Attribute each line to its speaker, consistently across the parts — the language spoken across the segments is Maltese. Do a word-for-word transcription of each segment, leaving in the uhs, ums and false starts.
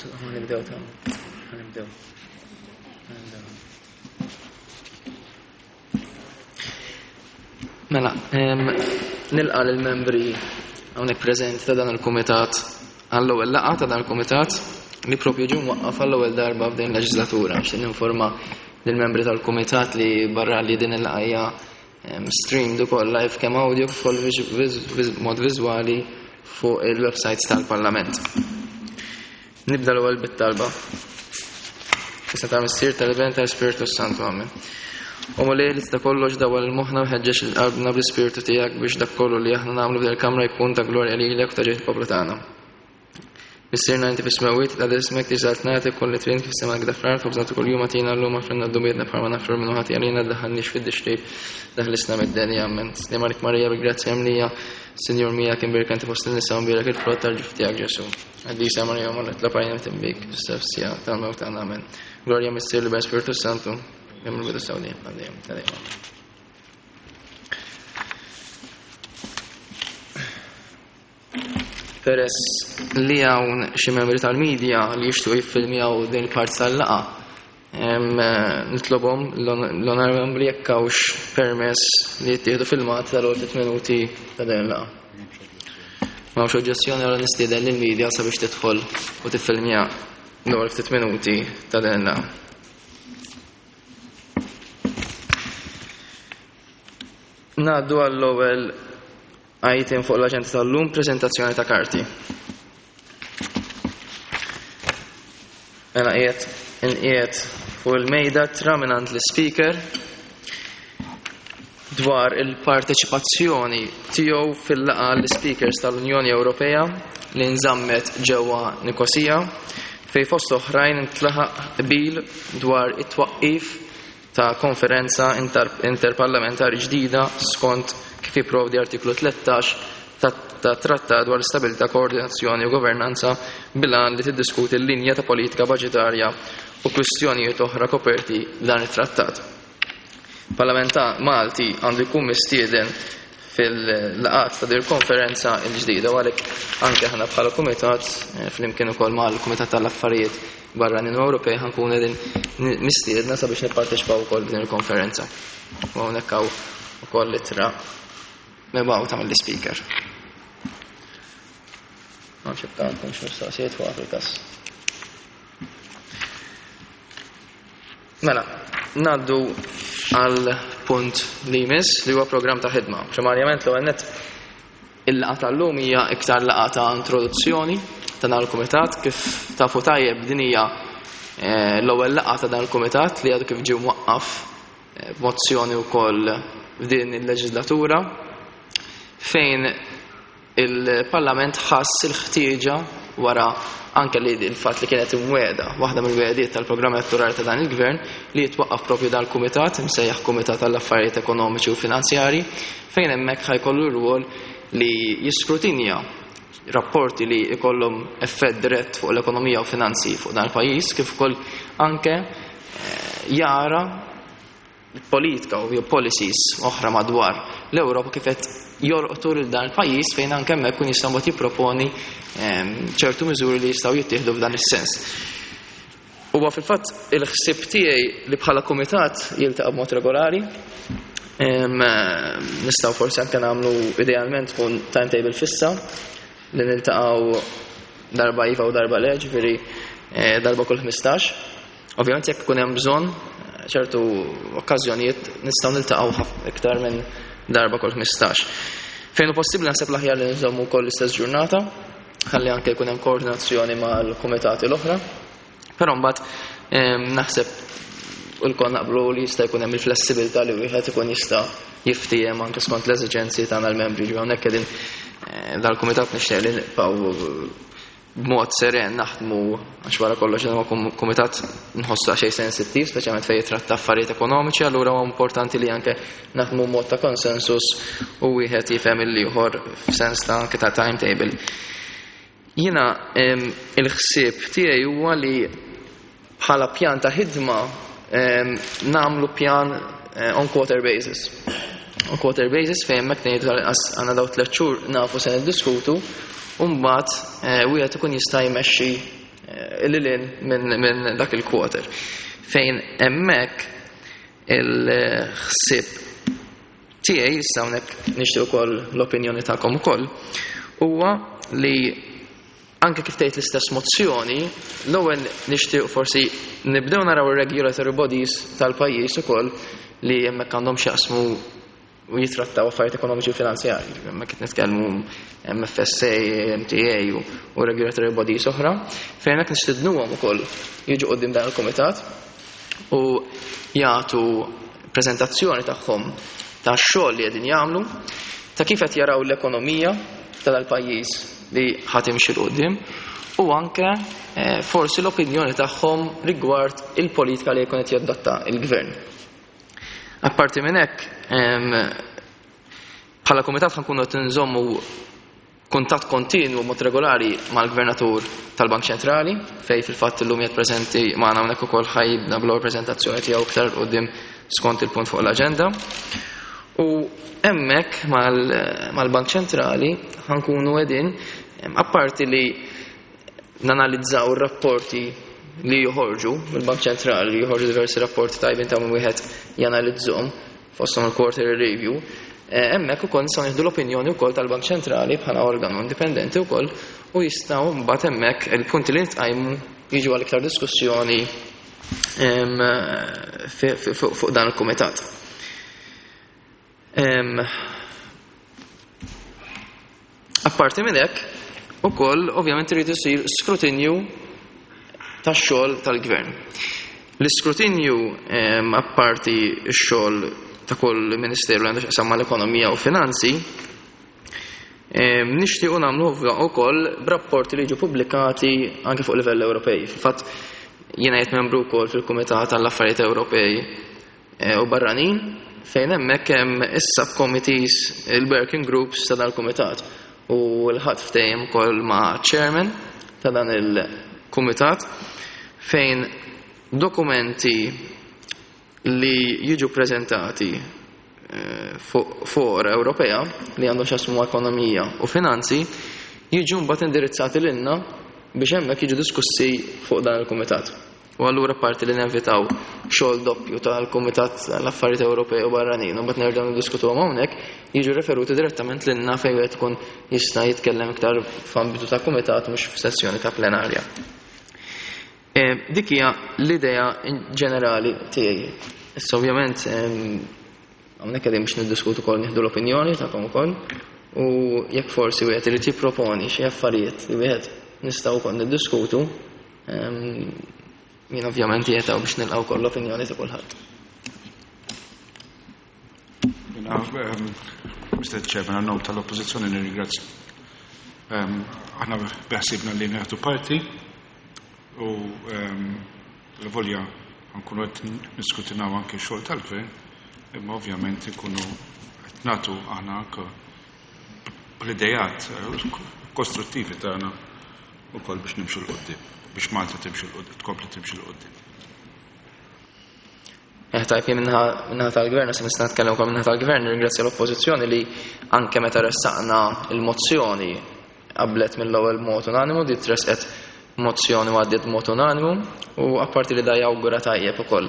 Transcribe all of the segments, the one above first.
Speaker 1: Nibdew ta' nibdew. Nibdew. Mela, nilqa' lill-membri hawnhekk preżenti ta' dan il-kumitat għall-ewwel laqgħa ta' dan il-kumitat li propju ġie mwaqqaf għall-ewwel darba f'din il-leġislatura. Nixtieq ninforma lill-membri tal-kumitat li barra li din il-laqgħa hija streamed ukoll live kemm audio kif ukoll mod viżwali fuq il-websites tal-Parlament. Nibda l-ewwel bit-talba. Issa ta' Missier tal-Iben tal-Ispirtu Santu, amen. O Mulej li tista' kollox dawwal moħħna u ħeġġeġ qalbna bl-Ispirtu tiegħek biex dak kollu li aħna nagħmlu f'din il-kamra jkun ta' glorja lilek u ta' ġieħ il-poplu tagħna. Missierna inti fis-smewwiet, tqaddes ismek, tiġi saltnatek, ikun li trid kif fis-sema hekk fl-art, ħobżna ta' kuljum agħtina llum, aħfrilna dnubietna bħalma naħfru min hu ħati għalina, tdaħħalniex fid-tixrib, eħlisna mid-deni, amen. Sliem għalik Marija, bil-grazzja mimlija, Sinjur miegħek, imbierka inti fost in-nisa, u mbierek il-frott tal-ġuf tiegħek Ġesù. Qaddisa Marija, Omm Alla, itlob għalina midinbin, issa fis-siegħa tal-mewt tagħna, amen. Glorja Missier l-Iben Spiritu Santu, kemm il-bidu sa dejjem, għal dejjem, ta' dejjem. Peress li hawn xi membri tal-medja li jixtiequ jiffilmjaw din il-parti tal-laqgħa, nitlobhom l-onorevoli membri jekk hawnx permess li jittieħdu filmat tal-ewwel ftit minuti ta' din il-laqgħa. M'hawnx oġġezzjoni, allura nistieden lill-medja sabiex tidħol u tiffilmja l-ewwel ftit minuti ta' din il-laqgħa. Ngħaddu għall-ewwel item fuq l-aġenda tal-lum, preżentazzjoni ta' karti. Mela qiegħed inqiegħed fuq il-mejda tra mingħand l-speaker dwar il-parteċipazzjoni tiegħu fil-laqgħa l-speakers tal-Unjoni Ewropea li nżammet ġewwa Nikosija, fejn fost oħrajn intlaħaq qbil dwar it-twaqqif ta' konferenza inter-, interparlamentari ġdida skont kif jipprovdi artiklu tlettax ta', ta' trattat dwar l-istabilità, koordinazzjoni u governanza bil-għan li tiddiskuti l-linja ta' politika budġetarja u kwistjonijiet oħra koperti b'dan it-trattat. Parlament Malti għandu jkun mistieden fil-laqgħat ta' din il-konferenza l-ġdida, u għalhekk anke aħna bħala kumitat, eh, flimkien ukoll mal-Kumitat tal-Affarijiet Barranin u Ewropej ħankun qegħdin mistiedna sabiex nipparteċipaw ukoll f'din il-konferenza. U hawnhekk hawn ukoll ittra mibgħuta mill-ispeaker. Ma nafx jekk għandkom xi mistoqsijiet fuq fil-każ. Mela, ngħaddu għal punt li jmiss li huwa programm ta' ħidma. Primarjament l-ewwel nett il-laqgħa tal-lum hija iktar laqgħa ta' introduzzjoni ta' dan il-kumitat. Kif tafu tajjeb din hija, eh, l-ewwel laqgħa ta' dan il-kumitat li għadu kif ġie mwaqqaf, eh, b'mozzjoni wkoll f'din il-leġislatura, fejn il-Parlament ħass il-ħtieġa wara anke li il-fatt li kienet imwiegħda, waħda mill-wegħdiet tal-programm elettorali ta' dan il-gvern, li jitwaqqaf propju dan il-kumitat, imsejjaħ Kumitat tal-Affarijiet Ekonomiċi u Finanzjari, fejn hemmhekk ħajkollu rwol li jiskrutinja rapporti li jkollhom effett dirett fuq l-ekonomija u finanzi fuq dan il-pajjiż, kif ukoll anke, eh, jara politika u policies oħra madwar l-Ewropa kif qed jolqtu lil dan il-pajjiż, fejn anke hemmhekk kun jista' mbagħad jipproponi, ehm, ċertu miżuri li jistgħu jittieħdu f'dan is-sens. Huwa fil-fatt il-ħsieb tiegħi li bħala kumitat jiltaqa' b'mod regolari. Ehm, nistgħu forsi anke nagħmlu idealment tkun timetable fissa li niltaqgħu darba iva u darba le, ġifieri, eh, darba kull ħmistax. Ovvjament jekk ikun hemm bżonn ċertu okkażjonijiet nistgħu niltaqgħu ħaf-, iktar minn darba kull ħmistax. Fejn hu possibbli naħseb l-aħjar li nżommu wkoll l-istess ġurnata, ħalli anke jkun hemm koordinazzjoni mal-kumitati l-oħra. Però mbagħad, ehm, naħseb lkoll naqblu li jista' jkun hemm il-flessibilità li wieħed ikun jista' jiftiehem anke skont l-eżiġenzi tagħna l-membri. Ġifieri hawnhekk qegħdin, eh, dal-kumitat nixtieq li nibqgħu b'mod seren naħdmu, għax wara kollox dan huwa kum-, kumitat nħossu xejn sensittiv, speċjalment fejn jitratta affarijiet ekonomiċi, allura huwa importanti li anke naħdmu b'mod ta' konsensus u wieħed jifhem il-ieħor f'sens ta' anke ta' timetable. Jiena, em, il-ħsieb tiegħi huwa li bħala pjan ta' ħidma, em, nagħmlu pjan, eh, on quarter basis. On quarter basis fejn hemmhekk ngħidu tal-inqas għandna dawn tliet xhur nafu se niddiskutu, u mbagħad, eh, wieħed ikun jista' jmexxi, lil hinn minn min dak il-quarter. Fejn hemmhekk il-ħsieb tiegħi, issa hawnhekk nixtieq ukoll l-opinjoni tagħkom ukoll, huwa li anke kif tgħid l-istess mozzjoni, l-ewwel nixtieq forsi nibdew naraw ir-regulatory bodies tal-pajjiż ukoll li hemmhekk għandhom x'jaqsmu u jitrattaw affarijiet ekonomiċi u finanzjarji. Hemmhekk qed nitkellmu M F S A, M T A u, u regulatory bodies oħra, fejn hekk nistidnuhom ukoll jiġu quddiem dan il-kumitat u jagħtu preżentazzjoni tagħhom ta' xogħol li qegħdin jagħmlu, ta' kif qed jaraw l-ekonomija ta' dal-pajjiż li ħa timxi 'l quddiem u anke eh, forsi l-opinjoni tagħhom rigward il-politika li jkun qed jadotta il-gvern. Apparti minn hekk, em, bħala kumitat ħa nkunu qed nżommu kuntatt kontinwu mod regolari mal-Gvernatur tal-Bank Ċentrali, fej fil-fatt illum qiegħed preżenti magħna hawnhekk ukoll, ħa jibda bl-ewwel preżentazzjoni tiegħu iktar 'il quddiem skont il-punt fuq l-aġenda. U hemmhekk mal-Bank Ċentrali ħa nkunu qegħdin, apparti li nanalizzaw ir-rapporti li joħorġu mill-Bank Ċentrali, li joħorġu diversi rapporti tajbin ta' min wieħed janalizzhom, fosthom il-quarterly review, eh, hemmhekk ukoll nistgħu nieħdu l-opinjoni wkoll tal-Bank Ċentrali bħala organu indipendenti wkoll u jistgħu mbagħad hemmhekk il-punti li nitqajmu jiġu għal iktar diskussjoni em, fi- fi- fuq fuq dan il-kumitat. Em, Apparti minn hekk, ukoll ovvjament irid isir skrutinju tax-xogħol tal-gvern. L-iskrutinju, em, apparti x-xogħol ta' kull ministeru li għandu x'jaqsam mal-ekonomija u finanzi, em, nixtiequ nagħmlu wkoll b'rapporti li jiġu pubblikati anke fuq livell Ewropej. Fil-fatt jiena qiegħed membru wkoll fil-Kumitat tal-Affarijiet Ewropej eh, u Barranin, fejn hemmhekk hemm is-subcommittees, il-working groups ta' dal-kumitat, u l-ħadd ftehim ukoll ma' chairman ta' dan il-kumitat fejn dokumenti li jiġu prezentati eh, fuq fora Ewropea li għandhom x'jaqsmu ekonomija u finanzi jiġu mbagħad indirizzati lilna biex hemmhekk jiġu diskussi fuq dan il-kumitat. U allura parti li nevitaw xogħol doppju tal-Kumitat l-Affarijiet Ewropej u Barranin u mbagħad nerġgħu niddiskutuhom hawnhekk, jiġu referuti direttament lilna fejn wieħed ikun jista' jitkellem iktar f'ambitu ta' kumitat, mhux f'sessjoni ta' plenarja. Eh, Dik hija l-idea ġenerali tiegħi. Issa ovvjament em, hawnhekk qegħdin biex niddiskutu wkoll, nieħdu l-opinjoni tagħkom ukoll u jekk forsi wieħed irid jipproponi xi affarijiet li wieħed nistgħu wkoll niddiskutu, em, jien ovvjament qiegħed hawn biex nilqgħu wkoll l-opinjoni ta' kulħadd.
Speaker 2: Jiena, um, Mister Chairman, għan-nom tal-Oppożizzjoni nirringrazzja. Um, Aħna beħsibna li nieħdu parti u um, l-volja nkunu qed niskrutinaw anke x-xogħol tal-gvern, imma ovvjament nkunu qed nagħtu aħna anke bl-idejat eh, kostruttivi tagħna ukoll biex nimxu 'l quddiem, biex Malta timxi 'l quddiem, tkompli timxi 'l quddiem.
Speaker 1: Eh, tajb, jien min-naħa tal-gvern, se nista' nitkellem ukoll min-naħa tal-gvern, nirringrazzja l-Oppożizzjoni li anke meta ressaqna il-mozzjoni qablet mill-ewwel mod unanimu, di tresqet mozzjoni u għaddiet mod unanimu, u apparti li da jawgura tajjeb ukoll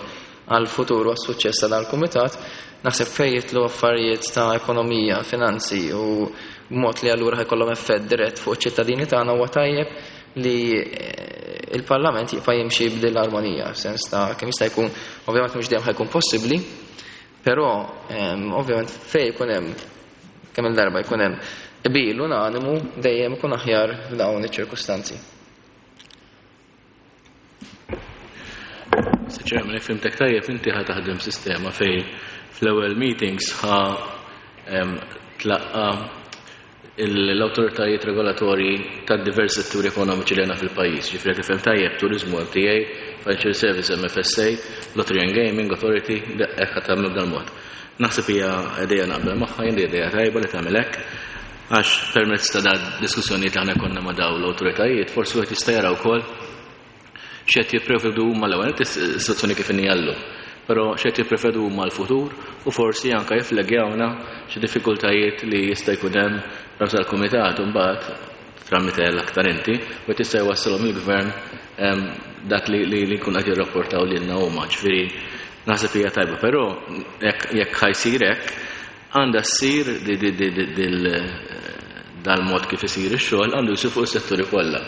Speaker 1: għal futur u għas-suċċess ta' dal-kumitat, naħseb fejn jidħlu affarijiet ta' ekonomija, finanzi u b'mod li allura ħa jkollhom effett dirett fuq iċ-ċittadini tagħna, huwa tajjeb li eh, il-Parlament jibqa' jimxi b'din l-armonija, sens ta' kemm jista' jkun, ovvjament mhux dejjem ħa jkun possibbli, però em, ovvjament fejn jkun hemm, kemm il-darba jkun hemm qbil unanimu, dejjem ikun aħjar f'dawn iċ-ċirkustanzi.
Speaker 3: Mister Chairman, jekk fhimtek tajjeb, inti ħa taħdem sistema fej fl-ewwel meetings ħa em, tlaqqa l-awtoritajiet regolatorji ta' diversi setturi ekonomiċi li għandna fil-pajjiż. Ġifieri tifhem tajjeb, turizmu M T A, Financial Service M F S A, Lottery and Gaming Authority, hekk ħa tagħmel b'dan mod. Naħseb hija idea naqbel magħha, jien idea tajba li tagħmel hekk, għax permezz ta' da diskussjonijiet li aħna konna ma' dawn l-awtoritajiet, forsi wieħed jista' jara wkoll x'qed jipprevedu huma, l-ewwel is-sitwazzjoni kif inhi llum, però x'qed jipprevedu huma l-futur u forsi anke jiflegjawna xi diffikultajiet li jista' jkun hemm ras tal-kumitat u mbagħad tramite l-aktar inti, u tista' jwassalhom il-gvern dak li li jkun qed jirrapportaw lilna huma. Ġifieri naħseb hija tajba, però jekk ħa jsir hekk, għandha ssir dal-mod kif isir ix-xogħol għandu jsir fuq is-setturi kollha.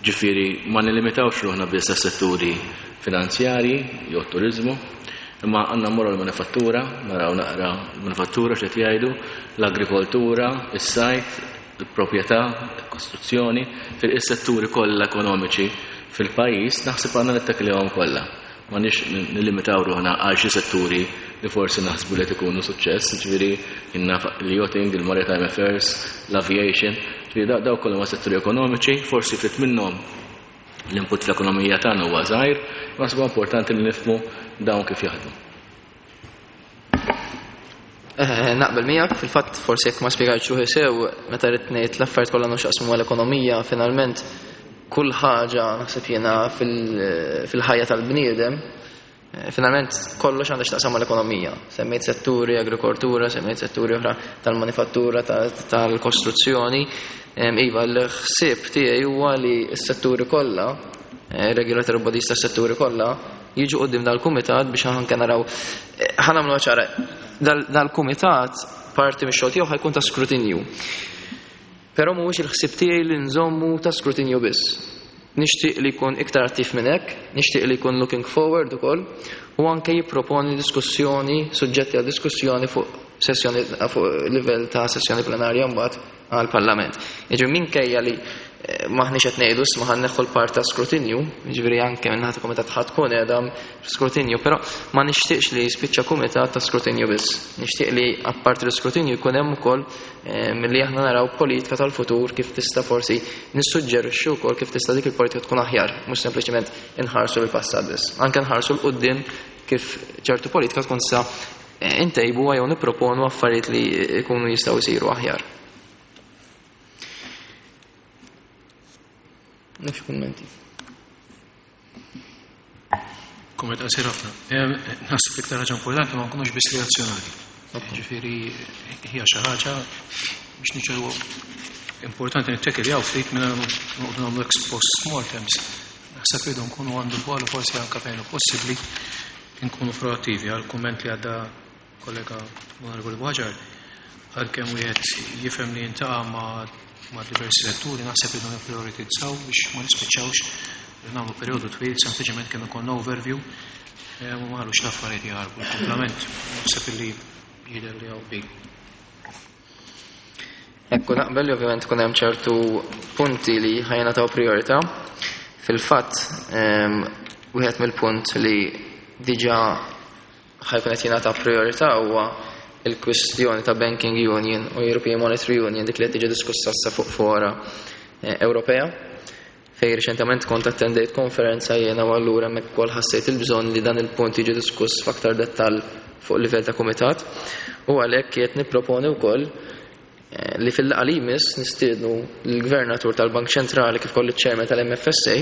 Speaker 3: Ġifieri ma nilimitawx ruħna biss għas-setturi finanzjarji jew turiżmu, imma għandna mmorru l-manifattura, naraw naqra l-manifattura x'qed jgħidu, l-agrikoltura, is-sajt, il-proprjetà, il-kostruzzjoni, fil-setturi kollha ekonomiċi fil-pajjiż naħseb għandna nittakilhom kollha. Ma nix nilimitaw ruħna għal xi setturi li forsi naħsbu li ikunu suċċess, ġifieri l-yachting, il-maritime affairs, l-aviation, ġifieri daw kollha ma setturi ekonomiċi, forsi ftit minnhom l-input fl-ekonomija tagħna huwa żgħir, ma naħsbu importanti li nifhmu dawn kif jaħdmu.
Speaker 1: Eh, naqbel miegħek, fil-fatt forsi jekk ma spjegajtx ruħi sew, meta rrid ngħid l-affarijiet kollha għandhom x'jaqsmu mal-ekonomija, finalment kull ħaġa naħseb jiena fil-ħajja tal-bniedem, finalment kollox għandha x'taqsam mal-ekonomija. Semmejt setturi agrikoltura, semmejt setturi oħra tal-manifattura, tal-kostruzzjoni. Iva, l-ħsieb tiegħi huwa li s-setturi kollha, regulatory bodies tas-setturi kollha, jiġu quddiem dal-kumitat biex anke naraw. Ħa nagħmlu ċara, dal-kumitat parti mix-xogħol tiegħu ħa jkun ta' skrutinju. Però mhuwiex il-ħsieb tiegħi li nżommu ta' skrutinju biss. Nixtieq li jkun iktar attiv minn hekk, nixtieq li jkun looking forward ukoll, u anke jipproponi diskussjoni, suġġetti għal diskussjoni fuq sessjoni fuq livell ta' sessjoni plenarja mbagħad għall-Parlament. Jiġifieri minkejja li maħniex qed ngħidu ma ħa nneħħu l-part ta' skrutinju, jiġifieri anke minn ħadd kumitat ħadd tkun qiegħda skrutinju, però ma nixtieqx li jispiċċa kumitat ta' skrutinju biss. Nixtieq li apparti l-iskrutinju jkun hemm ukoll milli aħna naraw politika tal-futur kif tista' forsi nissuġġerixxu wkoll kif tista' dik il-politika tkun aħjar, mhux sempliċement inħarsu l-passat biss. Anke nħarsu 'l quddiem kif ċertu politika tkun sa intejbu jew nipproponu affarijiet li jkunu jistgħu jsiru aħjar. Nafx kummenti.
Speaker 4: Kumment qasir ħafna. Naħseb l-iktar ħaġa importanti ma nkunux biss reazzjonali. Ġifieri hija xi ħaġa biex niċċeru importanti nittekiljaw ftit minn noqogħdu nagħmlu ex post mortems. Naħseb irridu nkunu għandu bħalu forsi anke fejn possibbli nkunu proattivi għal kumment li għadda kollega Onorevoli Buhagiar, għalkemm wieħed jifhem li jintaqa' ma' ma' diversi setturi, naħseb irridu nipprioritizzaw biex ma nispiċċawx li nagħmlu perjodu twil sempliċement kemm ikollna overview u ma ħallux l-affarijiet jaħarbu. Il-komplement naħseb illi jidher li hawn bi.
Speaker 1: Ekku naqbel li ovvjament kun hemm ċertu punti li ħajnataw priorità. Fil-fatt wieħed mill-punt li diġà ħajkun qed jingħata priorità huwa il-kwistjoni ta' Banking Union u European Monetary Union, dik li qed tiġi diskussa issa fuq fora Ewropea, fejn riċentement kont attendejt konferenza jiena u allura hemmhekk ukoll ħassejt il-bżonn li dan il-punt jiġi diskuss f'aktar dettall fuq livell ta' kumitat, u għalhekk qed nipproponi wkoll li fil-laqgħa li jmiss nistiednu l-Gvernatur tal-Bank Ċentrali kif ukoll iċ-Chairman tal-M F S A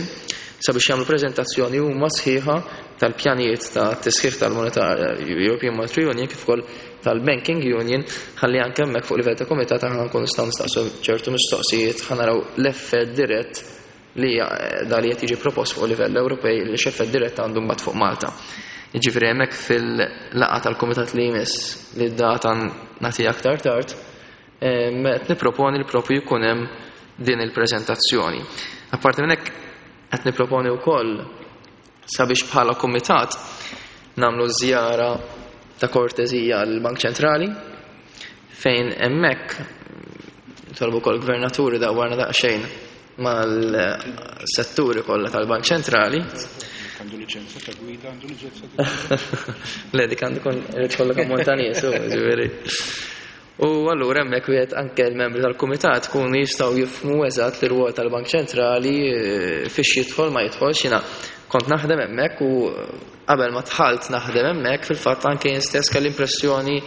Speaker 1: sabiex jagħmlu preżentazzjoni huma sħiħa tal-pjanijiet ta' tisħiħ tal-Monetar European Monetary Union kif ukoll tal-Banking Union, ħalli anke hemmhekk fuq livell ta' kumitat aħna nkunu nistgħu nistaqsu ċertu mistoqsijiet, ħa naraw l-effett dirett li da li qed jiġi propost fuq livell Ewropej li x'effett dirett għandu mbagħad fuq Malta. Jiġifieri hemmhekk fil-laqgħa tal-kumitat li jmiss li d-data nagħtiha aktar tard, qed nipproponi li propju jkun hemm din il-preżentazzjoni. Apparti minn hekk qed nipproponi wkoll sabiex bħala kumitat nagħmlu żjara ta' kortezija għall-Bank Ċentrali fejn hemmhekk nitolbu wkoll gvernaturi dawwarna daqsxejn mal-setturi kollha tal-Bank Ċentrali.
Speaker 2: Għandu liċenzja ta' gwida, għandu liċenzja ta' gwida.
Speaker 1: Le, dik għandu kon irid kollok ammont ta' nies, u, ġifieri. U allura hemmhekk wieħed anke l-membri tal-kumitat kunu jistgħu jifhmu eżatt l-irwol tal-Bank Ċentrali fiex jidħol ma jidħolx. Jiena kont naħdem hemmhekk u qabel ma dħalt naħdem hemmhekk fil-fatt anke jien stess kelli impressjoni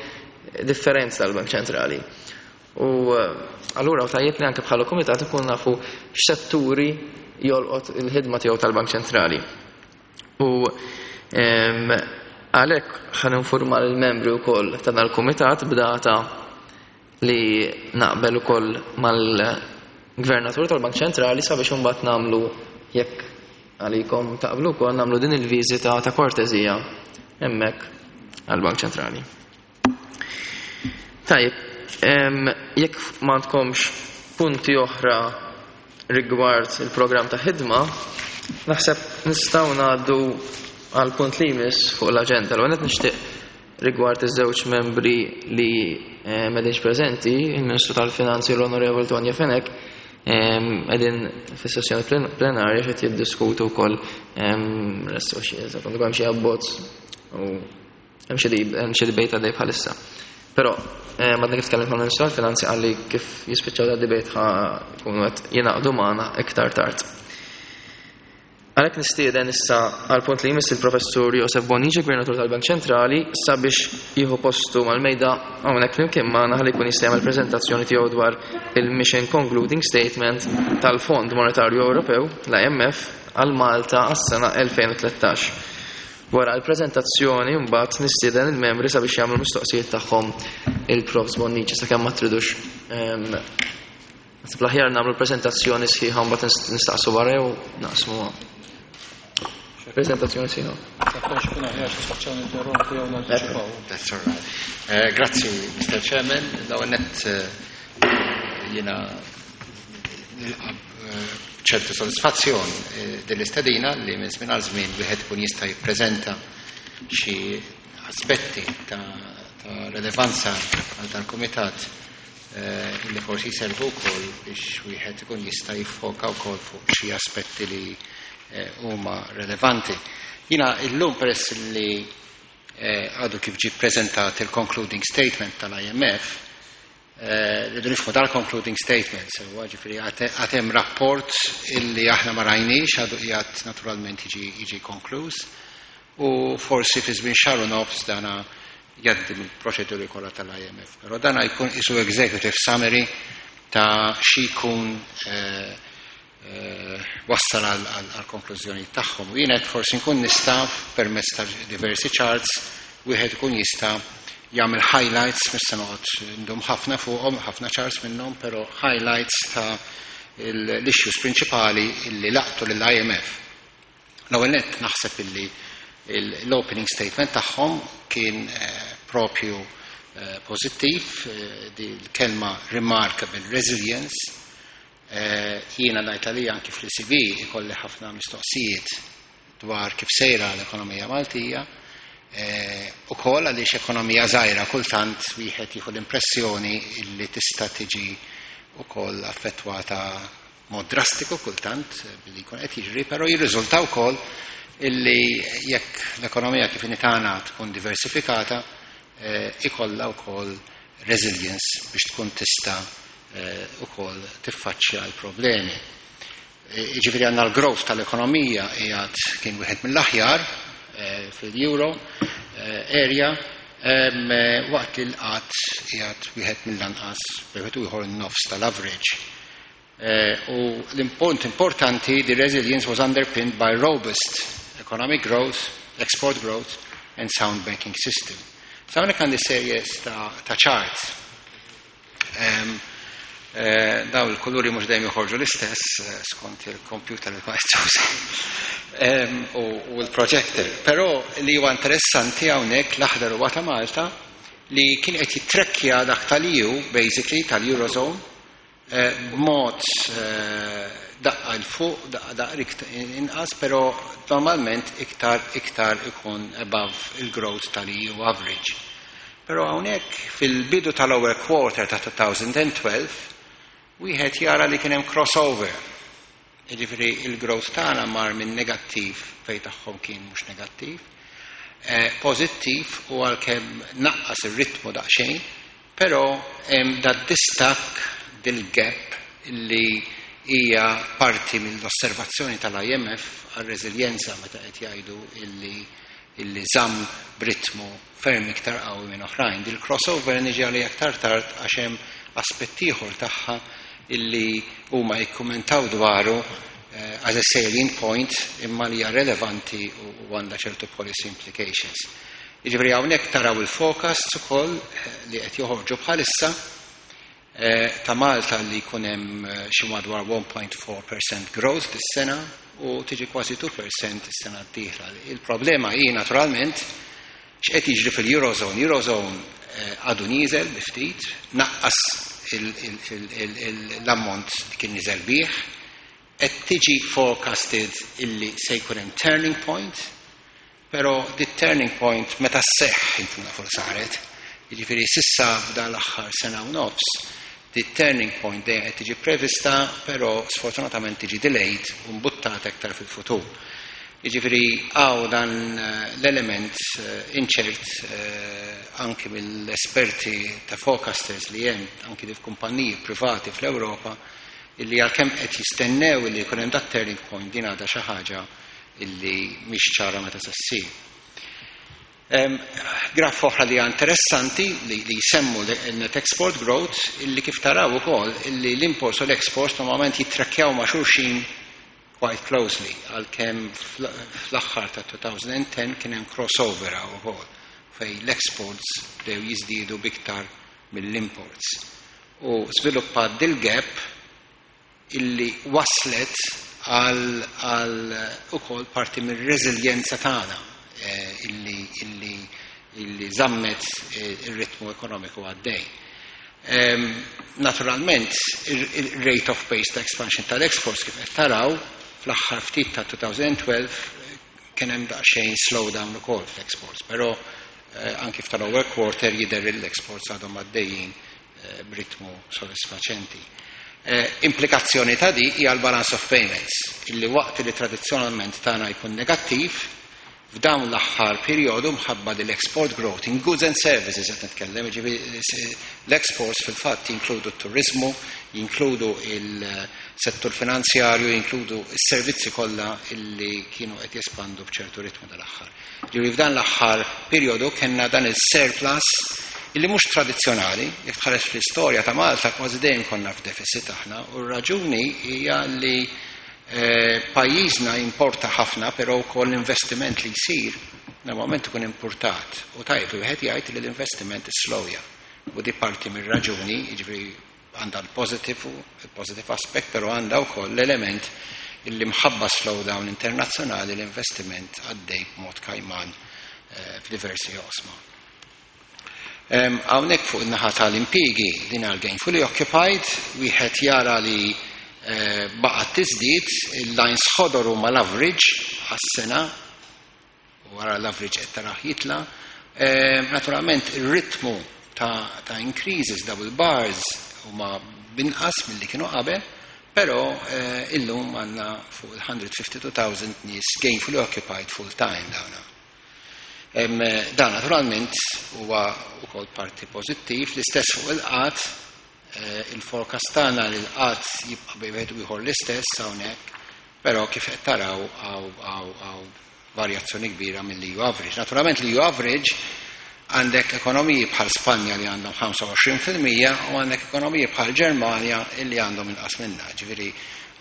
Speaker 1: differenti tal-Bank Ċentrali. U allura tajjeb li anke bħala kumitat ikun nafu x'setturi jolqot il-ħidma tiegħu tal-Bank Ċentrali. U, ehm, għalhekk ħa ninforma lill-membri wkoll ta' dal-kumitat b'data li naqbel ukoll mal Gvernatur tal-Bank Ċentrali sabiex imbagħad nagħmlu, jekk għalikom taqblu wkoll, nagħmlu din il-viżita ta' kortezija hemmhekk għall-Bank Ċentrali. Tajjeb, jekk m'għandkomx punti oħra rigward il-programm ta' ħidma, naħseb nistgħu ngħaddu għal punt li jmiss fuq l-aġenda. L-ewwel nixtieq rigward iż-żewġ membri li m'qegħdinx preżenti, il-Ministru tal-Finanzi, l-Onorevoli Tonio Fenech, qegħdin fis-sessjoni plenarja qed jiddiskutu wkoll hemm xi abbozz u hemm xi debate għaddej bħalissa. Però madna kif tkellimt mal-Ministru tal-Finanzi, qalli kif jispiċċaw da debate ħa jkunu qed jingħaqdu magħna iktar tard. Għalhekk nistieden issa għal punt li jmiss il-Professur Josef Bonnici, Gvernatur tal-Bank Ċentrali, sabiex jieħu postu mal-mejda hawnhekk flimkien magħna ħalli jkun jista' jagħmel preżentazzjoni tiegħu dwar il-Mission Concluding Statement tal-Fond Monetarju Ewropew, l-I M F, għal Malta għas-sena elfejn u tlettax. Wara l-preżentazzjoni mbagħad nistieden il-membri sabiex jagħmlu mistoqsijiet tagħhom il-Profs Bonnici, sakemm ma tridux. Naħseb l-aħjar nagħmlu preżentazzjoni sħiħa, mbagħad nistaqsu wara jew naqsmu prezentazzjoni sħiħa.
Speaker 5: That's all right. Uh, grazzi, Mister Chairman. L-ewwel nett uh, jiena nilqa' ċertu soddisfazzjon dell-istedina li minn żmien għal żmien wieħed ikun jista' jippreżenta xi aspetti ta', ta relevanza għal dal-kumitat li forsi jservu wkoll biex wieħed ikun jista' jiffoka wkoll fuq xi aspetti li huma relevanti. Jiena illum, peress li għadu kif ġi prezentat il-concluding statement tal-I M F, rridu nifhmu dal-concluding statement, sewa, ġifieri għad hemm rapport illi aħna ma rajniex, għadu qiegħed naturalment jiġi konkluż, u forsi fi żmien xahar u nofs dana jgħaddi mill-proċeduri kollha tal-I M F. Però dana jkun isu executive summary ta' xi jkun wassal għal konklużjoni tagħhom. U jiena forsi nkun nista' permezz ta' diversi charts wieħed ikun jista' jagħmel highlights, mhux se noqgħod ndum ħafna fuqhom, ħafna charts minnhom, però highlights ta' l-issues prinċipali illi laqtu lill-I M F. L-ewwel nett naħseb illi l-opening statement tagħhom kien propju pożittiv, di l-kelma "remarkable resilience". Jiena ngħid għalija, anki fl-E C B ikolli ħafna mistoqsijiet dwar kif sejra l-ekonomija Maltija, u koll għaliex ekonomija żgħira kultant wieħed jieħu l-impressjoni illi tista' tiġi ukoll affettwata mod drastiku kultant billi jkun qed jiġri, però jirriżulta wkoll illi jekk l-ekonomija kif inhi tagħna tkun diversifikata, ikollha wkoll resilience biex tkun tista' ukoll tiffaċċja l-problemi. Ġifieri għandna l-growth tal-ekonomija qiegħed kien wieħed mill-aħjar fil-euro area, waqt li l-qgħad qiegħed wieħed mill-anqas, wieħed ieħor nofs tal-average. U l-punt importanti, the resilience was underpinned by robust economic growth, export growth and sound banking system. Sa hawnhekk għandi series ta', ta charts. Um, eh, daw il-kuluri mhux dejjem joħorġu l-istess skont il-computer li kont u, u l-projector. Però li huwa interessanti hawnhekk, l-aħdar huwa ta' Malta li kien qed jitrekkja dak tal-E U, basically tal-Eurozone, b'mod daqqa 'l fuq, daqqa daqqa inqas, però normalment iktar iktar ikun above il-growth tal-E U average. Però hawnhekk fil-bidu tal-ewwel quarter ta' elfejn u tnax wieħed jara li kien hemm crossover. Jiġifieri il-growth tagħna mar minn negattiv, fejn tagħhom kien mhux negattiv, eh, pożittiv, u għalkemm naqqas ir-ritmu daqsxejn, però hemm da distakk, dil-gap illi hija parti mill-osservazzjoni tal-I M F għal-reżiljenza meta qed jgħidu illi illi żamm b'ritmu ferm iktar qawwi minn oħrajn. Dil-crossover niġi għalija aktar tard għax hemm aspett ieħor tagħha illi huma jikkumentaw dwaru eh, as a salient point, imma li hija relevanti u għandha ċertu policy implications. Jiġifieri hawnhekk taraw il-forecasts ukoll li qed joħorġu bħalissa. Eh, ta' Malta li jkun hemm eh, xi madwar one point four percent growth dis-sena u tiġi kważi two percent is-sena d-dieħla. Il-problema hi naturalment x'qed jiġri fil-Eurozone. Eurozone eh, għadu nieżel bi ftit, naqqas l-ammont li kien niżel bih, qed tiġi forecasted illi se jkun hemm turning point, però di turning point meta sseħħ inkun nafu saret. Jiġifieri s'issa f'dan l-aħħar sena u nofs, di turning point dejjem qed tiġi prevista, però sfortunatament tiġi delayed u mbuttata aktar fil-futur. Jiġifieri hawn dan eh, l-element eh, inċert eh, anki mill-esperti ta' forecasters li hemm anki di kumpaniji privati fl-Ewropa, illi għalkemm qed jistennew illi jkun hemm dat turning point, din għadha xi ħaġa illi mhix ċara meta se ssir. Graf oħra li interessanti li, li jsemmu net export growth, illi kif taraw ukoll illi l-imports u l-exports normalment jittrakkjaw ma' xulxin quite closely, għalkemm fl-aħħar ta' twenty ten kien hemm crossover ukoll fej l-exports bdew jiżdiedu biktar mill-imports. U żviluppat dil-gap illi waslet għal, għal ukoll parti mir-reżiljenza tagħna eh, illi, illi, illi żammet eh, ir-ritmu ekonomiku għaddej. Um, naturalment, il-rate of pace ta' expansion tal-exports, kif qed taraw, fl-aħħar ftit ta' twenty twelve kien hemm daqsxejn slowdown ukoll fl-exports, però eh, anki f'tal-ewwel quarter jidher l-exports għadhom għaddejjin eh, b'ritmu sodisfaċenti. Eh, implikazzjoni ta' di hija l-balance of payments, illi waqt li tradizzjonalment tagħna jkun negattiv, f'dawn l-aħħar perjodu mħabba l-export growth in goods and services qed nitkellem, jiġifieri l-exports fil-fatt jinkludu t-turizmu, jinkludu il-settur finanzjarju, jinkludu s-servizzi kollha illi kienu qed jespandu b'ċertu ritmu dal-aħħar. Ġifieri f'dan l-aħħar perjodu kellna dan il-surplus illi mhux tradizzjonali. Jekk tħares fl-istorja ta' Malta, kważi dejjem konna f'deficit aħna, u r-raġuni hija li eh, pajjiżna importa ħafna, però wkoll l-investiment li jsir normalment ikun importat. U tajb li wieħed jgħid li l-investiment islowja. U di parti mir-raġuni, jiġifieri għandha l-positive il-positive aspect, però għandha wkoll l-element illi mħabba slowdown internazzjonali l-investiment għaddej b'mod kajman eh, f'diversi oqsma. Hawnhekk fuq in-naħa tal-impjiegi, din għal gainfully occupied, wieħed jara li eh, baqgħet tiżdied. Il-lines ħodor huma l-average għas-sena, u wara l-average qed tarah jitla. Naturalment ir-ritmu ta', ta increases, double bars, huma binqas milli kienu qabel, però eh, illum għandna fuq il-one hundred fifty-two thousand nies gainfully occupied full time dawna. Dan naturalment huwa wkoll parti pożittiv. L-istess fuq il-qgħad, eh, il-forecast tagħna li l-qgħad jibqa' bejn wieħed u ieħor l-istess hawnhekk, però kif qed taraw hawn varjazzjoni kbira mill-E U average. Naturalment l-E U average, għandek ekonomiji bħal Spanja li għandhom ħamsa u għoxrin fil-mija u għandek ekonomiji bħal Ġermanja illi għandhom inqas minna. Ġifieri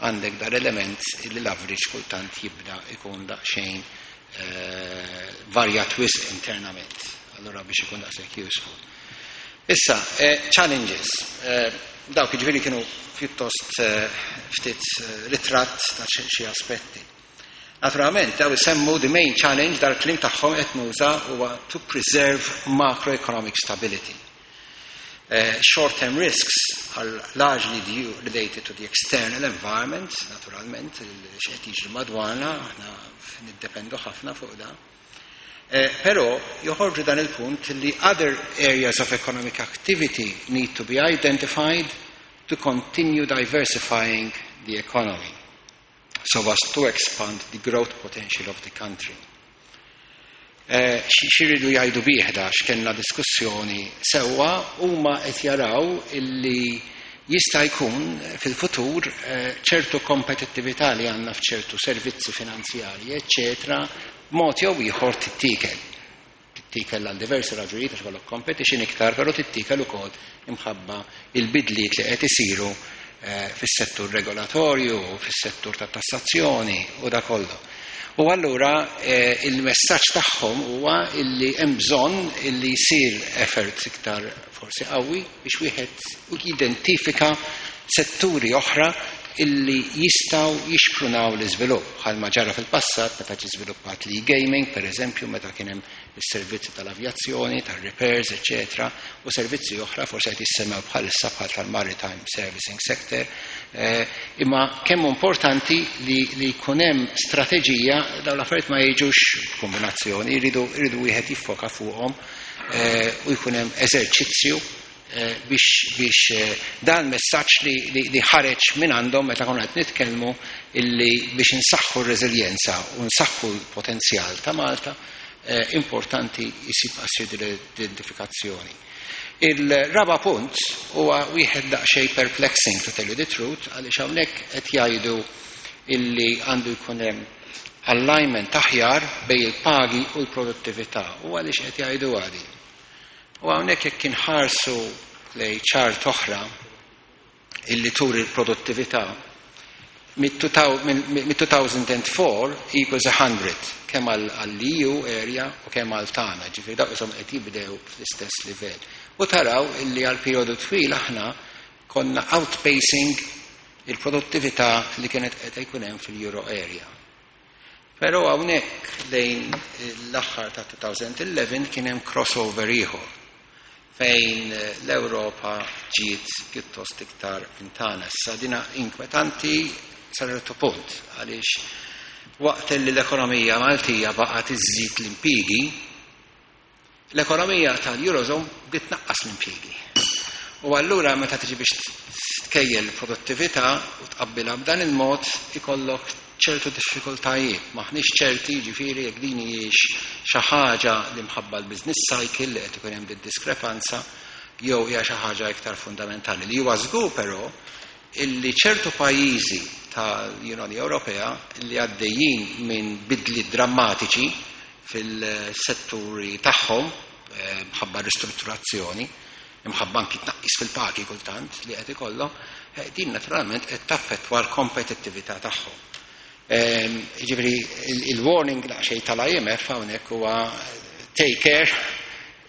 Speaker 5: għandek dar element illi l-average kultant jibda ikun daqsxejn eh, varjat wisq internament. Allora biex ikun daqshekk useful. Issa, eh, challenges. Eh, dawk ġifieri kienu pjuttost ftit ritratt ta' xi aspetti. Naturalment, daw isemmu the main challenge, dal-kliem tagħhom qed nuża, huwa to preserve macroeconomic stability. Uh, short-term risks are largely due, related to the external environment, naturalment, x'qed jiġri madwarna, aħna niddependu ħafna fuq da. Uh, però joħorġu dan il-punt li other areas of economic activity need to be identified to continue diversifying the economy so as to expand the growth potential of the country. Eh, X'iridu jgħidu bih da? X'kellna diskussjoni sewwa, huma qed jaraw illi jista' jkun fil-futur eh, ċertu kompetittività li għandna f'ċertu servizzi finanzjarji, eċċetera, b'mod jew ieħor tittikel. Tittikel għal diversi raġunijiet, għax kollok competition iktar, però tittikel ukoll imħabba il-bidliet li qed isiru eh, fis-settur regolatorju, fis-settur ta' tassazzjoni u da kollu. U allura eh, il-messaġġ tagħhom huwa illi hemm bżonn illi jsir effort iktar forsi qawwi biex wieħed jidentifika setturi oħra illi jistgħu jixprunaw l-iżvilupp, bħalma ġara fil-passat meta ġie żviluppat l-e-gaming, per eżempju, meta kien hemm is-servizzi tal-avjazzjoni, tal-repairs, eċetera, u servizzi oħra forsi qed jissemmew bħalissa bħal tal-maritime servicing sector. Eh, imma kemm importanti li, li jkun hemm strateġija. Dawn l-affarijiet ma jiġux kombinazzjoni, jridu jridu wieħed jiffoka fuqhom eh, u jkun hemm eżerċizzju eh, biex, biex eh, dan messaġġ li, li, li ħareġ minn għandhom meta konna qed nitkellmu illi biex insaħħu r-reżiljenza u nsaħħu l-potenzjal ta' Malta, eh, importanti jisib assir l-identifikazzjoni. Il-raba punt huwa wieħed daqsxejn perplexing, to tell you the truth, għaliex hawnhekk qed jgħidu illi għandu jkun hemm alignment aħjar bejn il-pagi u l-produttività. U għaliex qed jgħidu għadi? U hawnhekk jekk inħarsu lejn chart oħra illi turi l-produttività mid-two thousand four equals one hundred kemm għall-E U area u kemm għal tagħna, ġifieri dawk ishom qed jibdew fl-istess livell. U taraw illi għal perjodu twil aħna konna outpacing il-produttività li kienet qed jkun hemm fil-Euro area. Però hawnhekk lejn l-aħħar ta' twenty eleven kien hemm crossover ieħor fejn l-Ewropa ġiet pjuttost iktar minn tagħna. Issa dina inkwetanti sa ċertu punt, għaliex waqt li l-ekonomija Maltija baqgħet iżżid l-impjiegi, l-ekonomija tal-Eurozone bdiet tnaqqas l-impjiegi. U allura meta tiġi biex tkejjel l-produttività u tqabbilha b'dan il-mod, ikollok ċertu diffikultajiet. Maħniex ċerti, ġifieri, jekk din hijiex xi ħaġa li mħabba l-business cycle li qed ikun hemm diskrepanza jew hija xi ħaġa iktar fundamentali. Li huwa żgur però illi ċertu pajjiżi tal-Unjoni Ewropea li għaddejjin minn bidli drammatiċi fil-setturi tagħhom eh, mħabba ristrutturazzjoni, imħabba anki tnaqqis fil-pagi kultant li qed ikollhom, eh, din naturalment qed taffettwa l-kompetittività tagħhom. Ehm, Ġifieri il-warning daqsxejn tal-I M F hawnhekk huwa take care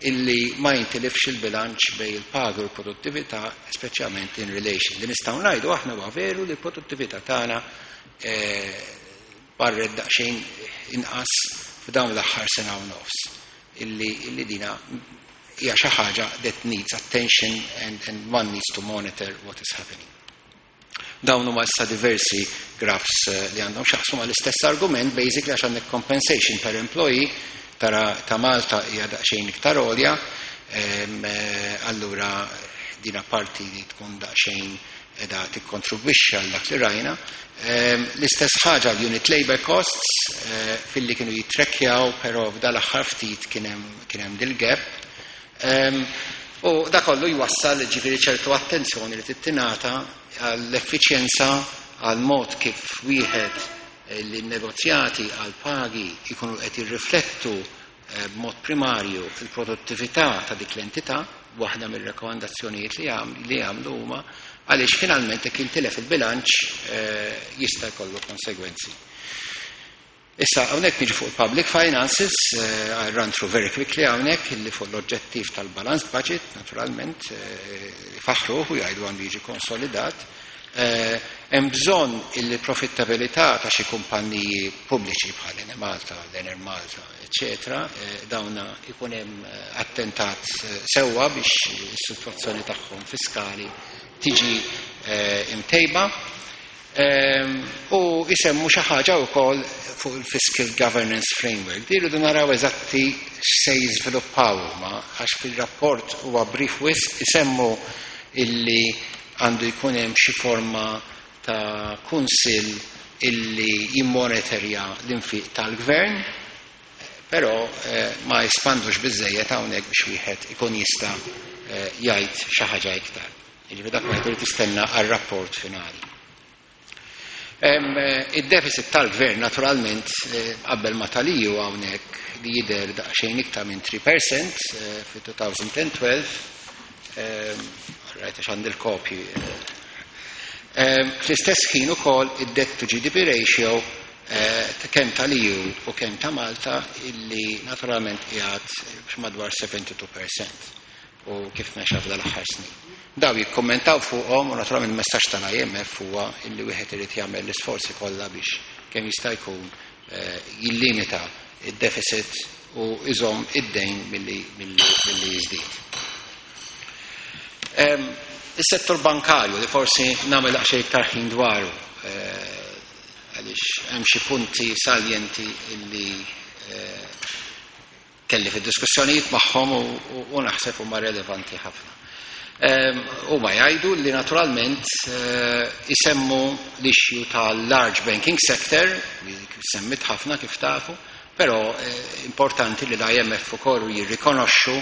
Speaker 5: illi ma jintilifx il-bilanċ bejn il-paga u l-produttività, speċjalment in relation. Li nistgħu ngħidu aħna huwa veru li l-produttività tagħna eh, barret daqsxejn inqas f'dawn l-aħħar sena u nofs. Illi, illi dina hija xi ħaġa that needs attention and, and one needs to monitor what is happening. Dawn huma issa diversi graphs eh, li għandhom x'jaqsmu mal-istess argument, basically, għax għandek compensation per employee, tara ta' Malta hija daqsxejn iktar għolja, em, eh, allura dina parti li tkun daqsxejn edha tikkontribwixxi għal dak li rajna. Em, L-istess ħaġa l-unit labor costs eh, filli kienu jitrekkjaw, però f'dal-aħħar ftit kien hemm kien hemm dil-gap. Em, U da kollu jwassal, ġifieri, ċertu attenzjoni li tittingħata għall-effiċjenza, għal mod kif wieħed eh, li negozjati għal pagi jkunu qed jirriflettu eh, b'mod primarju il-produttività ta' dik l-entità. Waħda mir-rekomandazzjonijiet li għam- li għamlu huma għaliex finalment jekk intilef il-bilanċ eh, jista' jkollu konsegwenzi. Issa, hawnhekk niġi fuq il-public finances, uh, I run through very quickly hawnhekk illi fuq l-oġġettiv tal-balanced budget, naturalment, uh, faħruh u jgħidu għandu jiġi konsolidat. Eh, Hemm bżonn illi profittabilità ta' xi kumpanniji pubbliċi bħal Enemalta, l-Enemalta, eċetera, eh, dawna ikun hemm eh, attentat eh, sewwa biex is-sitwazzjoni tagħhom fiskali tiġi eh, imtejba. Ehm, U jisemmu xi ħaġa wkoll fuq il-Fiscal Governance Framework. Di rridu naraw eżatti x'se jiżviluppaw huma, għax fil-rapport huwa brief wisq. Isemmu illi għandu jkun hemm xi forma ta' kunsill illi jimmonitorja l-infiq tal-gvern, però eh, ma jispandux biżejjed hawnhekk biex wieħed ikun jista' eh, jgħid xi ħaġa iktar. Jiġifieri dak wieħed irid jistenna għar-rapport finali. Em, eh, Id-deficit tal-gvern naturalment eh, qabel ma tal-E U hawnhekk li jidher daqsxejn iktar minn tlieta fil-mija eh, fi elfejn u tnax. Rajt għax għandi l-kopji. Em, Fl-istess ħin ukoll id-debt to G D P ratio kemm tal-E U u kemm ta' Malta, illi naturalment qiegħed madwar sebgħa u sebgħin fil-mija u kif mexa f'dal aħħar snin. Daw jikkommentaw fuqhom u naturalment il-messaġġ tal-I M F huwa illi wieħed irid jagħmel l-isforzi kollha biex kemm jista' jkun eh, jillimita id-deficit u iżomm id-dejn milli jiżdied. Is-settur bankarju, li forsi nagħmel daqsxejn iktar ħin dwaru eh, għaliex hemm xi punti saljenti illi eh, kelli fid-diskussjonijiet magħhom u naħseb huma relevanti ħafna. Huma jgħidu li naturalment eh, isemmu l-issue tal-large banking sector, li semmit ħafna kif tafu, però eh, importanti li l-I M F ukoll jirrikonoxxu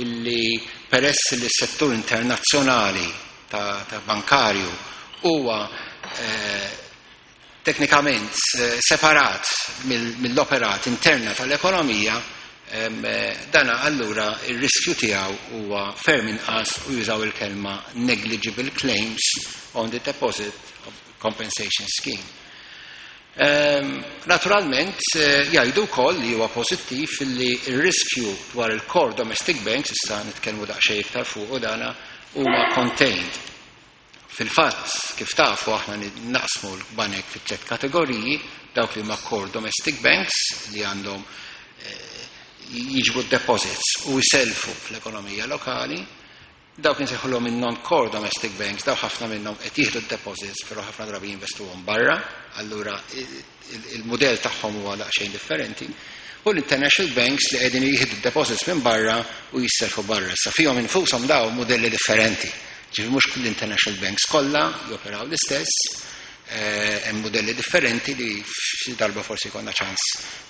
Speaker 5: illi peress li s-settur internazzjonali ta', ta bankarju huwa eh, teknikament separat mill-operat interna tal-ekonomija, Eh, dana allura il-riskju tiegħu huwa ferm inqas u jużaw il-kelma "negligible claims on the deposit of compensation scheme". Um, naturalment, eh, jgħidu wkoll li huwa pożittiv li il-riskju dwar il-core domestic banks, issa nitkellmu daqsxejn iktar fuq u dana, huwa contained. Fil-fatt, kif tafu, aħna naqsmu l-banek fit tliet kategoriji: dawk li huma core domestic banks li għandhom eh, jiġbu deposits u jiselfu fl-ekonomija lokali, dawk insejħulhom in-non-core domestic banks, daw ħafna minnhom qed jieħdu deposits, però ħafna drabi jinvestuhom barra, allura il-mudell tagħhom huwa daqsxejn differenti. U l-international banks li qegħdin jieħdu deposits minn barra u jisselfu barra. Sa fihom infushom daw modelli differenti. Ġifieri mhux l-international banks kollha joperaw l-istess, Eh, hemm modelli differenti li xi darba forsi konna ċans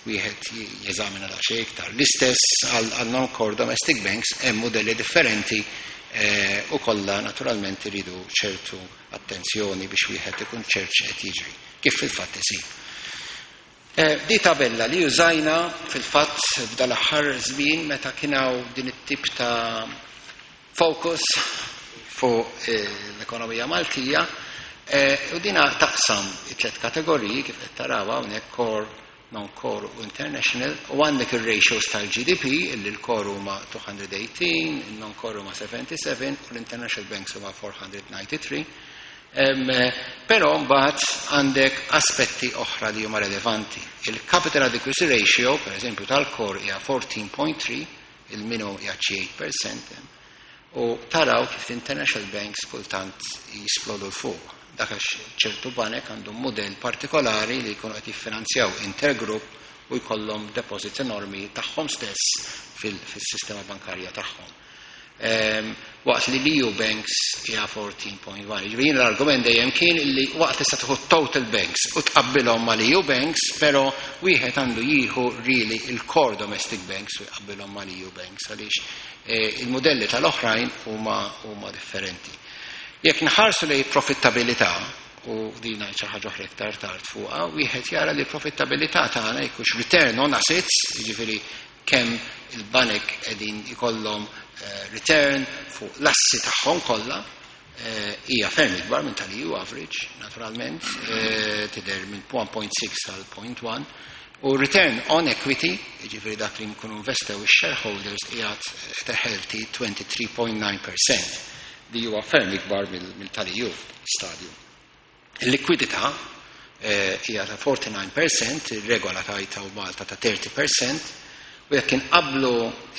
Speaker 5: wieħed jeżamina daqsxejn iktar. L-istess għal non-core domestic banks, hemm modelli differenti eh, u kollha naturalment iridu ċertu attenzjoni biex wieħed ikun ċert x'qed jiġri, kif fil-fatt isir. Eh, di tabella li użajna fil-fatt f'dal-aħħar żmien meta kien hawn din it-tip ta' focus fuq l-ekonomija Maltija. Eh, u dina taqsam it-tlet kategoriji kif qed taraw hawnhekk: core, non-core u international, u għandek il-ratios tal-G D P, illi l-core huma dmitejn u tmintax, il-non-core huma sebgħa u sebgħin u l-international banks huma erba' mija u disgħa u disgħin. Però mbagħad għandek aspetti oħra li huma relevanti. Il-capital adequacy ratio, per eżempju, tal-core hija erbatax punt tlieta, il-minimum hija tmienja fil-mija, u taraw kif l-international banks kultant jisplodu 'l fuq. Dak għax ċertu banek għandhom modell partikolari li jkunu qed jiffinanzjaw intergroup u jkollhom deposits enormi tagħhom stess fil-sistema bankarja tagħhom. Um, waqt li l-E U banks hija erbatax punt wieħed. Ġifieri l-argument dejjem kien li waqt tista' tieħu total banks u tqabbilhom mal-E U banks, però wieħed għandu jieħu really il-core domestic banks u jqabbilhom mal-E U banks għaliex eh, il-modelli tal-oħrajn huma huma differenti. Jekk nħarsu lejn profittabilità, u dina xi ħaġa oħra iktar tard fuqha, wieħed jara li profittabilità tagħna jkunx return on assets, jiġifieri kemm il-banek qegħdin ikollhom eh, return fuq l-assi tagħhom kollha, eh, hija ferm ikbar minn tal-E U average, naturalment, eh, tidher minn wieħed punt sitta għal punt wieħed, u return on equity, jiġifieri dak li nkunu investew ix-shareholders, qiegħed at a healthy tlieta u għoxrin punt tnax fil-mija li huwa ferm ikbar mill-tal-E U stadju. Il-likwidità eh, hija ta' disgħa u erbgħin fil-mija, ir-regola tajta u Malta ta' tletin fil-mija, u jekk inqablu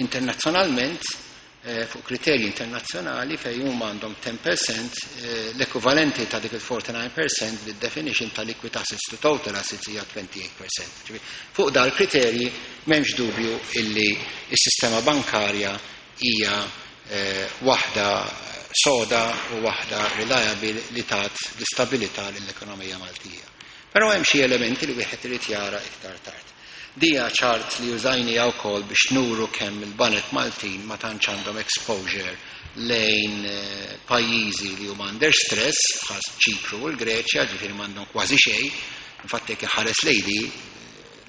Speaker 5: internazzjonalment eh, fuq kriterji internazzjonali fejn huma għandhom għaxra fil-mija, eh, l-ekwivalenti ta' dik il-disgħa u erbgħin fil-mija bid-definition ta' liquid assets to total assets hija tmienja u għoxrin fil-mija. Fuq dal kriterji m'hemmx dubju illi s-sistema bankarja hija waħda soda u waħda reliable li tat l-istabilità lill-ekonomija Maltija. Però hemm xi elementi li wieħed irid jara iktar tard. Dija chart li użajni wkoll biex nuru kemm il-banek Maltin ma tantx għandhom exposure lejn eh, pajjiżi li huma under stress bħal Ċipru u l-Greċja, ġifieri m'għandhom kważi xejn. Infatti jekk ħares lejdi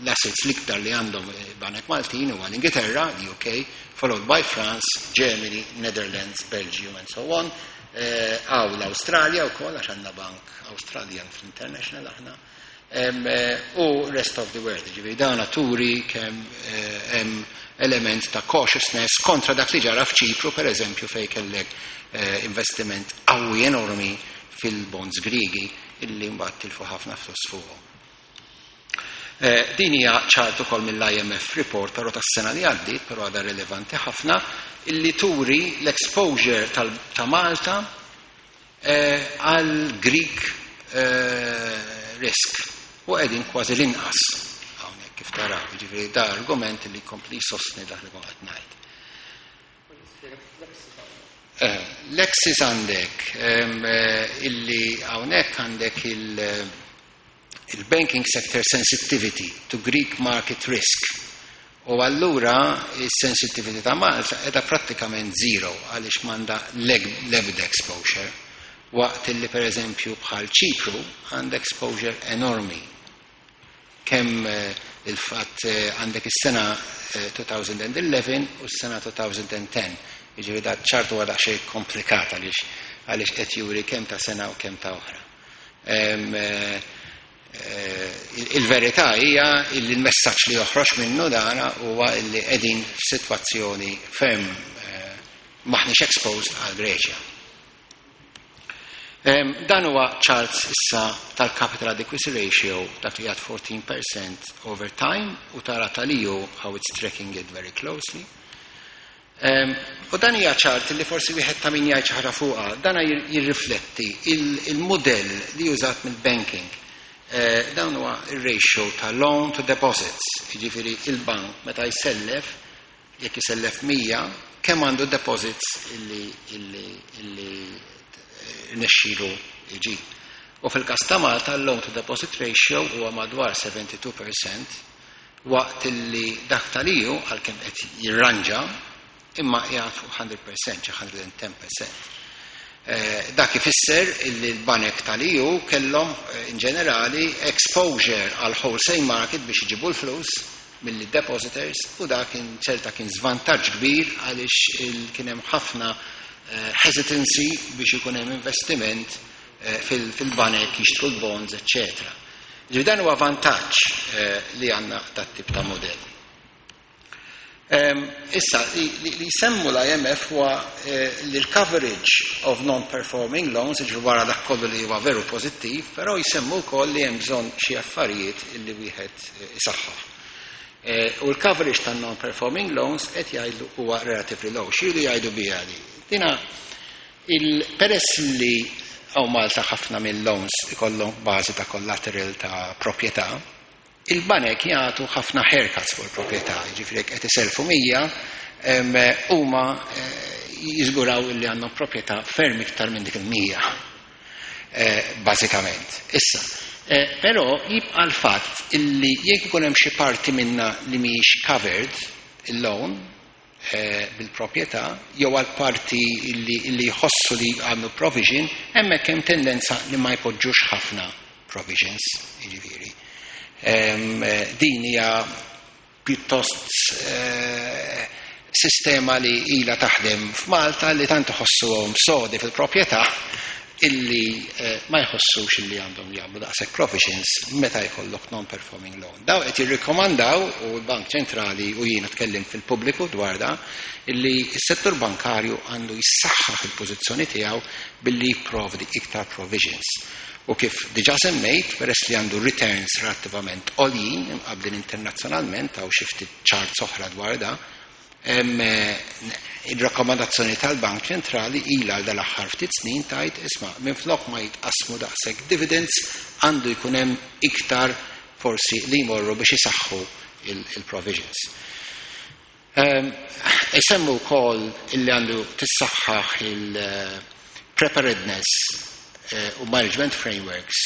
Speaker 5: l-assets l-iktar li għandhom banek Maltin huwa l-Ingilterra, l-U K, followed by France, Germany, Netherlands, Belgium and so on. Għaw l-Australia u koll, għax għandna bank Australian fl-International aħna. U rest of the world, ġifieri dana turi kemm hemm element ta' cautiousness kontra dak li ġara f'Ċipru, per eżempju, fej kellek investiment qawwi enormi fil-bonds Grigi illi mbagħad tilfu ħafna flus fuqhom. Din hija chart ukoll mill-I M F report, però tas-sena li għaddiet, però għadha rilevanti ħafna, illi turi l-exposure ta' Malta għal Greek risk u qegħdin kważi l-inqas hawnhekk kif taraw, ġifieri da argument li jkompli sostni dak li kont qed ngħid. L-axis għandek illi hawnhekk għandek il-banking sector sensitivity to Greek market risk. U allura il-sensitivity ta' Malta qiegħda prattikament zero għaliex m'għandha l-ebda exposure. Waqt illi, per eżempju, bħal Ċipru għandha exposure enormi. Kemm il-fatt għandek is-sena elfejn u għaxra u s-sena elfejn u għaxra. Jiġifieri da chart huwa daqsxejn komplikat għaliex għaliex qed juri kemm ta' sena u kemm ta' oħra. Il-verità hija li l-messaġġ li joħroġ minnu dana huwa li qegħdin f'sitwazzjoni ferm maħniex exposed għal Greċja. Dan huwa chart issa tal-capital adequacy ratio, dak li għad erbatax fil-mija over time, u tara tal-E U how it's tracking it very closely. U dan hija chart li forsi wieħed ta' min jgħid xi ħaġa fuqha, dan jirrifletti il-modell li użat mill-banking. Dan huwa ir-ratio ta' loan to deposits, jiġifieri il-bank meta jsellef, jekk isellef mija, kemm għandu deposits illi illi illi nexxielu iġib. U fil-każ ta' Malta l-loan to deposit ratio huwa madwar sebgħa u sebgħin fil-mija, waqt illi dak tal-E U, għalkemm qed jirranġa, imma qiegħed fuq mija fil-mija, xi mija u għaxra fil-mija. Dak ifisser illi l-banek tal-E U kellhom in ġenerali exposure għal wholesale market biex iġibu l-flus mill depositors, u dak kien ċerta kien żvantaġġ kbir għaliex kien hemm ħafna hesitancy biex ikun hemm investiment fil-banek jixtru l-bonds, eċċetera. Ġifieri dan huwa vantaġġ li għandna dat-tip ta' modell. Issa, li jsemmu l-I M F huwa li l-coverage of non-performing loans, ġifieri wara dak kollu li huwa veru pożittiv, però jsemmu wkoll li hemm bżonn xi affarijiet illi wieħed isaħħaħ. U l-coverage tan non-performing loans qed jgħidu huwa relatively low. X'iridu jgħidu biha di? Dina il-peress li hawn Malta ħafna mill-loans ikollhom bażi ta' collateral ta' proprjetà, il-banek jagħtu ħafna haircuts fuq il-proprjetà, jiġifieri qed iselfu mija, huma jiżguraw li għandhom proprjetà ferm iktar minn dik il-mija. Bażikament. Issa, però jibqa' l-fatt illi jekk ikun hemm xi parti minna li mhijiex covered il-loan bil-proprjetà jew għal parti illi jħossu li għandu provision, hemmhekk hemm tendenza li ma jpoġġux ħafna provisions, jiġifieri. Din hija pjuttost sistema li ila taħdem f'Malta, li tant iħossuhom sodi fil-proprjetà illi ma jħossux illi għandhom jagħmlu daqshekk provisions meta jkollok non-performing loan. Daw qed jirrikkomandaw, u l-Bank Ċentrali u jiena tkellim fil-pubbliku dwar da, illi s-settur bankarju għandu jissaħħaħ il-pożizzjoni tiegħu billi jipprovdi iktar provisions. U kif diġa semmejt, peress li għandu returns relattivament għoljin imqablin internazzjonalment, għaw xi ftit charts oħra dwar da, il-rakkomandazzjoni tal-Bank Ċentrali ila għal dal-aħħar ftit snin tajt isma' minn flok ma jitqasmu daqshekk dividends, għandu jkun hemm iktar forsi li jmorru biex isaħħu il-provisions. Isemmu wkoll illi għandu tissaħħaħ il-preparedness u management frameworks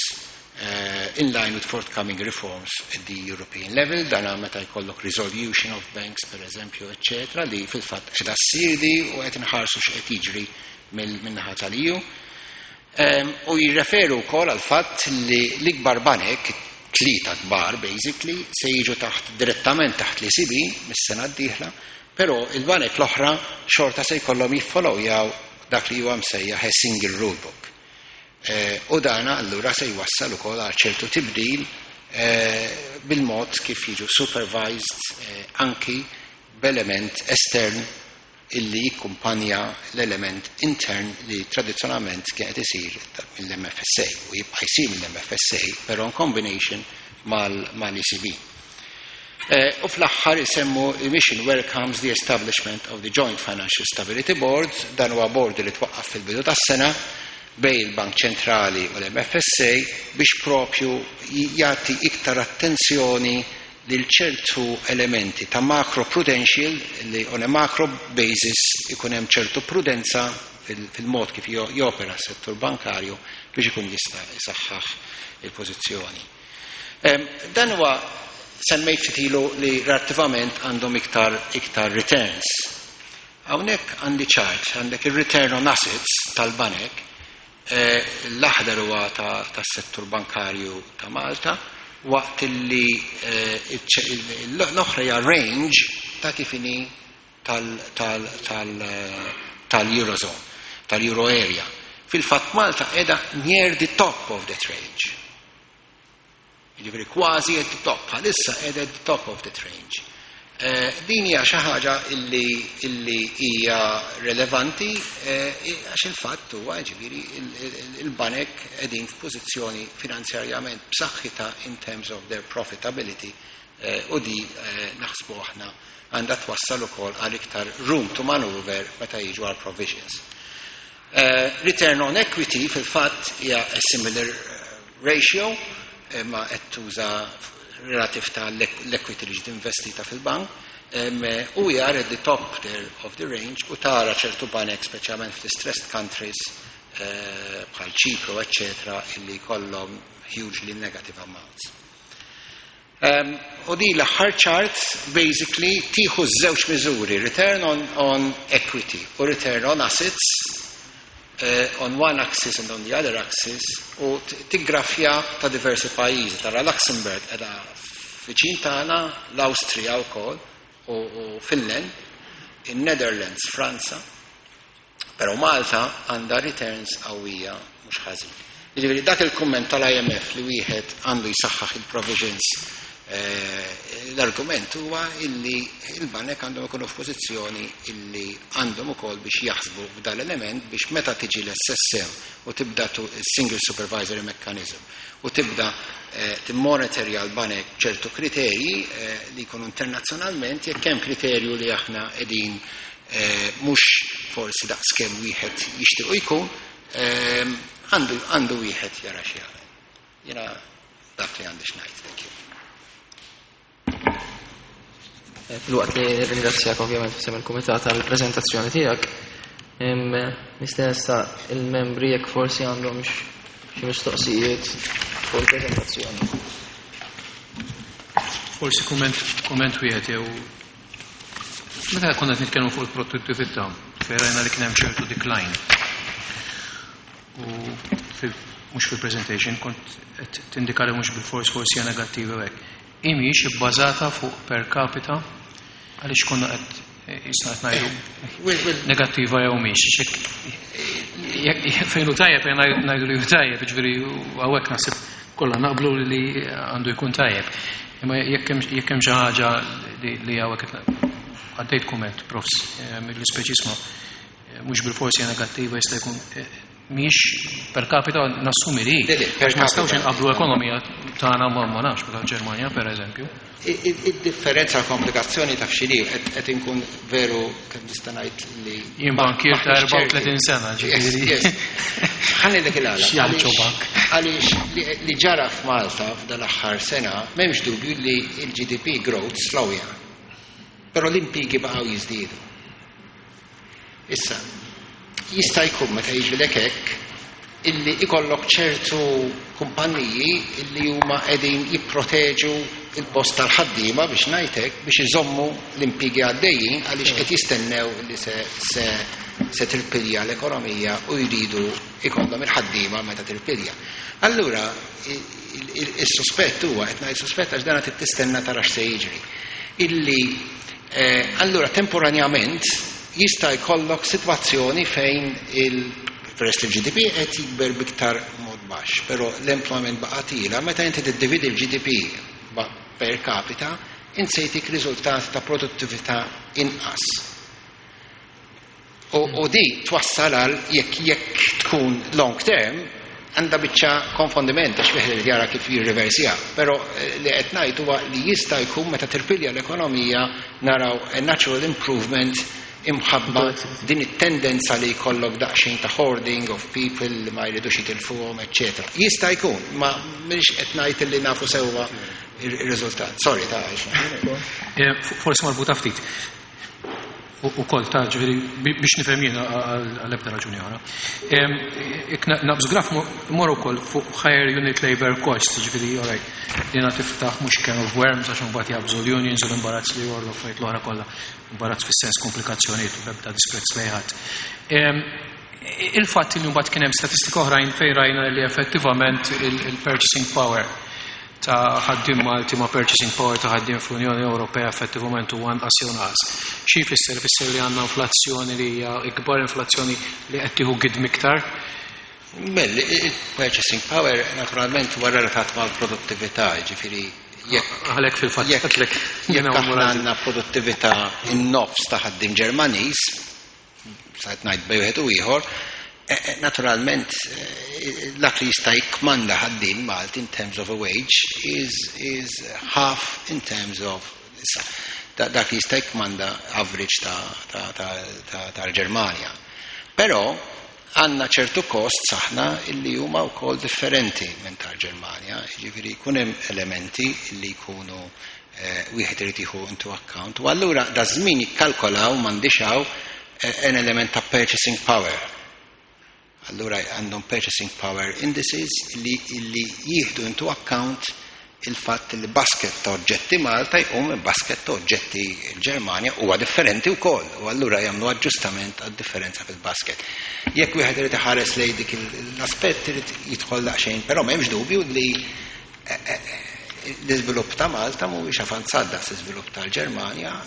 Speaker 5: in line with forthcoming reforms at the European level, dana meta jkollok resolution of banks, per eżempju, eccetera, li fil-fatt qiegħda ssir di u qed inħarsu x'qed jiġri min-naħa tal-E U. U jirreferu wkoll għal fatt li l-ikbar banek, tlieta kbar basically, se jiġu taħt direttament taħt l-E C B mis-sena d-dieħla, però il-banek l-oħra xorta se jkollhom jiffollowjaw dak li huwa msejjaħ single rule book. U dana allura se jwassal ukoll għal ċertu tibdil eh, bil-mod kif jiġu supervised eh, anki b'element estern illi jikkumpanja l-element intern li tradizzjonalment kien qed isir mill-M F S A u jibqa' jsir mill-M F S A, però in combination mal-E C B. Eh, u fl-aħħar isemmu "Mission welcomes the establishment of the Joint Financial Stability Board". Dan huwa board li twaqqaf fil-bidu tas-sena bejn il-Bank Ċentrali u l-M F S A biex propju jagħti iktar attenzjoni lil ċertu elementi ta' macro prudential, li on a macro basis ikun hemm ċertu prudenza fil-mod kif jopera s-settur bankarju biex ikun jista' jisaħħaħ il-pożizzjoni. Dan huwa semmejt ftit ilu li relattivament għandhom iktar, iktar returns. Hawnhekk għandi chart, għandek il-return on assets tal-banek, eh, l-aħdar huwa tas-settur bankarju ta' Malta, waqt li eh, l-oħra hija range ta' kif inhi tal-Eurozone, tal-Euro area. Fil-fatt Malta qiegħda near the top of that range. Jiġifieri kważi at the top, bħalissa qiegħda at the top of that range. Eh, din hija xi ħaġa illi illi hija relevanti eh, għax il-fatt huwa, ġifieri, il-banek qegħdin f'pożizzjoni finanzjarjament b'saħħitha in terms of their profitability eh, u di naħsbu aħna għandha twassal ukoll għal iktar room to maneuver meta jiġu għal provisions. Return on equity fil-fatt hija a similar ratio, ma qed tuża relativ ta' l-equity li ġiet investita fil-bank u we are at the top there of the range. U tara ċertu banek, speċjalment fl-stressed countries eh, bħal Ċipru, eccetera, illi kollhom hugely negative amounts. Um, u di l-aħħar chart basically tieħu żewġ miżuri, return on, on equity u return on assets, uh, on one axis and on the other axis, u tiggrafja ta' diversi pajjiżi. Tara Luxembourg qiegħda viċin tagħna, l-Awstrija wkoll u, u Finland, in-Netherlands, Franza, però Malta għandha returns qawwija mhux ħażin. Jiġifieri dak il-kumment tal-I M F li wieħed għandu jsaħħaħ il-provisions, eh, l-argument huwa illi il-banek għandhom ikunu f'pożizzjoni illi għandhom ukoll biex jaħsbu f'dal element biex meta tiġi l-S S M u tibda Single Supervisory Mechanism u tibda eh, timmonitorja l-banek ċertu kriterji eh, li jkunu internazzjonalment, jekk hemm kriterju li aħna qegħdin mhux forsi daqskemm wieħed jixtiequ jkun, għandu għandu wieħed jara xi jagħmel. Jiena dak li għandi x'ngħid, thank you.
Speaker 1: Filwaqt li ringrazzjak ovvjament f'isem il-kumitat għall-preżentazzjoni tiegħek, nistenna il-membri jekk forsi għandhom xi mistoqsijiet fuq il-preżentazzjoni.
Speaker 4: Forsi kumment kumment wieħed jew meta konna qed nitkellmu fuq il-produttività, fejn rajna li kien hemm ċertu decline. U mhux fil-presentation kont qed tindika li mhux bil-fors forsi hija negattiva hekk. Mhijiex ibbażata fuq per capita, għaliex konna qed jisna qed ngħidu negattiva jew mhix. Fejn hu tajjeb ngħidu li hu tajjeb, ġifieri hawnhekk naħseb kollha naqblu li għandu jkun tajjeb. Imma jekk hemm xi ħaġa li hawnhekk għaddejt kumment, profs, mill-ispeċisma mhux bil-forsi negattiva, jista' jkun mhix per capita, nassumi li. Ma nistgħux inqablu ekonomija tagħna ma ma nafx bħal Ġermanja, per eżempju.
Speaker 5: Id-differenza, komplikazzjoni ta' x'inhi, qed inkun veru kemm nista' ngħid li
Speaker 4: Jien bankier ta' erbgħa u tletin sena, ġifieri.
Speaker 5: Ħa ngħidlek il-għala.
Speaker 4: X'janċu bank.
Speaker 5: Għaliex li ġara f'Malta f'dan l-aħħar sena, m'hemmx dubju li l-G D P growth slowja. Però l-impjiegi baqgħu jiżdiedu. Issa, jista' jkun meta jiġrilek hekk illi ikollok ċertu kumpanniji illi huma qegħdin jipproteġu il-post tal-ħaddiema, biex ngħidlek, biex iżommu l-impjiegi għaddejjin għaliex qed jistennew li se, se, se tirpilja l-ekonomija u jridu ikollhom il-ħaddiema meta tirpilja. Allura il-sospett huwa, qed ngħid sospett għax dan qed tistenna tara x'se jiġri, illi eh, allura temporanjament jista' jkollok sitwazzjoni fejn il peress li l-G D P qed jikber biktar mod baxx, però l-employment baqa' tiela', meta inti tiddividi l-G D P per capita, int se jtik riżultat ta' produttività inqas. U, u di twassal għal, jekk jekk tkun long term, għandha biċċa konfondiment għax wieħed irid jara kif jirriversja. Però eh, li qed ngħid huwa li jista' jkun meta tirpilja l-ekonomija naraw a natural improvement imħabba din it-tendenza li jkollok daqsxejn ta' hoarding of people li ma jridux jitilfuhom, eċċetera. Jista' jkun, ma mhix qed ngħid li nafu sewwa ir-riżultat. Sorry ta'
Speaker 4: eh, Forsi marbuta ftit. U kol ta' ġifieri biex nifhem jiena, għal-ebda raġuni oħra. Naqbżu graf mor ukoll fuq higher unit labor cost, ġifieri, alright, dina tiftaħ mhux can of worms għax imbagħad jabżu l-unions u l-imbarazz li jorlu fejt l-oħra kollha, imbarazz fis-sens komplikazzjonijiet u bebda disprezz lejn ħadd. Il-fatt li mbagħad kien hemm statistika oħrajn fejn rajna li effettivament il-purchasing power ta' ħaddiem Malti ma' purchasing power ta' ħaddiem fl-Unjoni Ewropea effettivament huwa anqas jew naqas. Xi jfisser? Fisser li għandna inflazzjoni li hija ikbar, inflazzjoni li qed tieħu gidm iktar?
Speaker 5: Bell, il-purchasing power naturalment huwa relatat mal-produttività, ġifieri jekk
Speaker 4: Għalhekk fil-fatt
Speaker 5: jekk jekk aħna għandna produttività in-nofs ta' ħaddiem Ġermaniż, sajt ngħid bejn wieħed u ieħor, eh, eh, naturalment eh, dak li jista' jikkmanda ħaddiem Malti in terms of a wage is, is half in terms of dak li jista' jikkmanda average tal-Ġermanja. Però għandna ċertu cost aħna illi huma wkoll differenti minn tal-Ġermanja, jiġifieri jkun hemm elementi illi jkunu wieħed irid jieħu into account. U allura da żmien jikkalkolaw m'għandix hawn an element ta' purchasing power. Allura għandhom purchasing power indices li, li jieħdu into account il-fatt li basket ta' oġġetti Malta jqum minn basket ta' oġġetti l-Ġermanja huwa differenti wkoll u allura jagħmlu aġġustament għad-differenza fil-basket. Jekk wieħed irid iħares lejn dik l-aspett irid jidħol daqsxejn, però m'hemmx dubju li eh, eh, l-iżvilupp ta' Malta mhuwiex avanzat daqs l-iżvilupp tal-Ġermanja,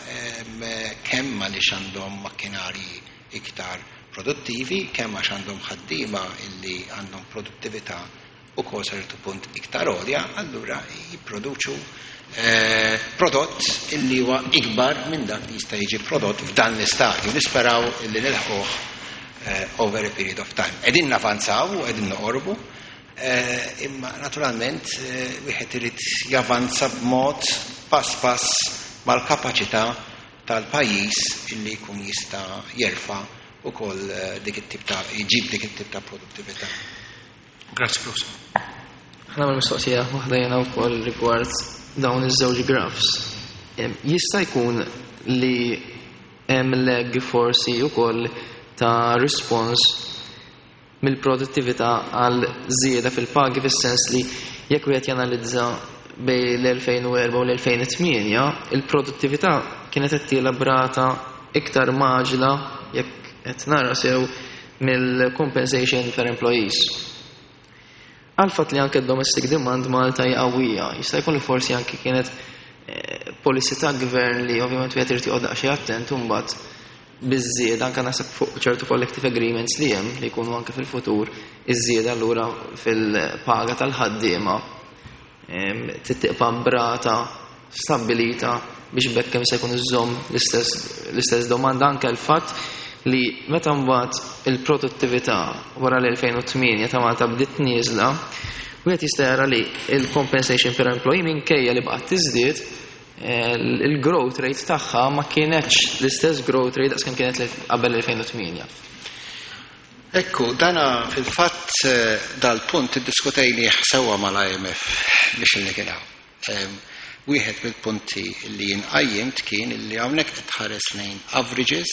Speaker 5: kemm għaliex għandhom makkinarji iktar produttivi, kemm għax għandhom ħaddiema illi għandhom produttività u kol ċertu punt iktar għolja, allura jipproduċu eh, prodott illi huwa ikbar minn dak li jista' jiġi prodott f'dan l-istadju. Nisperaw illi nilħquh eh, over a period of time. Qegħdin navanzaw u qegħdin noqorbu, eh, imma naturalment wieħed irid javanza b'mod pass pass mal-kapaċità tal-pajjiż illi jkun jista' jerfa' ukoll dik it-tip ta' jġib dik it-tip ta' produttività.
Speaker 4: Grazzi, Professor.
Speaker 1: Ħa nagħmel mistoqsija waħda jena wkoll rigward dawn iż-żewġ graphs. Jista' jkun li hemm lag forsi wkoll ta' response mill-produttività għal żieda fil-pagi, fis-sens li jekk wieħed janalizza bejn l-elfejn u erbgħa u l-elfejn u tmienja, il-produttività kienet qed tiela b'rata iktar mgħaġġla, jekk qed nara sew, mill-compensation per employees. Għal fatt li anke domestic demand Malta hija qawwija, jista' jkun li forsi anke kienet eh, policy ta' gvern li ovvjament wieħed irid joqgħod daqsxejn attent u mbagħad biż-żieda anke naħseb fuq ċertu collective agreements li hemm li jkunu anke fil-futur, iż-żieda allura fil-paga tal-ħaddiema tittiqpa b'rata stabbilita biex bekk kemm se jkun iżomm l-istess domanda, anke l-fatt li meta mbagħad il-produttività wara l-elfejn u tmienja ta' Malta bdiet nieżla, wieħed jista' jara li il-compensation per employee, minkejja li baqgħet tiżdied, il-growth rate tagħha ma kienetx l-istess growth rate daqs kemm kienet qabel l-elfejn u tmienja.
Speaker 5: Ekku, dana fil-fatt eh, dal-punt iddiskutejni sewwa mal-I M F biex li kien hawn. Wieħed mill-punti li jinqajjimt kien li hawnhekk titħares lejn averages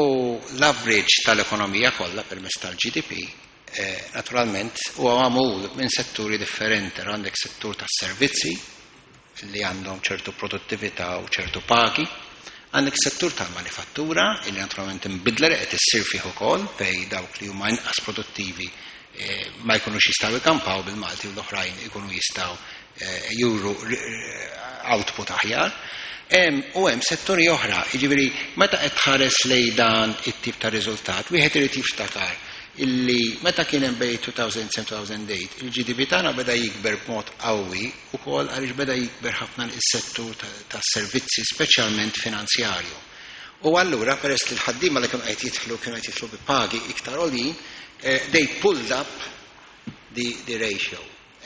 Speaker 5: u l-average tal-ekonomija kollha permezz tal-G D P eh, naturalment huwa magħmul minn setturi differenti. Għandek settur tas-servizzi li għandhom ċertu produttività u ċertu pagi, għandek settur tal-manifattura illi naturalment imbidla li qed issir fih ukoll fej dawk li huma inqas produttivi eh, ma jkunux jistgħu jkampaw bil-Malti u l-oħrajn ikunu jistgħu eh, juru output aħjar. U hemm setturi oħra, jiġifieri meta qed tħares lejn dan it-tip ta' riżultat, wieħed irid jiftakar Illi meta kien hemm bejn two thousand seven-two thousand eight, il-G D P tagħna beda jikber b'mod qawwi ukoll għaliex beda jikber ħafna is-settur tas-servizzi, speċjalment finanzjarju. U allura, peress li l-ħaddiema li kienu qed jidħlu kienu qed jidħlu bi pagi iktar għoljin, eh, they pulled up the, the ratio.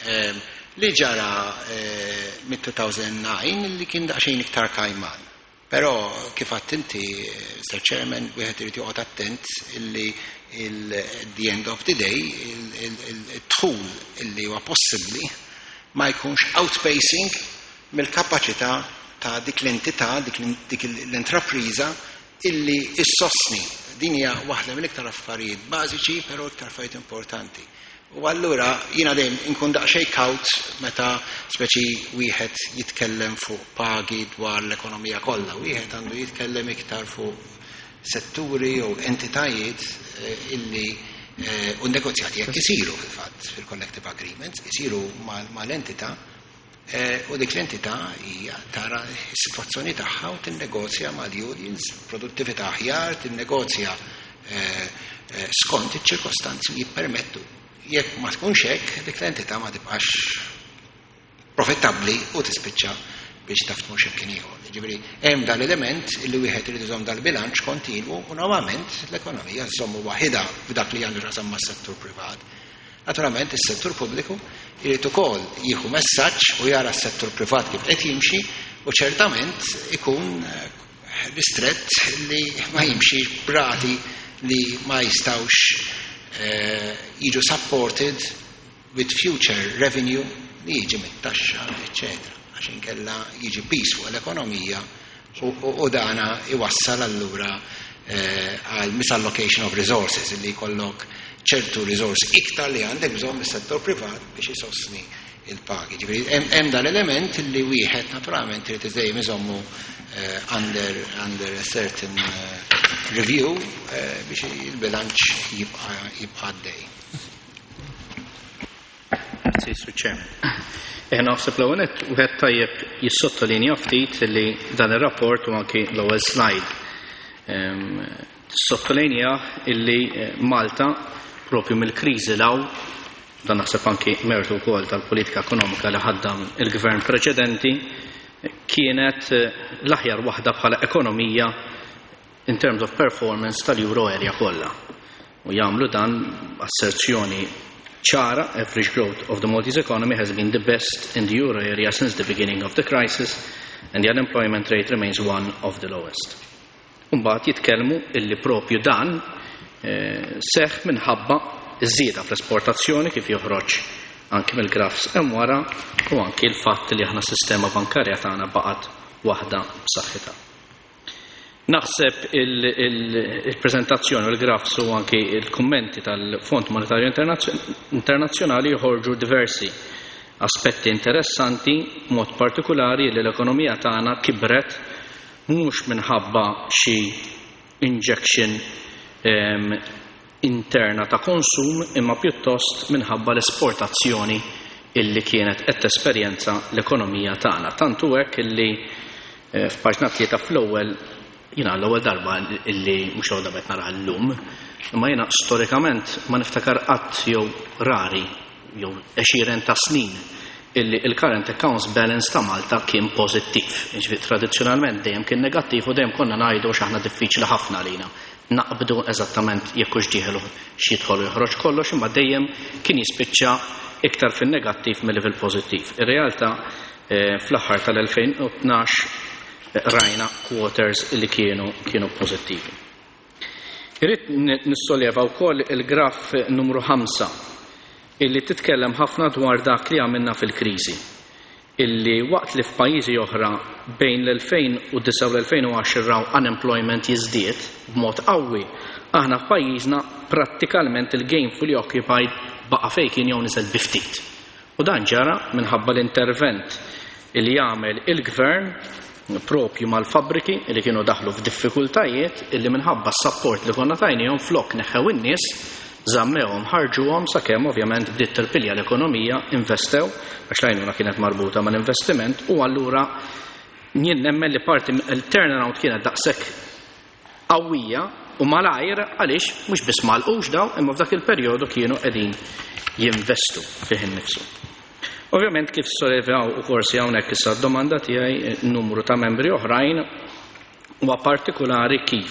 Speaker 5: Um, li ġara eh, mid-two thousand nine li kien daqsxejn iktar kajman. Però kif għedt inti, Mister Chairman, wieħed irid joqgħod attent illi il- the end of the day il-dħul illi huwa possibbli ma jkunx outpacing mill-kapaċità ta' dik l-entità, dik l-intrapriża illi issostni. Din hija waħda mill-iktar affarijiet bażiċi, però iktar affarijiet importanti. U allura jiena dejjem inkun daqsxejn kawt meta speċi wieħed jitkellem fuq pagi dwar l-ekonomija kollha. Wieħed għandu jitkellem iktar fuq setturi u entitajiet eh, illi eh, u negozjati jekk isiru fil-fatt fil-collective agreements, isiru mal-entità eh, u dik l-entità hija tara s-sitwazzjoni tagħha u tinnegozja mal-unions, produttività aħjar, tinnegozja skont iċ-ċirkostanzi li jippermettu. Jekk ma tkunx hekk, dik l-entità ma tibqax profittabbli u tispiċċa biex taf tmur x'imkien ieħor. Ġifieri hemm dal-element illi wieħed irid iżomm dal-bilanċ kontinwu u normalment l-ekonomija żommu waħida f'dak li għandu x'jaqsam mas-settur privat. Naturalment is-settur pubbliku irid ukoll jieħu messaġġ u jara s-settur privat kif qed jimxi u ċertament ikun eh, ristrett li ma jimxi b'rati li ma jistawx eh, jiġu supported with future revenue li jiġi mit-taxxa, eccetera. Għax inkella jiġi piż fuq l-ekonomija u, u, u dana iwassal allura eh, għal misallocation of resources, illi jkollok ċertu resource iktar li għandek bżonn mis-settur privat biex isostni il-pagi. Ġifieri hemm hemm dal-element li wieħed naturalment irid dejjem iżommu eh, under, under a certain eh, review eh, biex il-bilanċ jibqa' jibqa' għaddej.
Speaker 6: Grazzi, Sur Chairman. Eh, naħseb l-ewwel nett wieħed tajjeb jissottolinja ftit li dan ir-rapport u anki l-ewwel slide ehm, tissottolinja illi eh, Malta propju mill-kriżi 'l hawn, dan naħseb anki mertu wkoll tal-politika ekonomika li ħaddam il-gvern preċedenti, kienet eh, l-aħjar waħda bħala ekonomija in terms of performance tal-Euro area kollha. U jagħmlu dan asserzjoni ċara: "Average growth of the Maltese economy has been the best in the euro area since the beginning of the crisis and the unemployment rate remains one of the lowest." Umbagħad jitkellmu illi propju dan eh, seħ minħabba iż-żieda fl-esportazzjoni, kif joħroġ anki mill-graphs hemm wara, u anki l-fatt li aħna s-sistema bankarja tagħna baqgħet waħda b'saħħitha. Naħseb il-prezentazzjoni u l-graphs u anki il-kummenti tal-Fond Monetarju Internazzjonali joħorġu diversi aspetti interessanti, mod partikolari li l-ekonomija tagħna kibret mhux minħabba xi injection em, interna ta' konsum, imma pjuttost minħabba l-esportazzjoni illi kienet qed tesperjenza l-ekonomija tagħna. Tantu hekk illi eh, f'paġna tlieta fl-ewwel, jiena l-ewwel darba illi, mhux l-ewwel darba qed nara llum, imma jiena storikament ma niftakar qatt jew rari jew għexieren ta' snin illi il-current accounts balance ta' Malta kien pożittiv. Jiġifieri tradizzjonalment dejjem kien negattiv u dejjem konna ngħidu x'aħna diffiċli ħafna lina naqbdu eżattament jekk hux dieħel x'jidħol u joħroġ kollox, imma dejjem kien jispiċċa iktar fin-negattiv milli fil-pożittiv. Ir-realtà eh, fl-aħħar tal-elfejn u tnax rajna quarters li kienu kienu pożittivi. Irrid nissolleva wkoll il-graf numru ħamsa, illi titkellem ħafna dwar dak li għamilna fil-kriżi. Illi waqt li f'pajjiżi oħra bejn l-elfejn u disgħa u l-elfejn u għaxra raw unemployment jiżdied b'mod qawwi, aħna f'pajjiżna prattikalment il-gainfully occupied baqa' fejn kien jew niżel bi ftit. U dan ġara minħabba l-intervent illi jagħmel il-gvern propju mal-fabriki li kienu daħlu f'diffikultajiet, illi minħabba s-support li konna tajnihom, flok neħew in-nies, żammewhom, ħarġuhom sakemm ovvjament bdiet tirpilja l-ekonomija, investew, għax l-għajnuna kienet marbuta mal-investiment. U allura jien nemmen li parti il-turnaround kienet daqshekk qawwija. u malajr għaliex mhux biss malqux daw imma f'dak il-perjodu kienu qegħdin jinvestu fih innifsu. Ovvjament kif sollevaw u forsi hawnhekk issa d-domanda tiegħi numru ta' membri oħrajn huwa partikolari kif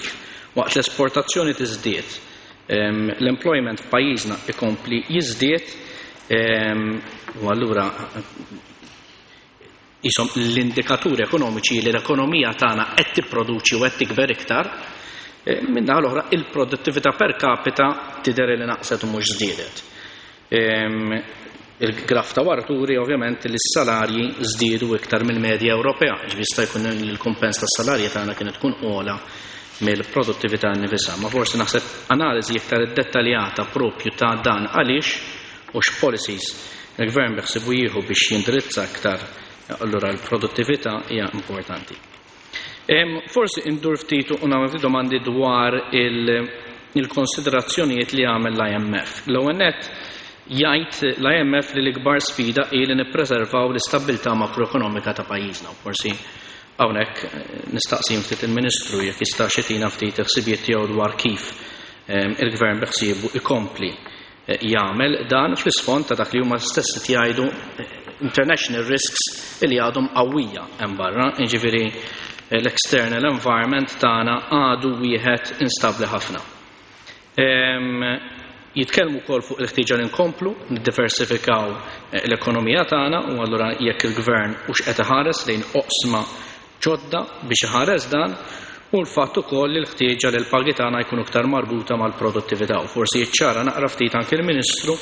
Speaker 6: waqt l-esportazzjoni tiżdied, l-employment f'pajjiżna ikompli jiżdied, u allura jisom l-indikaturi ekonomiċi li l-ekonomija tagħna qed tipproduċi u qed tikber iktar, minn naħa l-oħra il-produttività per capita tidher li naqset u mhux żdiedet. Il-graf ta' wara turi ovvjament li s-salarji żdiedu iktar mill-medja Ewropea, ġifieri jista' jkun li l-kumpens tas-salarji tagħna kienet tkun ogħla mill-produttività nnifisha. Ma forsi naħseb analiżi iktar dettaljata propju ta' dan għaliex u x'policies il-gvern beħsibu jieħu biex jindirizza aktar allura l-produttività hija importanti. Forsi indur ftit u nagħmel domandi dwar il-konsiderazzjonijiet li għamel l I M F. L-ewwel nett jgħid l I M F li l-ikbar sfida hi li nippreservaw l-istabbiltà makroekonomika ta' pajjiżna. Forsi hawnhekk nistaqsi ftit il-Ministru jekk jista' xitina ftit il-ħsibijiet tiegħu dwar kif il-gvern beħsiebu ikompli jagħmel dan fl-isfond ta' dak li huma stess qed jgħidu international risks li għadhom qawwija hemm barra, jiġifieri l-external environment tagħna għadu wieħed instabbli ħafna. Jitkellmu wkoll fuq il-ħtieġa li nkomplu niddiversifikaw l-ekonomija tagħna u allura jekk il-gvern hux qed iħares lejn oqsma ġodda biex iħares dan, u l-fatt ukoll li l-ħtieġa li l-pagi tagħna jkunu iktar marbuta mal-produttività. U forsi jiċċara naqra ftit anke l-Ministru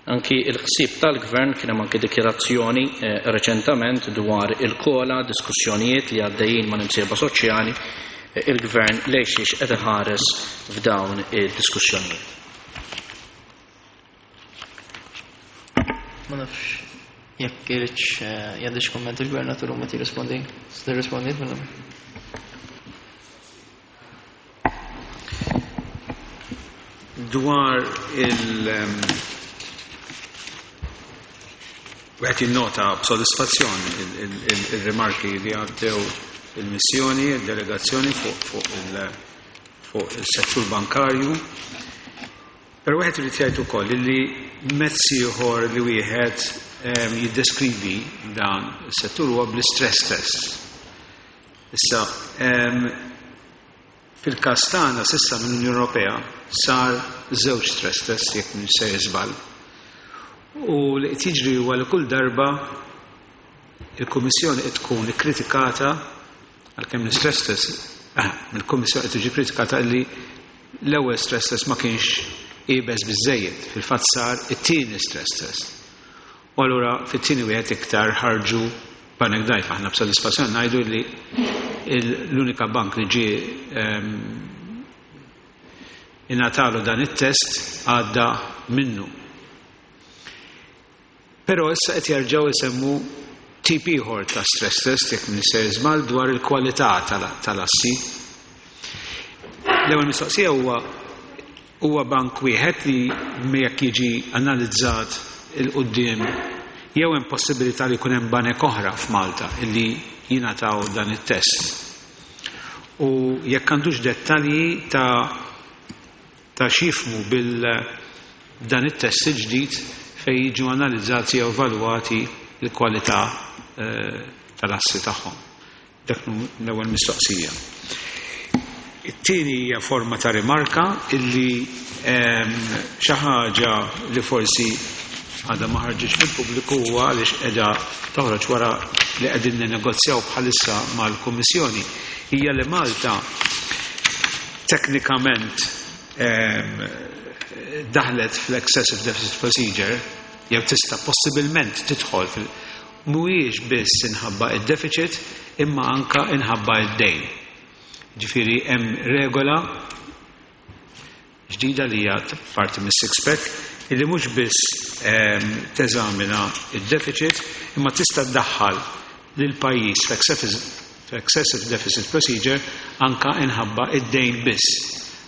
Speaker 6: anki il-ħsieb tal-gvern kien hemm anke dikjarazzjoni reċentament dwar il-kola, diskussjonijiet li għaddejjin ma' imsieba soċjali, il-gvern lejn xiex qed iħares f'dawn id-diskussjonijiet.
Speaker 1: Ma nafx jekk iridx jgħaddix kumment il-gvernatur u ma tirrispondi. Tirrispondi minnhom.
Speaker 7: Dwar il- Wieħed jinnota b'sodisfazzjon il-rimarki li għaddew il-missjoni, il-delegazzjoni fuq il-settur bankarju. Però wieħed irid jgħid ukoll li mezz ieħor li wieħed jiddeskrivi dan is-settur huwa bl-istress test. Issa, fil-każ tagħna s'issa mill-Unjoni Ewropea sar żewġ stress test jekk mhux se żball. U li qed jiġri huwa li kull darba il-Kummissjoni qed tkun ikkritikata għalkemm l-istress test, il-Kummissjoni qed tiġi kritikata li l-ewwel stress test ma kienx iebes biżżejjed, fil-fatt sar it-tieni stress test. U allura fit-tieni wieħed iktar ħarġu banek dajfa. Aħna b'sodisfazzjon ngħidu li l-unika bank li ġie ingħatalu dan it-test għadda minnu. Però issa qed jerġgħu jsemmu tip ieħor ta' stress test jekk minn ser żball dwar il-kwalità tal-assi. L-ewwel mistoqsija huwa huwa bank wieħed li jekk jiġi analizzat il-quddiem jew hemm possibilità li jkun hemm banek oħra f'Malta illi jingħataw dan it-test. U jekk għandux dettalji ta' ta' x'jifhmu bil dan it-test il-ġdid fejn jiġu analizzati jew evalwati l-kwalità tal-assi tagħhom. Dak l-ewwel mistoqsija. It-tieni hija forma ta' rimarka illi xi ħaġa li forsi għadha ma ħarġitx fil-pubbliku huwa għaliex qiegħda toħroġ wara li qegħdin ninnegozjaw bħalissa mal-Kummissjoni hija li Malta teknikament daħlet fl-excessive deficit procedure jew tista' possibilment tidħol fil mhuwiex biss inħabba id-deficit imma anka inħabba id-dejn. Ġifieri hemm regola ġdida li hija parti mis-six pack illi mhux biss teżamina id-deficit imma tista' ddaħħal lil pajjiż fl-excessive deficit procedure anka inħabba id-dejn biss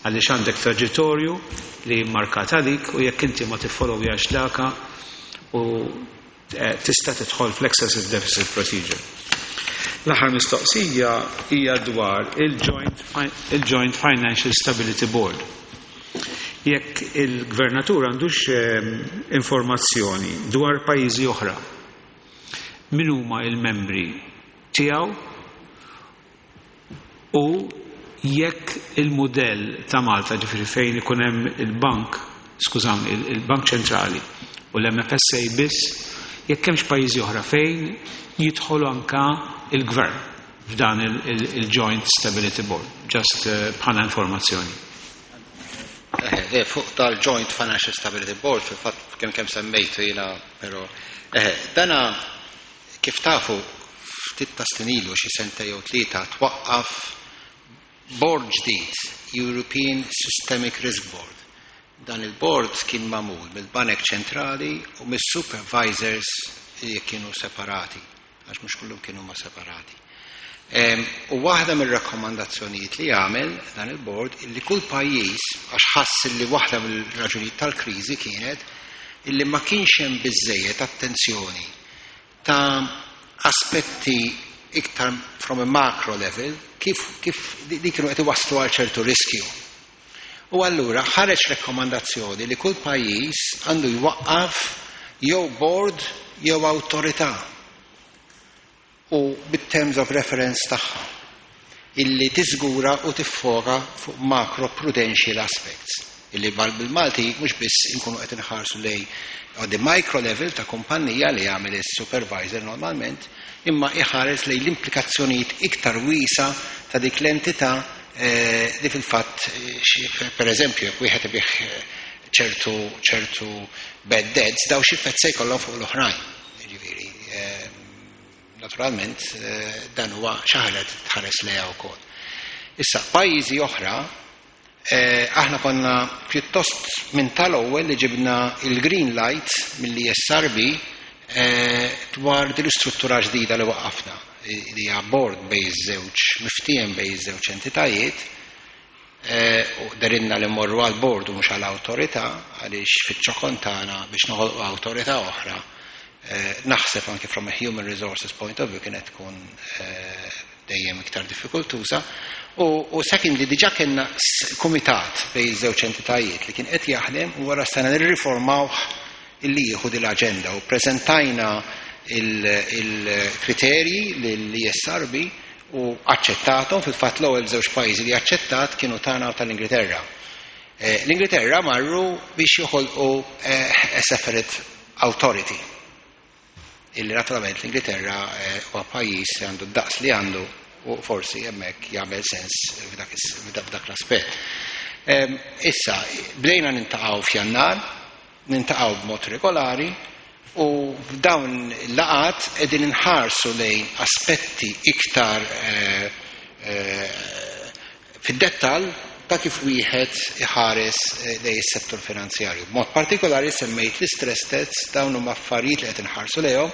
Speaker 7: għaliex għandek traġettorju li markat għalik u jekk inti ma tiffollowjax daka u tista' tidħol fl-excessive deficit procedure. L-aħħar mistoqsija hija dwar il-Joint il-Joint Financial Stability Board. Jekk il-gvernatur għandux ehm, informazzjoni dwar pajjiżi oħra, min huma il-membri tiegħu u jekk il-modell ta' Malta, ġifieri fejn ikun hemm il-bank, skużawni, il-Bank Ċentrali u l-M F S A biss, jekk hemmx pajjiżi oħra fejn jidħolu anka il-gvern f'dan il-Joint Stability Board, just eh, bħala informazzjoni.
Speaker 5: Eh, fuq tal-Joint Financial Stability Board, fil-fatt kemm kemm semmejtu jiena, però eh, dana kif tafu ftit ta' snin ilu, xi sentejn jew tlieta, twaqqaf board ġdid, European Systemic Risk Board. Dan il-board kien magħmul mill-Banek Ċentrali u mis-supervisors li kienu separati, għax mhux kullum kienu ma separati. U waħda mill-rakkomandazzjonijiet li għamel dan il-board illi kull pajjiż, għax ħass li waħda mill-raġunijiet tal-kriżi kienet illi ma kienx hemm biżejjed attenzjoni ta' aspetti iktar from a macro level kif, kif li kienu qed iwasslu għal ċertu riskju. U allura ħareġ rekkomandazzjoni li kull pajjiż għandu jwaqqaf jew board jew awtorità u bit-terms of reference tagħha illi tiżgura u tiffoka fuq macro prudential aspects illi bil-Malti mhux biss inkunu qed inħarsu lejn the micro level ta' kumpanija li jagħmel is-supervisor normalment, imma iħares lejn l-implikazzjonijiet iktar wiesgħa ta' dik l-entità eh, li fil-fatt eh, per eżempju jekk wieħed ibigħ eh, ċertu ċertu bad debts, daw xi se jkollhom fuq l-oħrajn. Ġifieri, naturalment dan huwa xi ħaġa tħares lejha wkoll. Issa, pajjiżi oħra, aħna konna pjuttost minn tal-ewwel li ġibna il-green light mill-E S R B dwar din l-istruttura ġdida li waqqafna li hija board bejn żewġ miftiem bejn żewġ entitajiet u derinna li morru għal board u mhux għal awtorità, għaliex fiċ-ċokon tagħna biex noħolqu awtorità oħra, naħseb anke from a human resources point of view kienet tkun dejjem iktar diffikultuża. U, u secondly, diġà kellna kumitat bejn żewġ entitajiet li kien qed jaħdem u wara sena nirriformawh illi jieħu din l-aġenda u preżentajna il-kriterji lill-E S R B u aċċettatom. Fil-fatt l-ewwel żewġ pajjiżi li aċċettat kienu tagħna u tal-Ingilterra. L-Ingilterra marru biex joħolqu a separate authority. Illi naturalment l-Ingilterra huwa pajjiż li għandu d-daqs li għandu u forsi hemmhekk jagħmel sens f'dak l-aspett. Issa, bdejna niltaqgħu f'Jannar, niltaqgħu b'mod regolari u f'dawn il-laqgħat qegħdin inħarsu lejn aspetti iktar fid-dettall ta' kif wieħed iħares lejn is-settur finanzjarju. B'mod partikolari semmejt l-istress tests, dawn huma affarijiet li qed inħarsu lejhom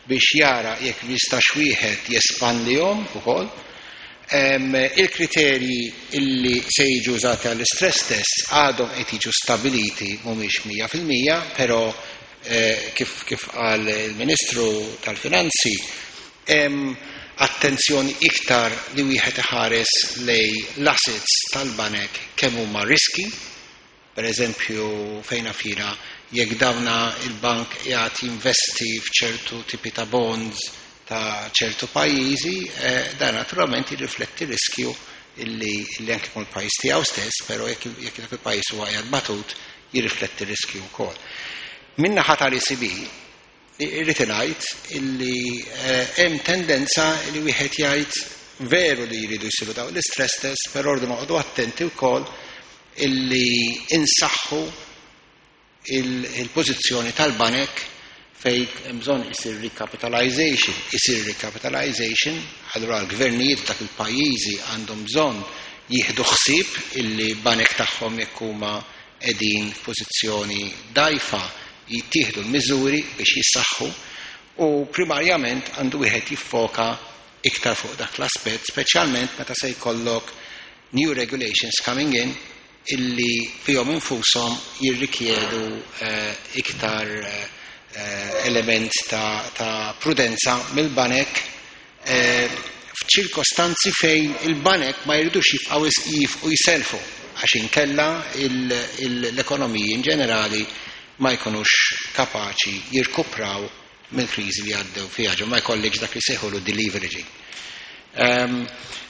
Speaker 5: biex jara jekk jistax wieħed jespandihom ukoll. Il-kriterji illi se jiġu użati għall-istress test għadhom qed jiġu stabiliti, mhumiex mija fil-mija, però kif kif qal il-Ministru tal-Finanzi, hemm attenzjoni iktar li wieħed iħares lejn l-assets tal-banek kemm huma riski, per eżempju fejna fina jekk dawna il-bank jgħat jinvesti f'ċertu tipi ta' bonds ta' ċertu pajjiżi, dan naturalment jirrifletti riskju illi, illi anke kun il-pajjiż tiegħu stess, però jekk jekk dak il-pajjiż huwa qiegħed batut, jirrifletti riskju wkoll. Min-naħa tal-E C B irrid ngħid illi hemm tendenza li wieħed jgħid veru li jridu jsiru dawn l-istress test, però rridu noqogħdu attenti wkoll illi insaħħu il-pożizzjoni tal-banek fej hemm bżonn isir recapitalization, isir recapitalization, allura l-gvernijiet dak il-pajjiżi għandhom bżonn jieħdu ħsieb illi banek tagħhom jekk huma qegħdin f'pożizzjoni dgħajfa jittieħdu l-miżuri biex jissaħħu u primarjament għandu wieħed jiffoka iktar fuq dak l-aspett, speċjalment meta se jkollok new regulations coming in illi fihom infushom jirrikjedu eh, iktar eh, element ta', ta prudenza mill-banek eh, F'ċirkostanzi fejn il-banek ma jridux jibqgħu jifqu jiselfu għax inkella l-ekonomiji in ġenerali ma jkunux kapaċi jirkupraw mill-kriżi li għaddew fiha, ġo ma jkollekx dak li sejħulu deleveraging.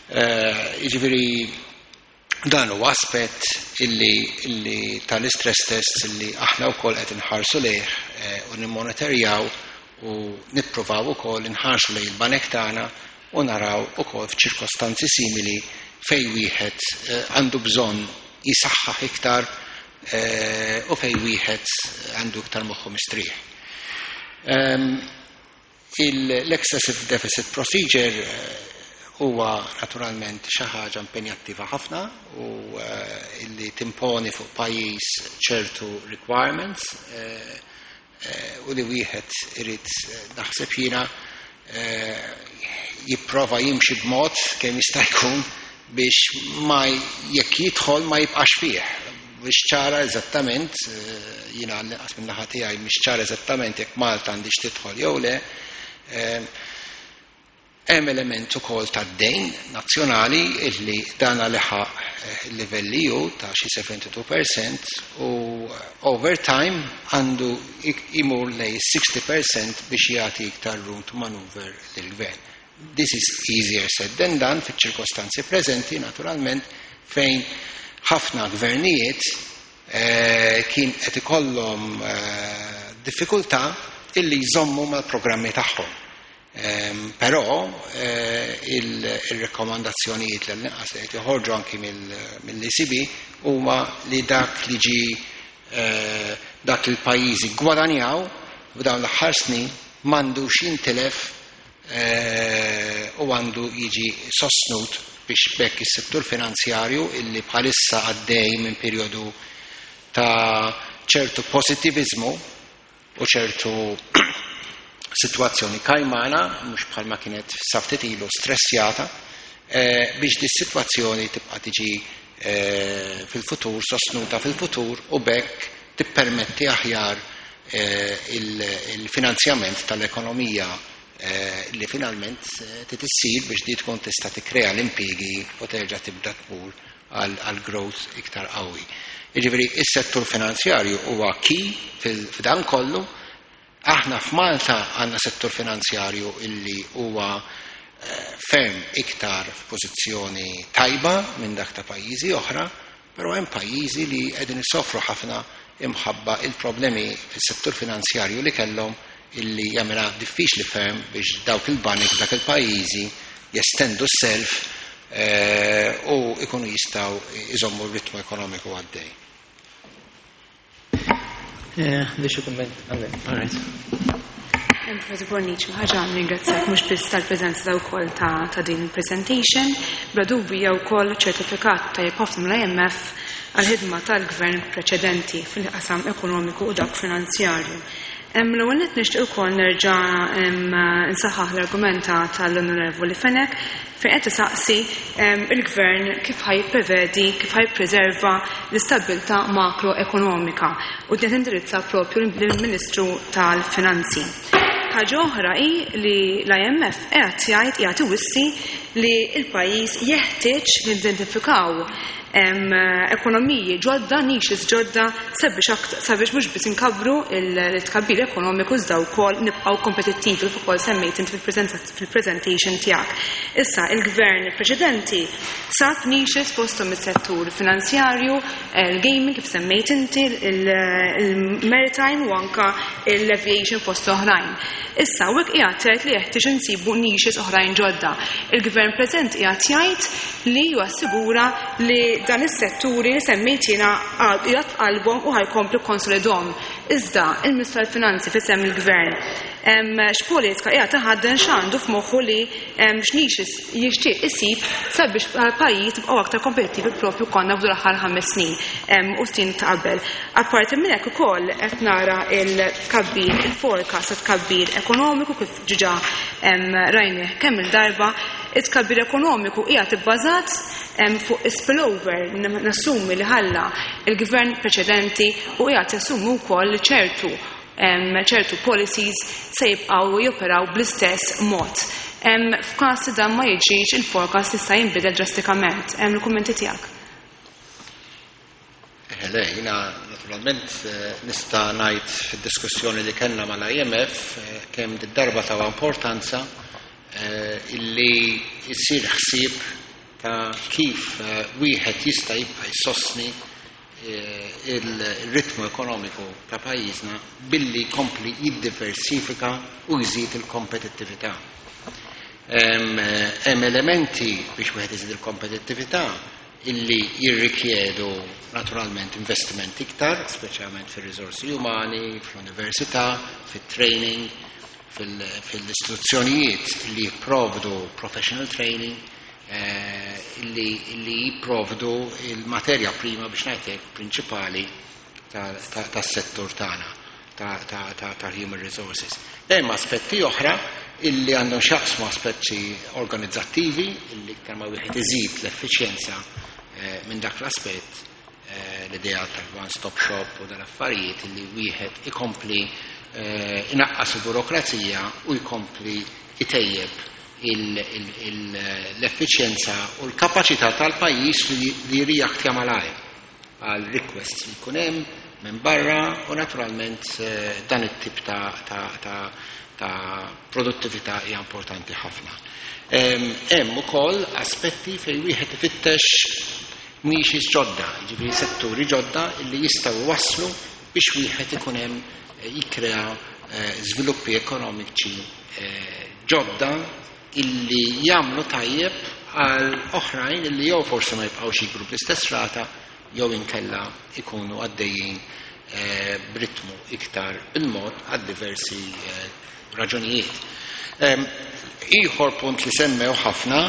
Speaker 5: Jiġifieri dan huwa aspett illi, illi tal-istress tests illi aħna wkoll qed inħarsu lejh u nimmonitorjaw u nippruvaw ukoll inħarsu lejn il-banek tagħna u naraw ukoll f'ċirkostanzi simili fejn wieħed għandu bżonn jisaħħaħ iktar u fejn wieħed għandu iktar moħħu mistrieħ. L-excessive deficit procedure huwa naturalment xi ħaġa impenjattiva ħafna u illi timponi fuq pajjiż ċertu requirements u li wieħed irid, naħseb jiena, jipprova jimxi b'mod kemm jista' jkun biex ma jekk jidħol ma jibqax fih. Biex ċara eżattament, jiena għall-inqas minn naħa tiegħi mhix ċara eżattament jekk Malta għandix tidħol jew le. Hemm element ukoll tad-dejn nazzjonali illi dan leħaq il-livell E U ta' xi sebgħa u sebgħin fil-mija u over time għandu imur lejn sittaħx fil-mija biex jagħti iktar room to maneuver lill-gvern. This is easier said than done fiċ-ċirkostanzi preżenti, naturalment, fejn ħafna gvernijiet eh, kien qed ikollhom eh, diffikultà illi jżommu mal-programmi tagħhom. Um, però eh, il-rekomandazzjonijiet li l-inqas li qed joħorġu anki mill-E C B huma li dak li ġi eh, dak li l-pajjiżi gwadanjaw f'dawn l-aħħar snin m'għandux jintilef eh, u għandu jiġi sostnut biex bekk is-settur finanzjarju, illi bħalissa għaddej minn perjodu ta' ċertu pozitivizmu u ċertu situazzjoni kajmana, mhux bħalma kienet sa ftit ilu stressjata, eh, biex di situazzjoni tibqa' tiġi eh, fil-futur, sostnuta fil-futur u bekk tippermetti aħjar eh, il-finanzjament tal-ekonomija li finalment trid issir biex di tkun tista' tikkrea l-impjiegi u terġa' tibda tmur għal growth iktar qawwi. Jiġifieri is-settur finanzjarju huwa key f'dan kollu. Aħna f'Malta għandna settur finanzjarju illi huwa ferm iktar f'pożizzjoni tajba minn dak ta' pajjiżi oħra, però hemm pajjiżi li qegħdin isofru ħafna imħabba il-problemi fis-settur finanzjarju li kellhom, illi jagħmilha diffiċli ferm biex dawk il-banek dak il-pajjiżi jestendu s-self u ikunu jistgħu iżommu r-ritmu ekonomiku għaddej.
Speaker 1: Biex kumment, all right.
Speaker 8: Professor Bonnici, ħaġa ringrazzjak mhux biss tal-preżenza ta' wkoll ta' ta' din il-presentation, bla dubju hija wkoll ċertifikat tajjeb ħafna mill-I M F għall-ħidma tal-gvern preċedenti fil-qasam ekonomiku u dak finanzjarju. L-ewwel nett nixtieq ukoll nerġa' nsaħħaħ l-argumenta tal-Onorevoli Fenech fejn qed isaqsi il-gvern kif ħa jipprevedi, kif ħa jippreserva l-istabbiltà makroekonomika u din tindirizza propju lill-Ministru tal-Finanzi. Ħaġa oħra hi li l-I M F qed jgħid, qiegħed iwissi li l-pajjiż jeħtieġ nidentifikaw ekonomiji ġodda, niches ġodda sabiex sabiex mhux biss inkabbru il-tkabbir ekonomiku iżda wkoll nibqgħu kompetittivi, kif ukoll semmejt inti fil-presentation tiegħek. Issa il-gvern preċedenti sab niches fosthom is-settur finanzjarju, il-gaming kif semmejt inti, il-maritime u anka l-aviation fost oħrajn. Issa u hekk qiegħed tgħid li jeħtieġ insibu niches oħrajn ġodda. Il-gvern preżent qiegħed jgħid li jassigura li dan is-setturi li semmejt jiena qiegħed f'qalbhom u ħa jkomplu jikkonsolidahom. Iżda il-Ministru tal-Finanzi f'isem il-Gvern x'politika qiegħed taħadden, x'għandu f'moħħu li x'niches jixtieq isib sabiex bħal pajjiż tibqgħu aktar kompetittivi propju konna f'dawn l-aħħar ħames snin u snin ta' qabel? Apparti minn hekk ukoll qed nara il-tkabbir, il-forecast ta' tkabbir ekonomiku kif ġiġa rajnih kemm il-darba, it-tkabbir ekonomiku qiegħed ibbażat fuq spillover nassumi li ħalla il-gvern preċedenti u qiegħed jassumi wkoll li ċertu ċertu policies se jibqgħu joperaw bl-istess mod. F'każ li dan ma jiġix, il-forecast jista' jinbidel drastikament. Hemm il-kummenti tiegħek.
Speaker 5: Le, jiena naturalment nista' ngħid fid-diskussjoni li kellna mal-I M F kemm darba ta' importanza illi jsir ħsieb ta' kif wieħed jista' jibqa' jsostni il-ritmu ekonomiku ta' pajjiżna billi jkompli jiddiversifika u jżid il-kompetittività. Hemm elementi biex wieħed iżid il-kompetittività illi jirrikjedu naturalment investiment iktar, speċjalment fir-riżorsi umani, fl-università, fit-training, fil-istituzzjonijiet li jipprovdu professional training, eh, illi, illi jipprovdu il-materja prima, biex ngħidlek, prinċipali tas-settur tagħna tal-human resources. Hemm aspetti oħra illi għandhom x'jaqsmu aspetti organizzattivi illi iktar ma wieħed iżid l-effiċjenza eh, minn dak l-aspett, eh, l-idea tal-one stop shop u dal-affarijiet illi wieħed ikompli eh, inaqqas il-burokrazija u jkompli itejjeb l-effiċjenza u l-kapaċità tal-pajjiż li jirreaktja malajr għal requests li jkun hemm minn barra u naturalment dan it-tip ta', ta, ta, ta' produttività hija importanti ħafna. Hemm ukoll aspetti fejn wieħed ifittex niches ġodda, jiġifieri setturi ġodda illi jistgħu waslu biex wieħed ikun hemm jikkrea żviluppi ekonomiċi ġodda illi jagħmlu tajjeb għal oħrajn illi jew forsi ma jibqgħux jikbru bl-istess rata jew inkella ikunu għaddejjin b'ritmu iktar bil-mod għal diversi raġunijiet. Ieħor punt li semmew ħafna,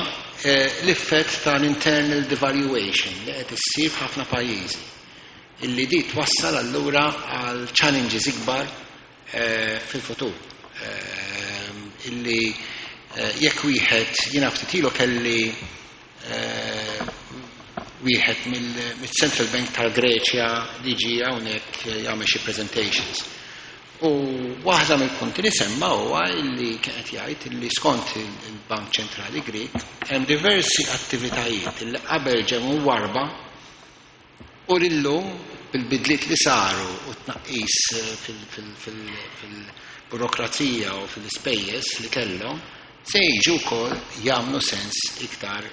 Speaker 5: l-effett tal-internal devaluation li qed issir f'ħafna pajjiżi illi di twassal allura għal challenges ikbar fil-futur. Illi jekk wieħed, jiena ftit ilu kelli wieħed mill-Central Bank tal-Greċja li ġie hawnhekk jagħmel xi presentations. U waħda mill-punti li semma huwa illi kien qed jgħid illi skont il-Bank Ċentrali Grek hemm diversi attivitajiet illi qabel ġew warba u illum bil-bidliet li saru u tnaqqis fil-burokrazija u fil-ispejjeż li kellhom se jiġu wkoll jagħmlu sens iktar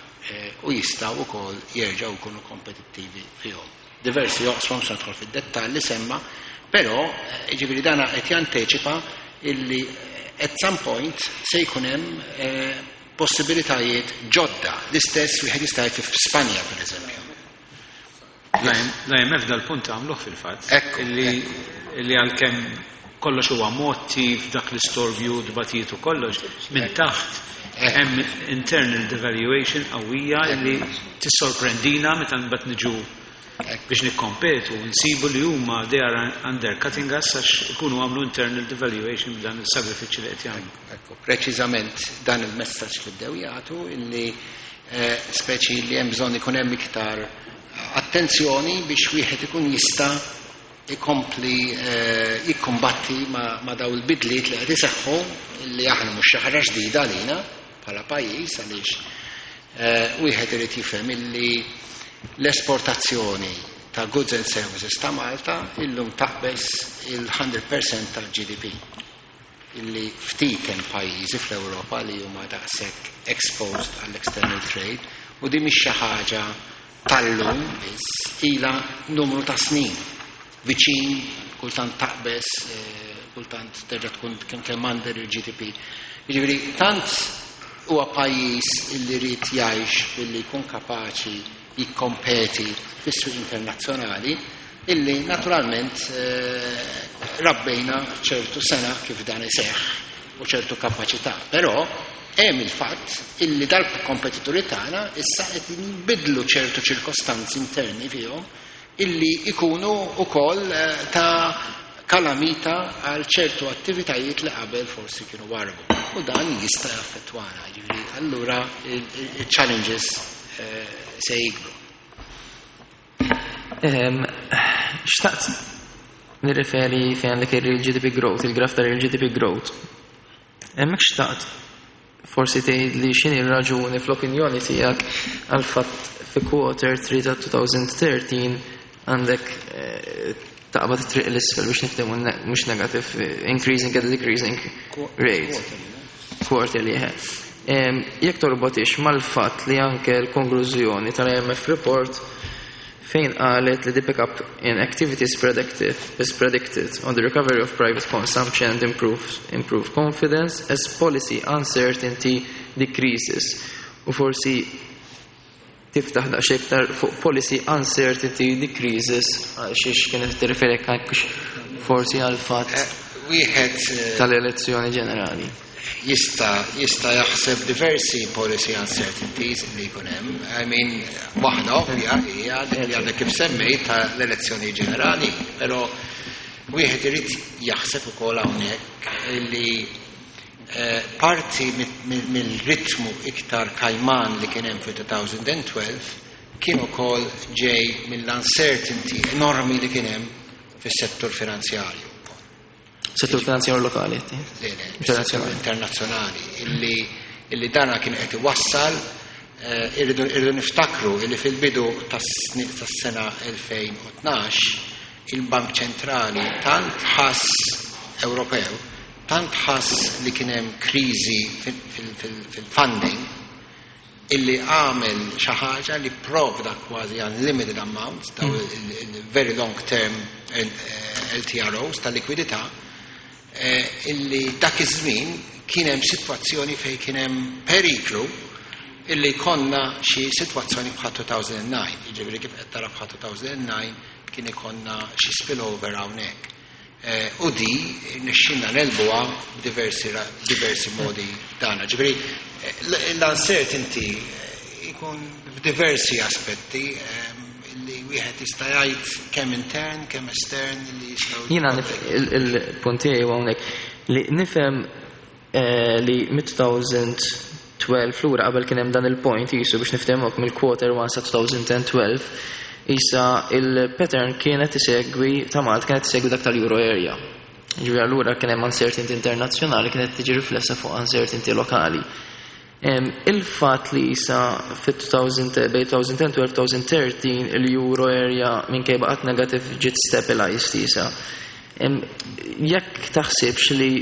Speaker 5: u jistgħu wkoll jerġgħu jkunu kompetittivi fihom. Diversi oqsma, se nidħol fid-dettall li semma, però jiġifieri dana qed janteċipa illi at some point se jkun hemm possibilitajiet ġodda. L-istess wieħed jista' jgħid f'Spanja, pereżempju.
Speaker 7: L-I M F dal-punt għamluh fil-fatt. Illi illi għalkemm kollox huwa motti f'dak l-istorbju dbatijiet u kollox, minn taħt hemm internal devaluation qawwija li tissorprendina meta mbagħad niġu biex nikkompetu, nsibu li huma they are undercutting us għax ikunu għamlu internal devaluation b'dan il-sagrifiċċju li qed jagħmlu.
Speaker 5: Ekku, preċiżament dan il-messaġġ li bdew jagħtu illi speċi li hemm bżonn ikun hemm iktar attenzjoni biex wieħed ikun jista' ikompli jikkombatti ma, ma daw il-bidliet li qed iseħħu, li aħna mhux xi ħaġa ġdida għalina bħala pajjiż, għaliex wieħed irid jifhem illi l-esportazzjoni ta' goods and services ta' Malta illum taqbeż il-mija fil-mija tal-G D P, illi ftit hemm pajjiżi fl-Ewropa li huma daqshekk exposed għall-external trade, u di mhix xi ħaġa tal-lum biss, ila numru ta' snin viċin, kultant taqbeż, kultant terġa' tkun kemm kemm under il-G D P. Jiġifieri tant huwa pajjiż illi jrid jgħix billi jkun kapaċi jikkompeti fis-suq internazzjonali illi naturalment rabbejna ċertu sena kif dan iseħħ u ċertu kapaċità. Però hemm il-fatt illi dal-kompetituri tagħna issa qed jinbidlu ċertu ċirkostanzi interni fihom illi ikunu wkoll ta' kalamita għal ċertu attivitajiet li qabel forsi kienu warbu. U dan jista' jaffettwana, jiġifieri allura il-challenges se jikbru.
Speaker 1: Xtaqt nirreferi fejn għandek il-real G D P growth, il-graf ta' real G D P growth. Hemmhekk xtaqt Forsi tgħid li x'inhi r-raġuni fl-opinjoni tiegħek għal fatt fi quarter three ta' twenty thirteen għandek eh, taqbad triq l-isfel, biex niftehmu, mhux negative, eh, increasing and decreasing rate. Quarterly, eh. Jekk torbotix mal-fatt li anke l-konklużjoni tal-I M F report fejn qalet li the pickup in activity is predicted, is predicted on the recovery of private consumption and improve, improve confidence as policy uncertainty decreases. U forsi tiftaħ daqsxejn iktar fuq policy uncertainty decreases, għal xiex kienet tirreferi forsi għal fatt
Speaker 5: eh, wieħed eh,
Speaker 1: tal-elezzjoni ġenerali.
Speaker 5: jista jista jaħseb diversi policy uncertainties li jkun hemm. I mean, waħda ovvja hija dik li għadek kif semmejt tal-elezzjoni ġenerali, però wieħed irid jaħseb ukoll hawnhekk li eh, parti mill-ritmu iktar kajman li kien hemm fil-elfejn u tnax kien ukoll ġej mill-uncertainty enormi li kien hemm fis-settur finanzjarju.
Speaker 1: Settur finanzjarju lokali?
Speaker 5: Internazzjonali. Internazzjonali. Illi, illi dana kien qed iwassal eh, irridu irridu niftakru illi fil-bidu tas-sena elfejn u tnax il-Bank Ċentrali tant ħass Ewropew, tant ħass li kien hemm kriżi fil-funding illi għamel xi ħaġa li provda kważi unlimited amounts, daw il-very long term eh, L T R Os ta' likwidità, eh, illi dak iż-żmien kien hemm sitwazzjoni fejn kien hemm periklu illi konna xi sitwazzjoni bħal elfejn u disgħa, jiġifieri kif qed tara bħal elfejn u disgħa kien ikonna xi spillover hawnhekk. Eh, u di nixxinna negħlbuha b'diversi diversi modi dana. Ġifieri eh, l-uncertainty ikun f'diversi aspetti li wieħed jista' jgħid kemm intern, kemm estern li jistgħu.
Speaker 1: Jiena il-punt tiegħi hawnhekk li nifhem eh, li mid-elfejn u tnax lura qabel kien hemm dan il-point jisu, biex niftehmok, mill-quarter one sa elfejn u tnax issa il-pattern kienet isegwi ta' Malta kienet isegwi dak tal-Euro area. Ġifieri allura kien hemm uncertainty internazzjonali kienet tiġi riflessa fuq uncertainty lokali. Il-fat li jisa fit-elfejn bejn elfejn u tnax u elfejn u tlettax il-euro area minkejja baqgħet negative ġiet stabilized jisa. Jekk taħsibx li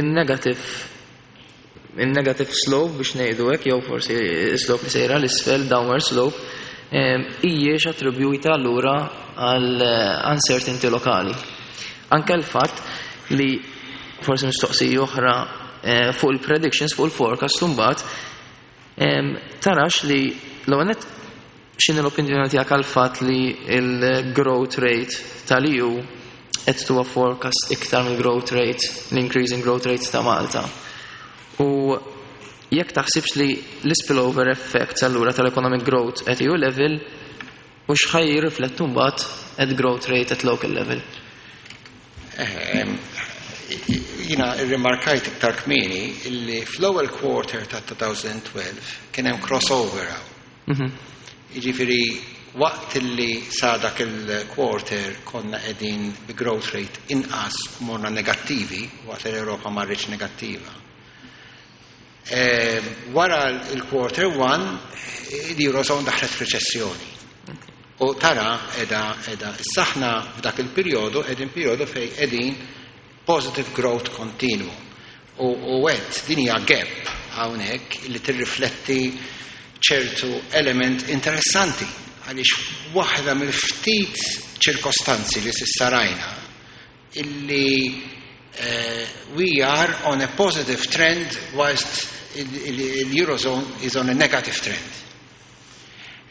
Speaker 1: il-negative il-negative slope, biex ngħidu hekk, jew forsi slope li sejra l-isfel, downward slope, hijiex attribwita allura għal uncertainty lokali. Anke l-fatt li forsi mistoqsija oħra eh, fuq il-predictions, fuq il-forecast mbagħad, tarax li l-għanet x'inhi l-opinjoni tiegħek għal fatt li il-growth rate tal-E U qed tuwa forecast iktar mill-growth rate, l-increasing growth rate ta' Malta? U jekk taħsibx li l-spillover effects allura tal-economic growth at E U level u x'ħa jirriflettu mbagħad at growth rate at local level.
Speaker 5: Jiena irrimarkajt iktar kmieni illi fl-ewwel quarter ta' elfejn u tnax kien hemm crossover hawn.
Speaker 1: Mhm.
Speaker 5: Jiġifieri waqt illi sa dak il-quarter konna qegħdin bi growth rate inqas u morna negattivi, waqt li l-Ewropa marriċ negattiva. Eh, wara il-quarter one, l-Eurozone daħlet f'reċessjoni. U tara edha edha saħna f'dak il-perjodu qegħdin perjodu fej qegħdin positive growth continuum. U, u għed din hija gap hawnhekk li tirrifletti ċertu element interessanti, għaliex waħda mill-ftit ċirkostanzi li s'issa rajna illi uh, we are on a positive trend whilst il-Eurozone is on a negative trend.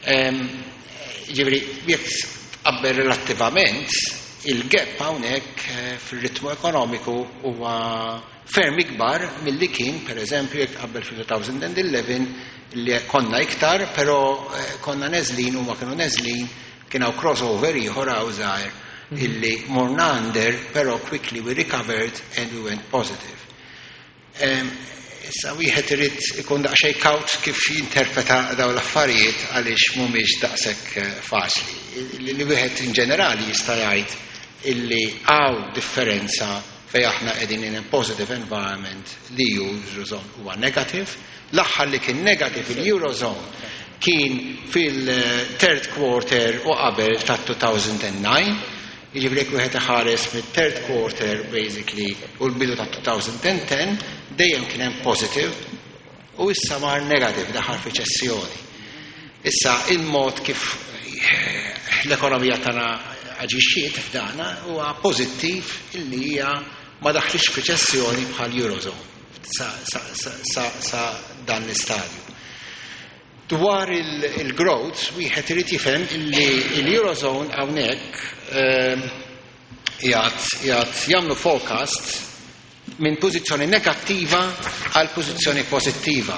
Speaker 5: Um, ġifieri, jekk tqabbel relattivament, il-gap hawnhekk eh, fil-ritmu ekonomiku huwa ferm ikbar milli kien, per eżempju, jekk tqabbel fil-elfejn u għaxra li konna iktar, però eh, konna neżlin u ma kienu neżlin, kien hawn crossover ieħor hawn żgħir illi morna under, però quickly we recovered and we went positive. Um, Issa wieħed irid ikun daqsxejn kawt kif jinterpreta dawn l-affarijiet għaliex mhumiex daqshekk eh, faċli. Li li wieħed in ġenerali jista' jgħid illi hawn differenza Fejn aħna qegħdin in a positive environment, l-Eurozone huwa negative. L-aħħar li kien negative il-Eurozone kien fil-third quarter u qabel ta' two thousand nine. Jiġifieri jekk wieħed iħares mit-third quarter basically u l-bidu ta' twenty ten, dejjem kien hemm positive u issa mar negative, daħal f'riċessjoni. Issa il-mod kif l-ekonomija tagħna aġixxiet f'dana huwa pożittiv illi hija ma daħlix f'riċessjoni bħal Eurozone sa, sa, sa, sa, sa dan l-istadju. Dwar il-growth, wieħed irid jifhem illi l-Eurozone hawnhekk ehm, qiegħed jagħmlu forecast minn pożizzjoni negattiva għal pożizzjoni pożittiva.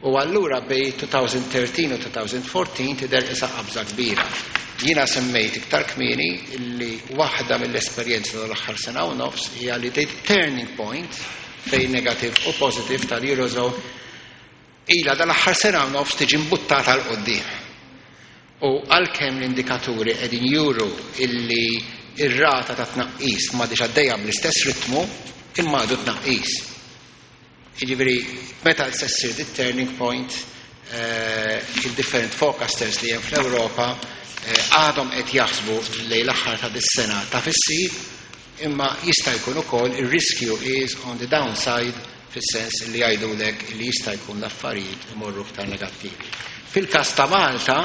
Speaker 5: U allura bejn twenty thirteen u twenty fourteen tidher isa qabża kbira. Jiena semmejt iktar kmieni illi waħda mill-esperjenza tal-aħħar sena u nofs hija li the turning point bejn negative u positive tal-Eurozone ila dal-aħħar sena u nofs tiġi mbuttata 'l quddiem. U għalkemm l-indikaturi qegħdin juru illi ir-rata ta' tnaqqis ma diġ għaddejja bl-istess ritmu, imma għadu tnaqqis. Jiġifieri, meta se ssir the turning point, eh, il-different forecasters li hemm fl-Ewropa eh, għadhom qed jaħsbu lejn l-aħħar ta' dis-sena ta' fissir, imma jista' jkun ukoll ir-riskju is on the downside, fis-sens li jgħidulek li jista' jkun l-affarijiet imorru iktar negattivi. Fil-każ ta' Malta,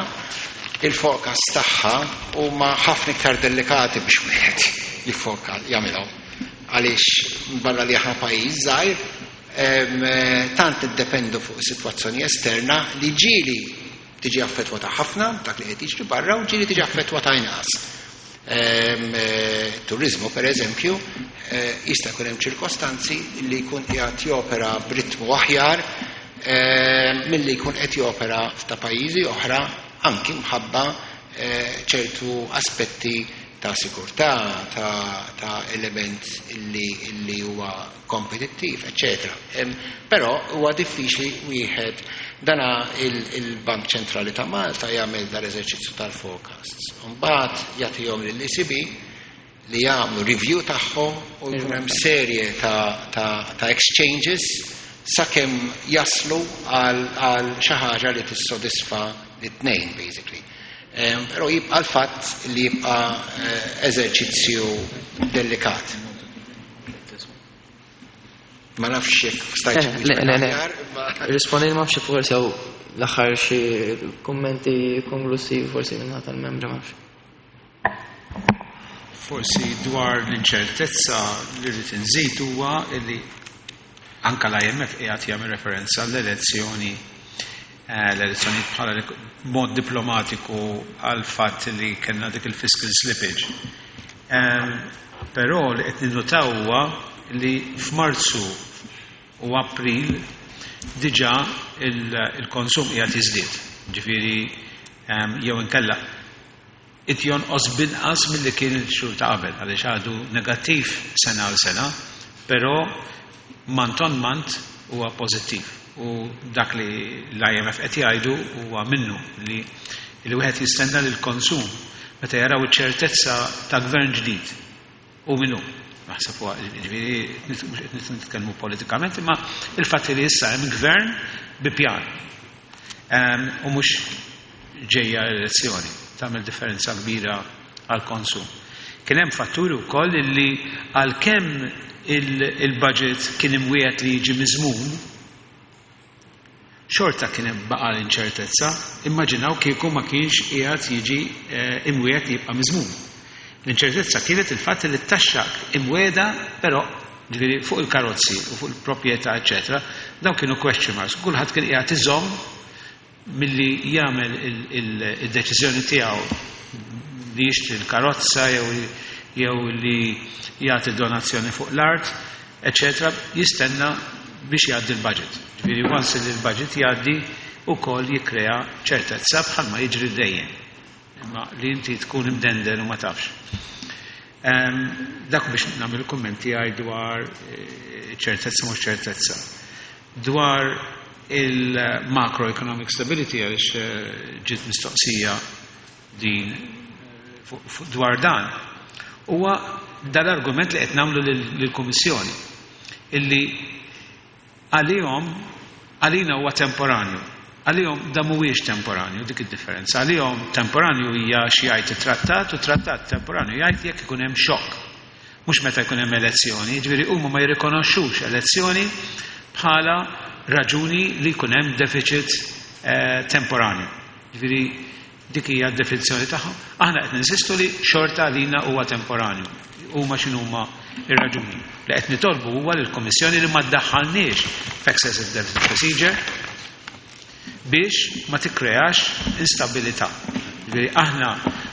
Speaker 5: il-forecast tagħha huma ħafna iktar delikati biex wieħed jifforecast jagħmilhom. Għaliex barra li aħna pajjiż żgħir, em, eh, tant iddependu fuq sitwazzjoni esterna li ġieli tiġi affettwata ħafna dak li qed jiġri barra u ġieli tiġi affettwata inqas. Em, eh, Turizmu, per eżempju, eh, jista' jkun hemm ċirkostanzi li jkun qiegħed jopera b'ritmu aħjar eh, milli jkun qed jopera f'ta' pajjiżi oħra, anki mħabba eh, ċertu aspetti ta' sigurtà, ta', ta element illi, illi huwa kompetittiv, eċċetera. Em, Però huwa diffiċli wieħed dana il-Bank Ċentrali ta' Malta jagħmel dal-eżerċizzju tal-forecasts. Mbagħad jagħtihom lill-E C B li jagħmlu review tagħhom u jkun hemm serje ta', ta, ta' exchanges sakemm jaslu għal, għal xi ħaġa li tissodisfa l-tnejn basically. Um, Però jibqa' l-fatt li jibqa' eh, eżerċizzju delikat. Ma nafx jekk stajtx
Speaker 1: Eh, le, le, le.
Speaker 5: aħjar, imma-
Speaker 1: Rispondejt, ma nafx forsi hawn l-aħħar xi kummenti konklusivi forsi minn tal-membri, ma nafx.
Speaker 7: Forsi dwar l-inċertezza li rrid inżid huwa li anka l-I M F qiegħed jagħmel referenza l-elezzjoni eh, l-elezzjoni bħala li- mod diplomatiku għal fatt li kellna dik il-fiscal slippage. Em, Però li qed ninnutaw huwa li f'Marzu u April diġà il- il-konsum qiegħed jiżdied. Ġifieri em, jew inkella it jonqos binqas milli kien il-xhur ta' qabel, għaliex għadu negattiv sena għal sena, però month on month huwa pożittiv. U dak li l-I M F qed jgħidu huwa minnu li li wieħed jistenna li l-konsum meta jaraw iċ-ċertezza ta' gvern ġdid u minnu. Naħseb huwa, ġifieri, mhux qed nitkellmu politikament, imma il-fatt li issa hemm gvern bi pjan. Em, U mhux ġejja l-elezzjoni, tagħmel differenza kbira għal konsum. Kien hemm fatturi wkoll li għalkemm il-budget kien imwiegħed li jiġi miżmum, xorta kien hemm baqa l-inċertezza, immaġinaw kieku ma kienx qiegħed jiġi eh, imwiegħed li jibqa' miżmum. L-inċertezza kienet il-fatt li t-taxxa imwiegħda, però ġifieri fuq il-karozzi u fuq il-proprjetà, eċetera, dawn kienu question marks. Kulħadd kien qiegħed iżomm milli jagħmel il-deċiżjoni tiegħu li jixtri l-karozza jew jew li jagħti donazzjoni fuq l-art, eċetera, jistenna biex jgħaddi l-budget. Ġifieri once li l-budget jgħaddi ukoll jikkrea ċertezza, bħalma jiġri dejjem. Imma li inti tkun imdendel u ma tafx. Em, Dak biex nagħmel kummenti għaj dwar eh, ċertezza mhux ċertezza. Dwar il-macroeconomic stability, għaliex eh, ġiet mistoqsija din eh, fuq- fuq dwar dan. Huwa dal-argument li qed nagħmlu lill-Kummissjoni, illi għalihom għalina huwa temporanju. Għalihom da mhuwiex temporanju, dik id-differenza. Għalihom temporanju hija xi jgħid it-trattat, u trattat temporanju jgħid jekk ikun hemm xokk. Mhux meta jkun hemm elezzjoni, jiġifieri huma ma jirrikonoxxux elezzjoni bħala raġuni li jkun hemm deficit eh, temporanju. Jiġifieri dik hija d-definizzjoni tagħhom. Aħna qed ninsistu li xorta għalina huwa temporanju. Huma x'inhuma ir-raġuni. Li qed nitolbu huwa lill-Kummissjoni li ma ddaħħalniex f'excessive deficit procedure biex ma tikkreax instabilità. Jiġifieri aħna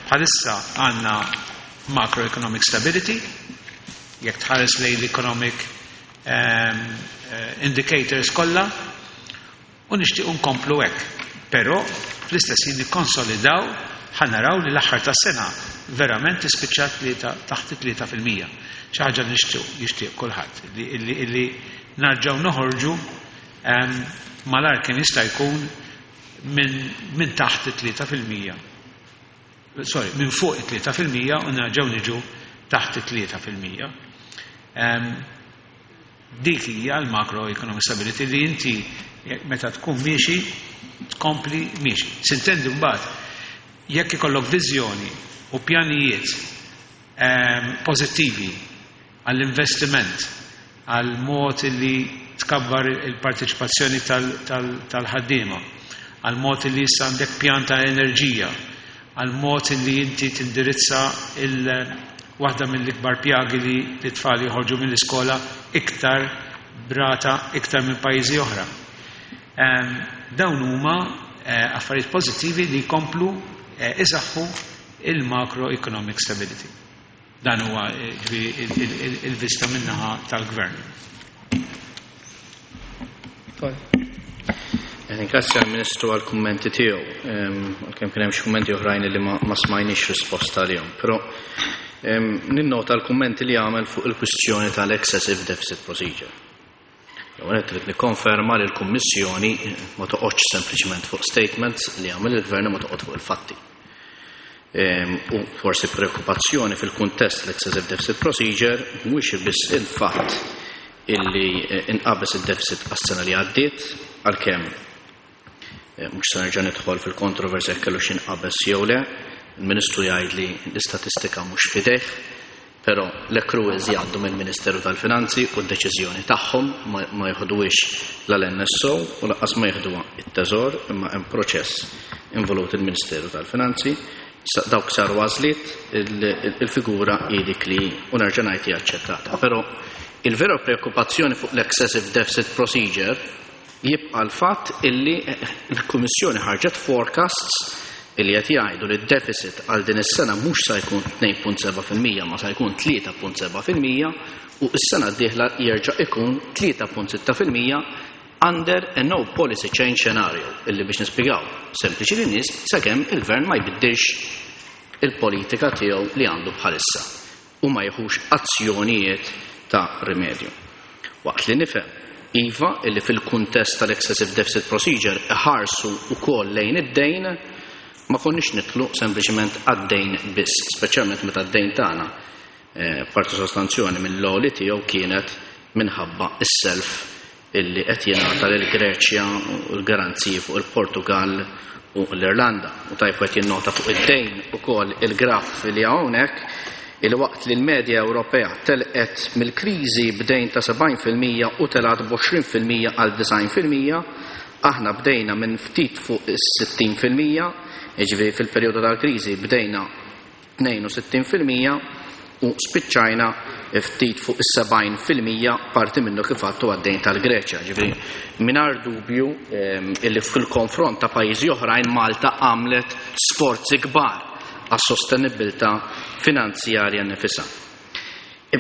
Speaker 7: bħalissa għandna macroeconomic stability, jekk tħares lejn l-economic um, indicators kollha, u nixtiequ nkomplu hekk. Però fl-istess ħin nikkonsolidaw, ħa naraw li l-aħħar tas-sena verament tispiċċa tlieta, taħt tlieta fil-mija. Xi ħaġa li nixtieq jixtieq kulħadd illi, illi, illi narġgħu noħorġu um, malar kien jista' jkun minn min taħt tlieta fil-mija. Sorry, minn fuq it-tlieta fil-mija u nerġgħu niġu taħt it-tlieta fil-mija. Um, dik hija l-macroeconomic stability li inti meta tkun miexi tkompli miexi. S'intendi mbagħad jekk ikollok viżjoni u pjanijiet um, pożittivi għall-investiment, għal mod li tkabbar il-parteċipazzjoni tal-ħaddiema, għal mod li issa għandek pjan ta' enerġija, għal mod li inti tindirizza il waħda mill-ikbar pjagi li l-tfal joħorġu mill-iskola iktar brata iktar minn pajjiżi oħra. Um, dawn huma eh, affarijiet pożittivi li jkomplu eh, isaħħu il-macroeconomic stability. Dan huwa eh, ġifieri il-vista min-naħa tal-gvern.
Speaker 6: Ringrazzja l-Ministru għal-kummenti tiegħu, għalkemm kien hemm xi kummenti oħrajn li ma, ma smajniex risposta għalihom, però ninnota l-kummenti li għamel fuq il-kwistjoni tal-excessive deficit procedure. L-ewwel trid nikkonferma li l-Kummissjoni ma toqgħodx sempliċement fuq statements li għamel il-Gvern, ma toqgħod fuq il-fatti. U forsi preokkupazzjoni fil-kuntest l-excessive deficit procedure mhuwiex biss il-fatt illi inqabeż id-deficit għas-sena li għaddiet, għalkemm mhux se nerġa' nidħol fil-kontroversja jekk kellu x'inqabeż jew le. Il-Ministru jgħid li l-istatistika mhux fideh, però l-accruals jgħaddu mill-Ministeru tal-Finanzi u d-deċiżjoni tagħhom ma, ma jieħduhiex l-N S O u lanqas ma jieħduha it-Teżor, imma hemm proċess involut il-Ministeru tal-Finanzi. Dawk saru għażliet, il-figura hi dik li u nerġa' ngħid hija aċċettata. Però il-vera preokkupazzjoni fuq l-excessive deficit procedure jibqa' l-fatt illi l-Kummissjoni ħarġet forecasts illi qed jgħidu li d-deficit għal din is-sena mhux se jkun tnejn punt sebgħa fil-mija ma se jkun tlieta punt sebgħa fil-mija u s-sena d-dieħla jerġa' ikun tlieta punt sitta fil-mija under a no policy change scenario, illi biex nispjegaw sempliċi lin-nies, sakemm il-gvern ma jbiddilx il-politika tiegħu li għandu bħalissa u ma jieħux azzjonijiet ta' rimedju. Waqt li nifhem iva illi fil-kuntest tal-excessive deficit procedure iħarsu wkoll lejn id-dejn, ma konniex nitlu sempliċement għad-dejn biss, speċjalment meta d-dejn tagħna eh, parti sostanzjoni mill-għoli tiegħu kienet minħabba is-self illi qed jingħata lil Greċja u l-garanziji fuq il-Portugal u l-Irlanda. U tajb qed jinnota fuq id-dejn ukoll il-graf li hawnhekk, il-waqt li l-medja Ewropea telqet mill-kriżi b'dejn ta' sebgħin fil-mija u telgħet b'għoxrin fil-mija għal disgħin fil-mija, aħna bdejna minn ftit fuq is-sittin fil-mija, jiġifieri fil-perjodu tal-kriżi bdejna tnejn u sittin fil-mija u spiċċajna ftit fuq is-sebgħin fil-mija, parti minnu kif għadtu għad-dejn tal-Greċja. Ġifieri mingħajr dubju illi fil-konfront ta' pajjiżi oħrajn Malta għamlet sforzi kbar għas-sostenibilità finanzjarja nifisha.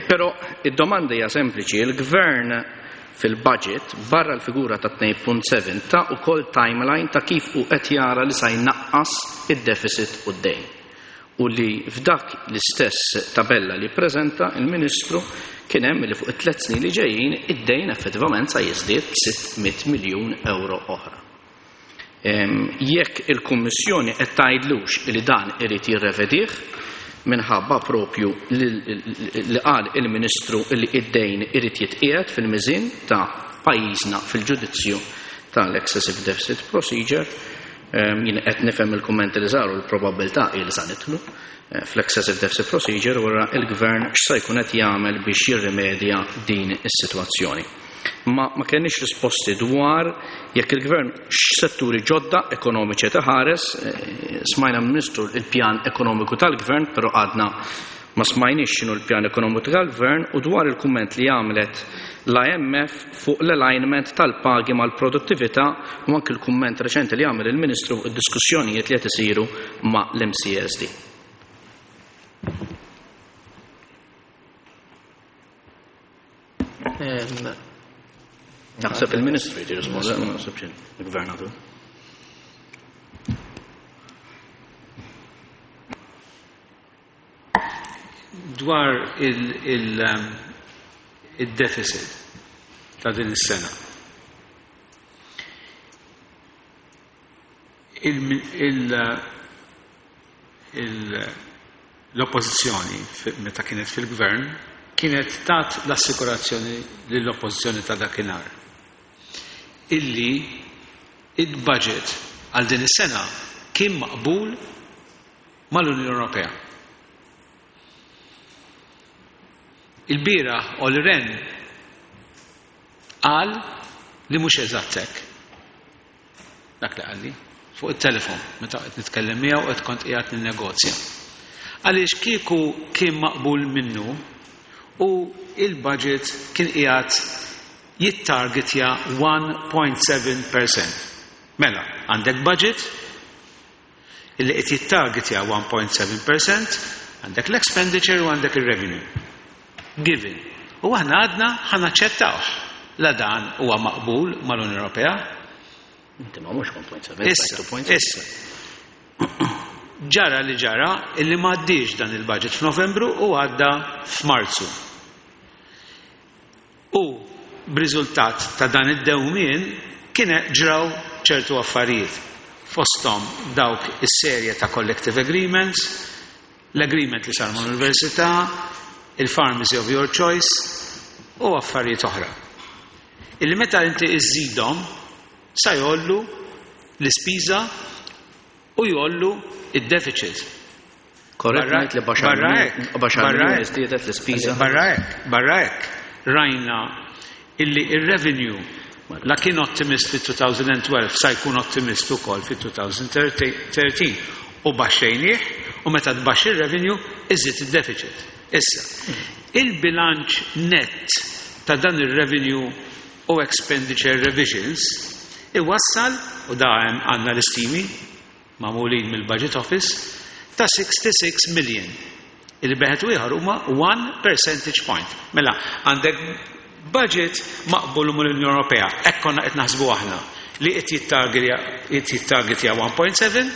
Speaker 6: Però id-domanda hija sempliċi: il-Gvern fil-budget barra l-figura ta' tnejn punt sebgħa ta wkoll timeline ta' kif u qed jara li sa jnaqqas id-deficit u d-dejn. U li f'dak l-istess tabella li preżenta il-Ministru kien hemm li fuq it-tliet snin li ġejjin id-dejn effettivament sa jiżdied b'sitt mitt miljun euro oħra. Jekk il-Kummissjoni qed tgħidlux li dan irid jirrevedih, minħabba propju li qal il-Ministru li id-dejn irid jitqiegħed fil-miżien ta' pajjiżna fil-ġudizzju tal-Excessive Deficit Procedure. Jien qed nifhem il-kummenti li saru, l-probabbiltà hi li sa nidħlu fl-Excessive Deficit Procedure, wara il-Gvern x'sa jkun qed jagħmel biex jirrimedja din is-sitwazzjoni. Ma ma kenniex risposti dwar jekk il-Gvern x'setturi ġodda ekonomiċi taħares. Smajna Ministru il-pjan ekonomiku tal-Gvern, però għadna ma smajniex x'inhu l-pjan ekonomiku tal-Gvern, u dwar il-kumment li għamlet l-I M F fuq l-alignment tal-pagi mal-produttività, u anke l-kumment reċenti li għamel il-Ministru fuq id-diskussjonijiet li qed isiru ma' l-M C S D. Naħseb il-Ministru jrid jirrispondi, ma naħsebx il-Gvernatur.
Speaker 7: Dwar il-deficit ta' din is-sena. L-oppożizzjoni meta kienet fil-gvern kienet tat l-assikurazzjoni lill-oppożizzjoni ta' dakinhar illi il-budget għal din is-sena kien maqbul mal-Unjoni Ewropea. Il-bieraħ Olli Rehn qal li mhux eżatt hekk. Dak li qalli fuq it-telefon meta qed nitkellem miegħu qed kont qiegħed ninnegozja. Għaliex kieku kien maqbul minnu u il-budget kien qiegħed jittargetja one point seven percent. Mela, għandek budget illi qed jittargetja one point seven percent, għandek l-expenditure u għandek il-revenue. Given. U aħna għadna ħanaċċettawh. La dan huwa maqbul mal-Unjoni Ewropea.
Speaker 6: Inti ma mhux one point seven,
Speaker 7: Issa,
Speaker 6: two point seven.
Speaker 7: issa. Ġara li ġara illi ma għaddiex dan il-budget f'Novembru u għadda f'Marzu. U b'riżultat ta' dan id-dewmien kien ġraw ċertu affarijiet. Fosthom dawk is-serje ta' collective agreements, l-agreement li sar mal-università, il-pharmacy of your choice u affarijiet oħra. Illi meta inti iżżidhom sa jollu l-ispiża u jollu id-deficit.
Speaker 6: Korrett
Speaker 7: Barra
Speaker 6: ngħid li baxar
Speaker 7: barra
Speaker 6: miljun-
Speaker 7: hekk,
Speaker 6: baxar
Speaker 7: barra
Speaker 6: miljun
Speaker 7: hekk.
Speaker 6: iżdiedet l-ispiża.
Speaker 7: Barra hekk, barra hekk, rajna illi ir-revenue la kien ottimist fi two thousand twelve sa jkun ottimist ukoll fi two thousand thirteen u baxxejnieh, u meta tbaxxi ir-revenue iżid id-deficit. Issa, il-bilanċ net ta' dan ir-revenue u expenditure revisions iwassal, u da hemm għandna l-istimi magħmulin mill-Budget Office, ta' sixty-six million. Il-beħet u ieħor huma one percentage point. Mela, għandek budget maqbul mill-Unjoni Ewropea, hekk konna qed naħsbu aħna li qed jittargetja one point seven,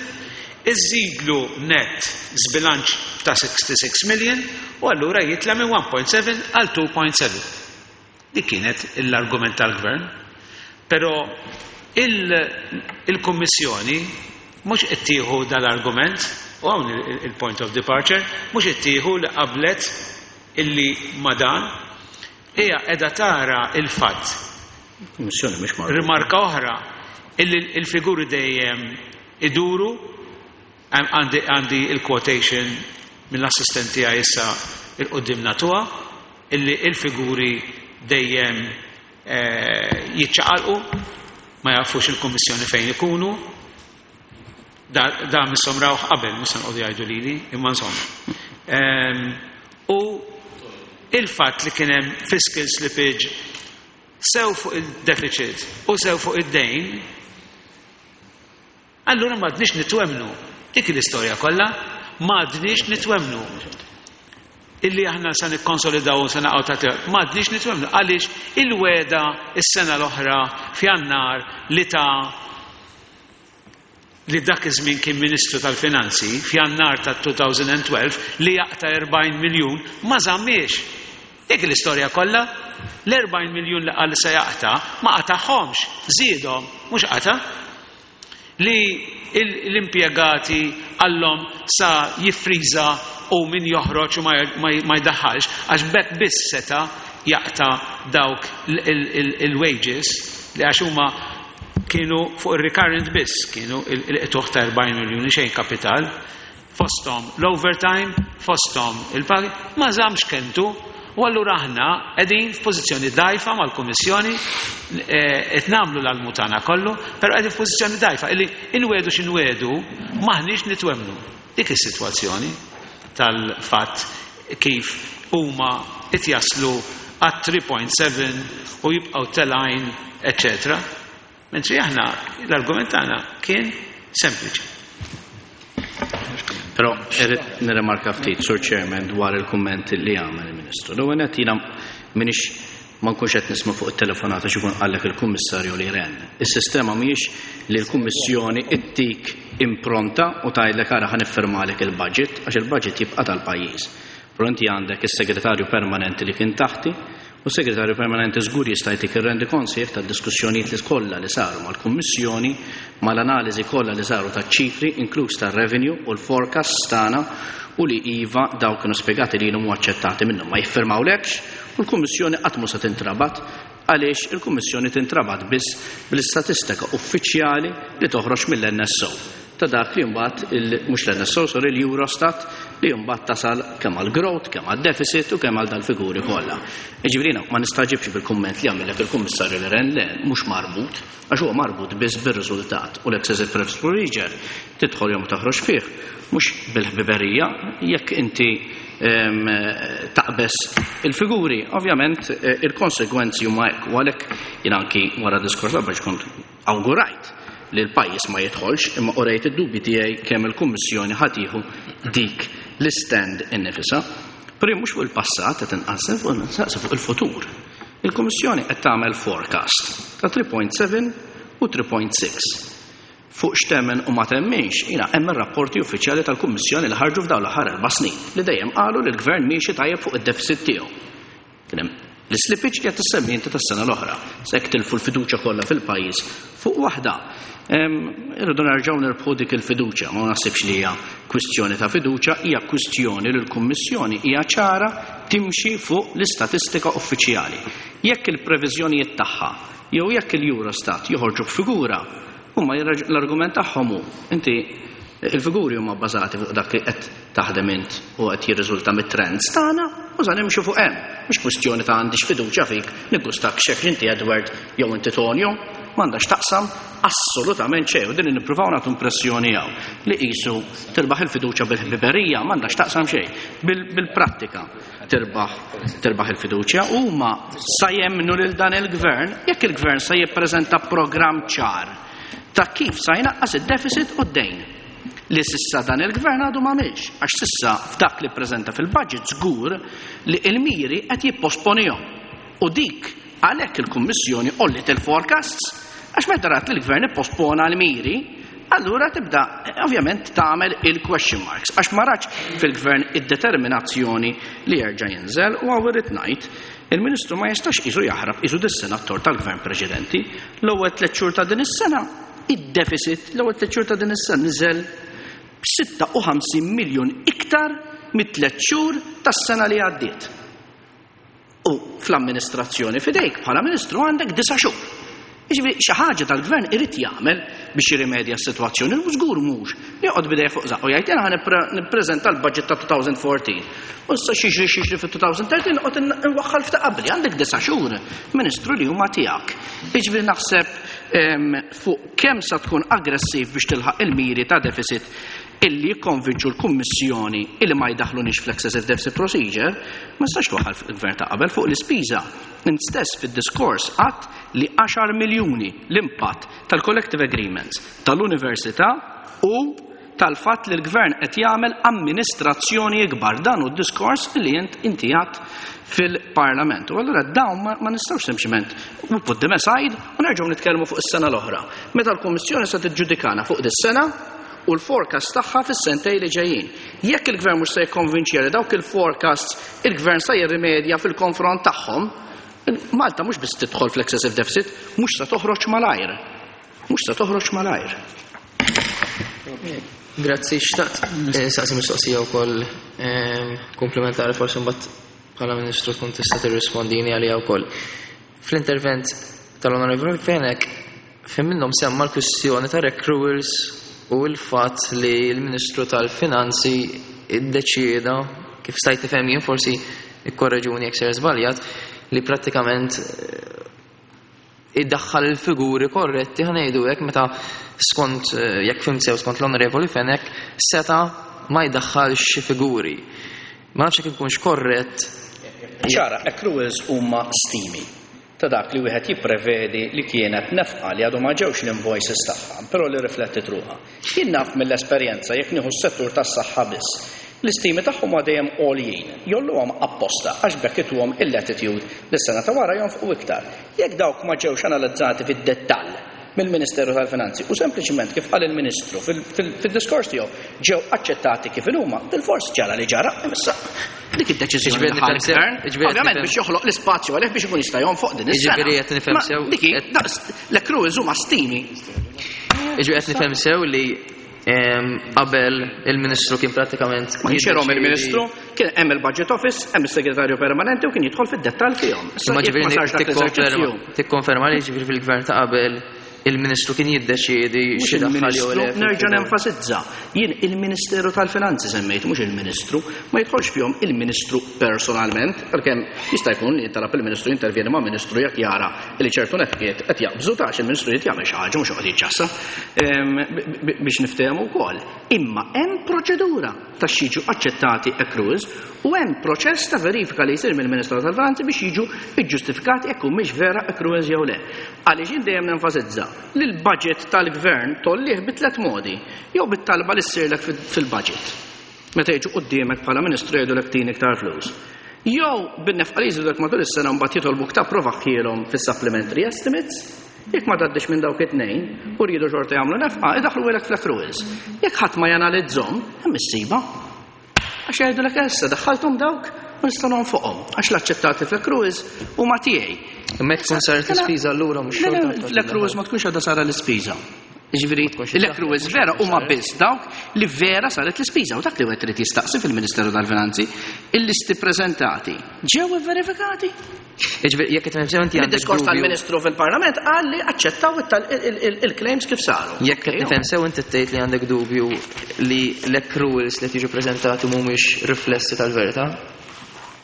Speaker 7: iżidlu net żbilanċ ta' sixty-six million u allura jitla' minn one point seven għal two point seven. Dik kienet l-argument tal-gvern. Però il-, il-Kummissjoni mhux qed tieħu dal-argument, u hawn il-, il-point of departure, mhux qed tieħu li qablet illi ma dan, hija qiegħda tara il-fatt.
Speaker 6: Kummissjoni mhix marbuta.
Speaker 7: Rimarka oħra, illi il-figuri dejjem iduru, għandi, għandi il-quotation mill-assistenti tiegħi issa il-qudiem natuha, illi il-figuri dejjem, eh, jiċċaqalqu, ma jafux il-Kummissjoni fejn ikunu. Da, da misshom rawh qabel, mhux se nqogħdu jgħidu lili, imma insomma. Ehm, u il-fatt li kien hemm fiscal slippage sew fuq il-deficit u sew fuq id-dejn, allura m'għadniex nitwemnu. Dik l-istorja kollha, m'għadniex nitwemnu. Illi aħna sa nikkonsolidaw u sa naqgħu ta' triq, m'għadniex nitwemnu. Għaliex il-weda is-sena l-oħra f'Jannar li ta' li dak iż-żmien kien Ministru tal-Finanzi f'Jannar ta' two thousand twelve li jaqta' erbgħin miljun ma żammiex. Dik l-istorja kollha, l-erbgħin miljun li qal se jaqta' ma qatagħhomx, żiedhom, mhux qata'. Li il-, l-impjegati qallhom sa jiffriża u min joħroġ u ma jdaħħalx, għax b'hekk biss seta' jaqta' dawk il-wages li għax huma kienu fuq il-recurrent biss, kienu il-qtuħ ta' erbgħin miljuni xejn kapital, fosthom l-overtime, fosthom il-pagi, ma żammx kelmtu, u allura aħna qegħdin f'pożizzjoni dgħajfa mal-Kummissjoni, qed nagħmlu l-almutana kollu, però qegħdin f'pożizzjoni dgħajfa illi inwedu x'inwedu maħniex nitwemmnu. Dik is-sitwazzjoni tal-fatt kif huma qed jaslu għat three point seven u jibqgħu telgħin, eċċetera. Mentri aħna l-argument tagħna kien sempliċi.
Speaker 6: Però irrid nirrimarka ftit, Sur Chairman, dwar il-kumment li għamel il-Ministru. L-ewwel nett jiena m'iniex ma nkunx qed nisma' fuq it-telefonata x'ikun qallek il-Kummissarju li Rehn. Is-sistema mhijiex li l-Kummissjoni ittik impronta u tgħidlek ara ħa niffirmalek il-budget, għax il-budget jibqa' tal-pajjiż. Però inti għandek is-segretarju permanenti li kien taħti, u s-segretarju permanenti żgur jista' jtik ir-rendikont sħiħ tad-diskussjonijiet li kollha li saru mal-Kummissjoni, mal-analiżi kollha li saru taċ-ċifri, inkluż tar-revenue u l-forecast tagħna, u li iva dawk kienu spjegati li huma aċċettati minnhom ma jiffirmawlekx, u l-Kummissjoni qatt mhu se tintrabat, għaliex il-Kummissjoni tintrabat biss bl-istatistika uffiċjali li toħroġ mill-N S O. Ta' dak li mbagħad il-, mhux l-N S O, sorry, l-Eurostat, li mbagħad tasal kemm għal growth, kemm għal deficit u kemm għal dal-figuri kollha. Jiġifieri jiena ma nistaġibx bil-kumment li għamilek il-Kummissarju Olli Rehn, le mhux marbut, għax huwa marbut biss bir-riżultat u l-excessive preference procedure tidħol jew ma toħroġ fih, mhux bil-ħbiberija, jekk inti, em, taqbes il-figuri, ovvjament, eh, il-konsegwenzi huma hekk, u għalhekk jien anki wara diskors biex kont awgurajt li l-pajjiż ma jidħolx, imma urejt id-dubji tiegħi kemm il-Kummissjoni ħa tieħu dik l-stand innifisha. Però mhux fuq il-passat qed inqassem, fuq il-passat, fuq il-futur. Il-Kummissjoni qed tagħmel forecast ta' three point seven u three point six. Fuq x'temmen u ma temminx, jiena hemm ir-rapporti uffiċjali tal-Kummissjoni li ħarġu f'dawn l-aħħar erba' snin li dejjem qalu li l-Gvern miexi tajjeb fuq id-deficit tiegħu. Kien hemm l-slippage li qed tissemmi inti tas-sena l-oħra, se jekk tilfu l-fiduċja kollha fil-pajjiż fuq waħda. Em, irridu nerġgħu nirbħu dik il-fiduċja, ma naħsibx li hija kwistjoni ta' fiduċja, hija kwistjoni li l-Kummissjoni hija ċara timxi fuq l-istatistika uffiċjali. Jekk il-previżjonijiet tagħha jew jekk il-Eurostat joħorġu b'figura, huma jirraġ-, l-argument tagħhom hu inti il-figuri huma bbażati fuq dak li qed taħdem int u qed jirriżulta mit-trends tagħna u sa nimxu fuq hemm. Mhux kwistjoni ta' għandix fiduċja fik, niggustak x'hekk inti Edward jew inti Tonio, m'għandax taqsam assolutament xejn, u din nippruvaw nagħtu impressjoni hawn li qisu tirbaħ il-fiduċja bil-ħbiberija, m'għandax taqsam xejn, bil-, bil-prattika tirbaħ, tirbaħ il-fiduċja. Huma sa jemmnu lil dan il-gvern jekk il-gvern sa jippreżenta programm ċar ta' kif sa jnaqqas id-deficit u d-dejn li sissa dan il-gvern għadu ma għamilx, għax sissa f'dak li ppreżenta fil-budget żgur li il-miri qed jipposponihom. U dik għalhekk il-Kummissjoni għolliet il-forecasts, għax meta rat li l-gvern ippospona l-miri, allura tibda ovvjament tagħmel il-question marks, għax ma ratx fil-gvern id-determinazzjoni li jerġa' jinżel. U hawn irrid ngħid, il-Ministru ma jistax qisu jaħrab qisu dis-senator tal-gvern preċedenti. L-ewwel tliet xhur ta' din is-sena, id-deficit l-ewwel tliet xhur ta' din is-sena niżel b'sitta u ħamsin miljun iktar mit-tliet xhur tas-sena li għaddiet. U fl-amministrazzjoni fidejk bħala Ministru għandek disa' xhur. Jiġifieri xi ħaġa tal-gvern irid jagħmel biex jirrimedja s-sitwazzjoni, u żgur mhux li joqgħod bidejh fuq żaqqu jgħid jiena ħa nipre-, nippreżenta l-budget ta' two thousand fourteen. U issa xi xi xi fi two thousand thirteen noqgħod in-, inwaħħal f'ta' qabli, għandek disa' xhur, Ministru, li huma tiegħek. Jiġifieri naħseb, em, fuq kemm sa tkun aggressiv biex tilħaq il-miri ta' deficit illi jikkonvinċu l-Kummissjoni illi ma jdaħlunix fl-excessive deficit procedure, ma nistax twaħħal il-gvern ta' qabel fuq l-ispiża. Int stess fid-diskors qatt li għaxar miljuni l-impatt tal-collective agreements tal-università u tal-fatt li l-gvern qed jagħmel amministrazzjoni ikbar. Dan hu d-diskors li int inti għadt fil-Parlament. U allura dawn ma, ma nistgħux sempliċement we put them aside u nerġgħu nitkellmu fuq is-sena l-oħra. Meta l-Kummissjoni se tiġġudikana fuq dis-sena u l-forecast tagħha fis-sentej li ġejjin. Jekk il-gvern mhux se jikkonvinċi li dawk il-forecasts il-gvern se jirrimedja fil-konfront tagħhom, Malta mhux biss tidħol fl-excessive deficit, mhux se toħroġ malajr. Mhux se toħroġ malajr.
Speaker 1: Grazzi, xtaqt saqsi mistoqsija wkoll komplementari, forsi mbagħad bħala Ministru tkun tista' tirrispondini għalija wkoll. Fl-intervent tal-Onorevoli Fenech, fejn minnhom semma l-kwistjoni ta' accruals u l-fatt li l-Ministru tal-Finanzi iddeċieda, kif stajt nifhem jien, forsi ikkorreġuni jekk ser żbaljat, li prattikament iddaħħal il-figuri korretti, ħa ngħidu hekk, meta skont, jekk fhimt sew, skont l-Onorevoli Fenech seta ma jdaħħalx xi figuri. Ma nafx jekk ikunx korrett.
Speaker 6: Ċara, accruals huma stimi ta' dak li wieħed jipprevedi li kienet nefqa li għadu ma ġewx l-invoices tagħha, però li riflettit ruħha. Jien naf mill-esperjenza, jekk nieħu s-settur tas-saħħa biss, l-istimi tagħhom ma dejjem għoljin, jgħolluhom apposta għax bekk ituhom il-latitude li s-sena ta' wara jonfqu iktar. Jekk dawk ma ġewx analizzati fid-dettall mill-Ministeru tal-Finanzi u sempliċiment, kif qal il-Ministru fil-diskors tiegħu, ġew aċċettati kif huma, bil-fors ġara li ġara, issa dik id-deċiżjoni li ħa l-gvern, ovvjament biex joħloq l-ispazju għalih biex ikun jista' jonfoq din is-sena.
Speaker 1: Jiġifieri qed nifhem sew.
Speaker 6: Dik l-accruals huma stimi.
Speaker 1: Jiġifieri qed nifhem sew li qabel il-Ministru kien pratikament
Speaker 6: Ma kienx jerhom il-Ministru, kien hemm il-Budget Office, hemm is-Segretarju Permanenti u kien jidħol fid-dettall fihom.
Speaker 1: Ma ġifieri tikkonferma li ġifieri fil-gvern ta' qabel il-Ministru kien jiddeċiedi xi daħħal jew le?
Speaker 6: Nerġa' nenfasizza. Jien il-Ministeru tal-Finanzi semmejt, mhux il-Ministru, ma jidħolx fihom il-Ministru personalment, għalkemm jista' jkun li talab il-Ministru jintervjeni ma' Ministru jekk jara li ċertu nefqiet qed jaqbżu tax il-Ministru jrid jagħmel xi ħaġa, mhux joqgħod jiċċassa biex niftehmu wkoll. Imma hemm proċedura ta' jiġu aċċettati accruals u hemm proċess ta' verifika li jsir mill-Ministeru tal-Finanzi biex jiġu iġġustifikati jekk mhix vera accruals jew le. Għaliex jien dejjem nenfasizza li l-budget tal-gvern tgħollih bi tliet modi: jew bit-talba li ssirlek fil-budget, meta jiġu quddiemek bħala ministru jgħidulek tini iktar flus, jew bin-nefqa li jżidulek matul is-sena, mbagħad jitolbuk tapprovahielhom fis-supplementary estimates. Jekk ma tgħaddix minn dawk it-tnejn u rridu xorta jagħmlu nefqa, idaħħluhielek fl-accruals. Jekk ħadd ma janalizzhom, hemm issiba. Għax jgħidulek issa daħħalthom dawk u nistgħu nonfoqhom għax l-aċċettati fl-accruals huma tiegħi.
Speaker 1: Imma tkun saret l-ispiża allura mhux xorta.
Speaker 6: L-accruals ma tkunx għadha sara l-ispiża. Ġifieri, l-accruals vera huma biss dawk li vera saret l-ispiża, u dak li wieħed irid jistaqsi fil-Ministeru tal-Finanzi, il-listi preżentati ġew verifikati.
Speaker 1: Ġifieri jekk qed nifhem inti għandek
Speaker 6: Id-diskors tal-Ministru fil-Parlament qal li aċċettaw il-claims kif saru.
Speaker 1: Jekk qed nifhem sew, inti tgħid li għandek dubju li l-accruals li tiġu preżentati mhumiex riflessi tal-verità?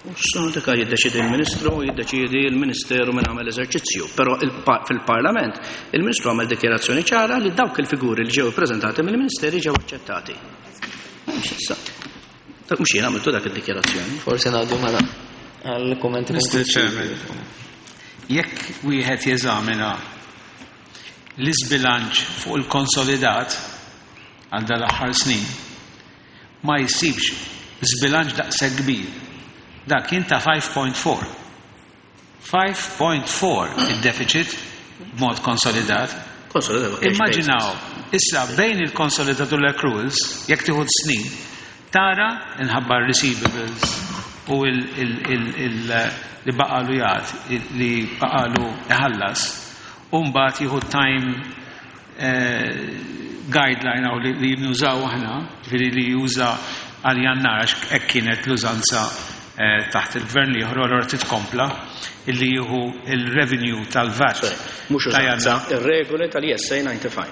Speaker 6: Issa dik jiddeċidi l-Ministru, jiddeċidi l-Ministeru minn għamel eżerċizzju. Però fil-Parlament il-Ministru għamel dikjarazzjoni ċara li dawk il-figuri li ġew ippreżentati mill-Ministeri ġew aċċettati. Mhux issa. Dak mhux jien għamiltu dak id-dikjarazzjoni.
Speaker 1: Forsi ngħaddu mela għall-kummenti.
Speaker 7: Mister Chairman, jekk wieħed jeżamina l-iżbilanċ fuq il-konsolidat għal dal-aħħar snin, ma jsibx żbilanċ daqshekk kbir. Dak kien ta' ħamsa punt erbgħa. ħamsa punt erbgħa il-deficit b'mod konsolidat.
Speaker 6: Konsolidat.
Speaker 7: Immaġinaw, issa bejn il-konsolidat u l-accruals, jekk tieħu snin, tara inħabba receivables u li baqalu jgħat, li baqalu iħallas, u mbagħad jieħu time eh, guideline għaw li, li nużaw aħna, ġifieri li juża għal Jannar, għax hekk kienet l-użanza eh, taħt il-gvern li jħor, allora titkompla illi jieħu il-revenue tal-VAT.
Speaker 6: Mhux
Speaker 7: ta'
Speaker 6: użanza,
Speaker 7: Jannar.
Speaker 6: ir-regoli tal-E S A disgħa u disgħin.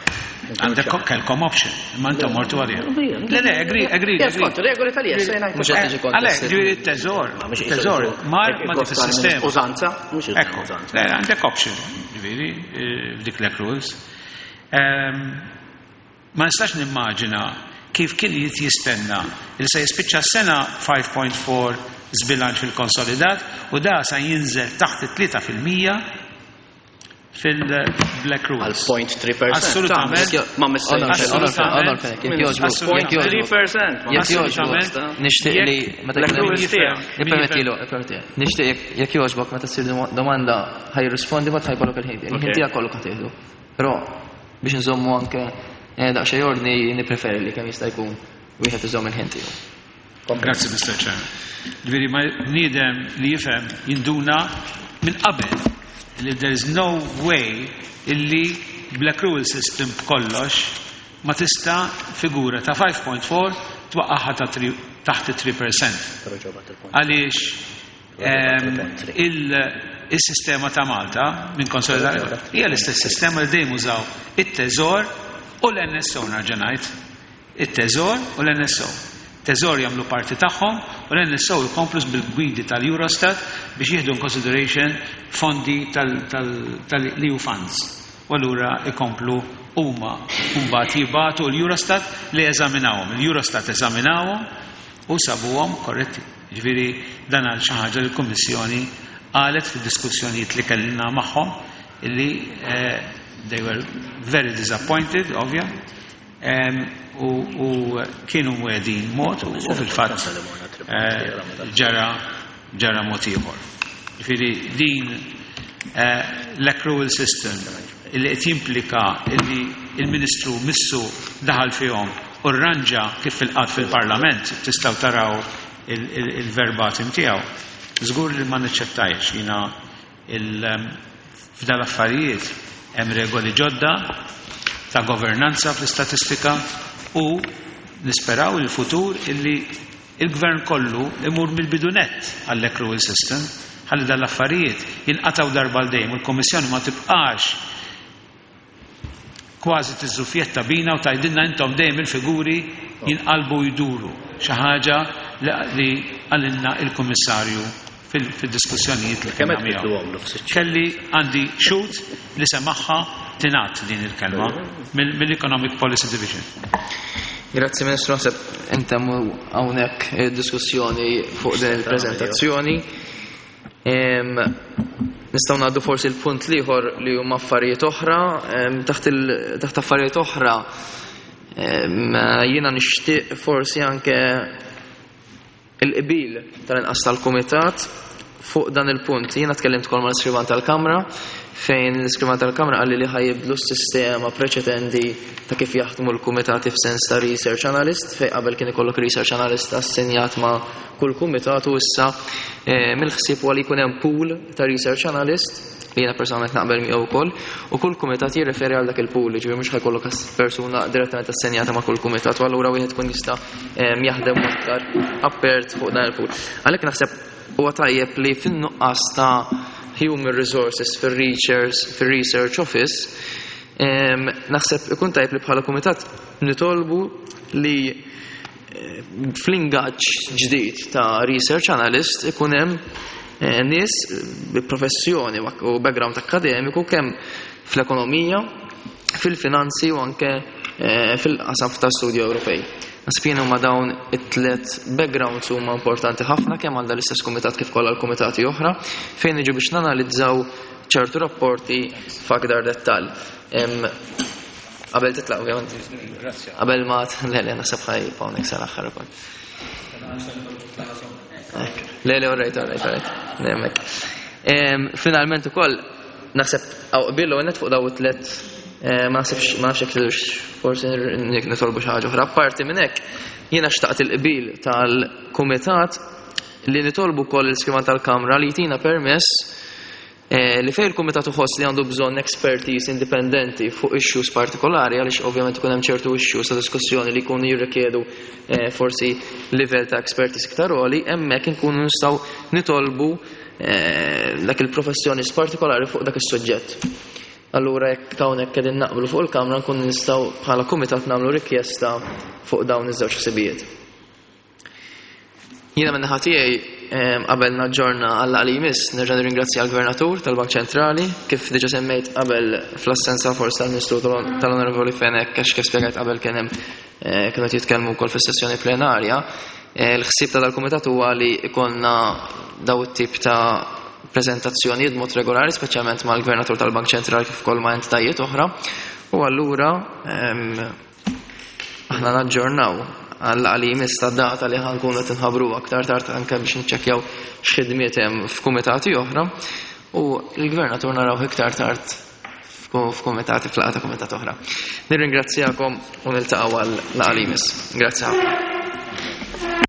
Speaker 7: Għandek kelkom option, imma intom mortu għalija. Le, le, agree, agree.
Speaker 6: Yes, kont, regoli tal-E S A
Speaker 1: Mhux qed tiġi
Speaker 6: disgħa u disgħin.
Speaker 7: Għalek, ġifieri t-teżor, teżor, mar ma dik il-sistema.
Speaker 6: Użanza, mhux
Speaker 7: Ekku,
Speaker 6: użanza.
Speaker 7: le, għandek option, ġifieri, eh, f'dik l-accruals. Ehm, Ma nistax nimmaġina kif kien jit jistenna il se jispiċċa s-sena ħamsa punt erbgħa zbilanċ fil-konsolidat u da sa jinżel taħt it-tlieta fil-mija fil-black
Speaker 6: Għal
Speaker 7: rules.
Speaker 6: zero punt tlieta fil-mija.
Speaker 7: Assolutament.
Speaker 6: Ma missejx.
Speaker 1: Onor Fenech, jekk jogħġbok, jekk jogħġbok.
Speaker 6: tlieta fil-mija.
Speaker 1: Jekk jogħġbok, nixtieq li meta
Speaker 6: Black
Speaker 1: jkun hemm-
Speaker 6: rules tiegħek.
Speaker 1: Ippermettilu, ippermettilu. Nixtieq jekk- jekk jogħġbok, meta ssir domanda ħa jirrispondi, ma ħajkollok il-ħin. Il-ħin
Speaker 6: Ok.
Speaker 1: tiegħek kollu ħa tieħdu. Però biex nżommu anke eh, daqsxejn ordni, nippreferi li kemm jista' jkun wieħed iżomm il-ħin tiegħu.
Speaker 7: Grazzi, Mister Chairman. Ġifieri, ma bniedem li jifhem jinduna minn qabel li there is no way illi black rule system b'kollox ma tista' figura ta' five point four twaqqaħħa ta' taħt three percent. Għaliex il-sistema ta' Malta minn konsolidata hija l-istess sistema li dejjem użaw it-Teżor u l-N S O, nerġa' ngħid. It-Teżor u l-N S O. Teżor jagħmlu parti tagħhom u l-N S O jkomplu bil-gwidi tal-Eurostat biex jieħdu in consideration fondi tal-E U funds. U allura ikomplu huma mbagħad jibgħatu l-Eurostat li eżaminawhom. Il-Eurostat eżaminawhom u sabuhom korretti. Ġifieri dan għal xi ħaġa li l-Kummissjoni qalet fid-diskussjonijiet li kellna magħhom illi they were very disappointed, ovvja, u kienu mwedin mod u fil-fatt ġara ġara mod ieħor. Ġifieri din l-accrual system illi qed jimplika illi il-Ministru missu daħal fihom u rranġa kif fil-qatt fil-Parlament tistgħu taraw il-verbatim tiegħu. Żgur li ma niċċettajx jiena f'dal affarijiet hemm regoli ġodda ta' governanza fl-istatistika u nisperaw il-futur illi il-gvern kollu imur mill-bidunet għall-accrual system ħalli dal-affarijiet jinqataw darba l dejjem u l-Kommissjoni ma tibqax kważi tiżżufjetta bina u tgħidilna intom dejjem il-figuri jinqalbu jduru. Xi ħaġa li qalilna il-Kummissarju fil-diskussjonijiet li kellna miegħu. Kelli għandi xut li semaħħa tingħad din il-kelma mill-Economic Policy Division.
Speaker 1: Grazzi Ministru, naħseb intemmu hawnhekk id-diskussjoni fuq din il-preżentazzjoni. Nistgħu ngħaddu forsi l-punt l-ieħor li huma affarijiet oħra, taħt affarijiet oħra jiena nixtieq forsi anke il-qbil tal-inqas tal-kumitat fuq dan il-punt. Jiena tkellimt ukoll mal-iskrivan tal-Kamra fejn l-iskrivan tal-Kamra qalli li ħajibdlu s-sistema preċedenti ta' kif jaħdmu l-kumitati f'sens ta' research analyst, fejn qabel kien ikollok research analyst assenjat ma' kull kumitat u issa mill-ħsieb huwa li jkun hemm pool ta' research analyst li jiena personalment naqbel miegħu wkoll, u kull kumitat jirreferi għal dak il-pool, ġifieri mhux ħajkollok persuna direttament assenjata ma' kull kumitat, u allura wieħed ikun jista' jaħdem aktar apert fuq dan il-pool. Għalhekk naħseb huwa tajjeb li fin-nuqqas ta' human resources fir-research, fir-research office, naħseb ikun tajjeb li bħala kumitat nitolbu li fl-ingaġġ ġdid ta' research analyst ikun hemm nies bi professjoni u background akademiku kemm fl-ekonomija, fil-finanzi u anke fil-qasam ta' studju Ewropej. Naħseb jien huma dawn it-tliet backgrounds huma importanti ħafna kemm għal l-istess kumitat kif kollha l-kumitati oħra fejn niġu biex nanalizzaw ċertu rapporti f'aktar dettall. Qabel titlaq ovvjament. Qabel ma le le naħseb ħaj hawnhekk sal-aħħar ukoll. Le le all right, all right, all right. Nemmek. Finalment ukoll naħseb hawn qbil u fuq daw it-tliet ma naħsibx ma nafx jekk forsi nitolbu xi ħaġa oħra. Apparti minn hekk jiena xtaqt il-qbil tal-kumitat li nitolbu wkoll l-iskrivan tal-Kamra li jtina permess li fejn il-kumitat uħoss li għandu bżonn expertise indipendenti fuq issues partikolari, għaliex ovvjament ikun hemm ċertu issues ta' diskussjoni li jkunu jirrikjedu forsi livell ta' expertise iktar għoli, hemmhekk inkunu nistgħu nitolbu dak il-professjonist partikolari fuq dak is-suġġett. Allura jekk hawnhekk qegħdin naqblu fuq il-Kamra nkunu nistgħu bħala kumitat nagħmlu rikjesta fuq dawn iż-żewġ ħsibijiet. Jiena minn naħa tiegħi qabel naġġorna għal li jmiss nerġa' nirringrazzja l-Gvernatur tal-Bank Ċentrali kif diġà semmejt qabel fl-assenza forsi tal-Ministru tal-Onorevoli Fenech għax kif spjegajt qabel kien hemm kienu qed jitkellmu wkoll fis-sessjoni plenarja. Il-ħsieb ta' dal-kumitat huwa li jkollna daw it-tip ta' prezentazzjonijiet b'mod regolari, speċjalment mal-Gvernatur tal-Bank Ċentrali kif ukoll ma' entitajiet oħra, u allura aħna naġġornaw għal li jmiss ta' data li ħankunu qed inħabbru aktar tard anke biex niċċekkjaw x'ħidmiet hemm f'kumitati oħra, u l-Gvernatur naraw iktar tard f'kumitati f'laqgħa ta' kumitat oħra. Nirringrazzjakom u niltaqgħu għal laqgħa li jmiss. Grazzi ħafna.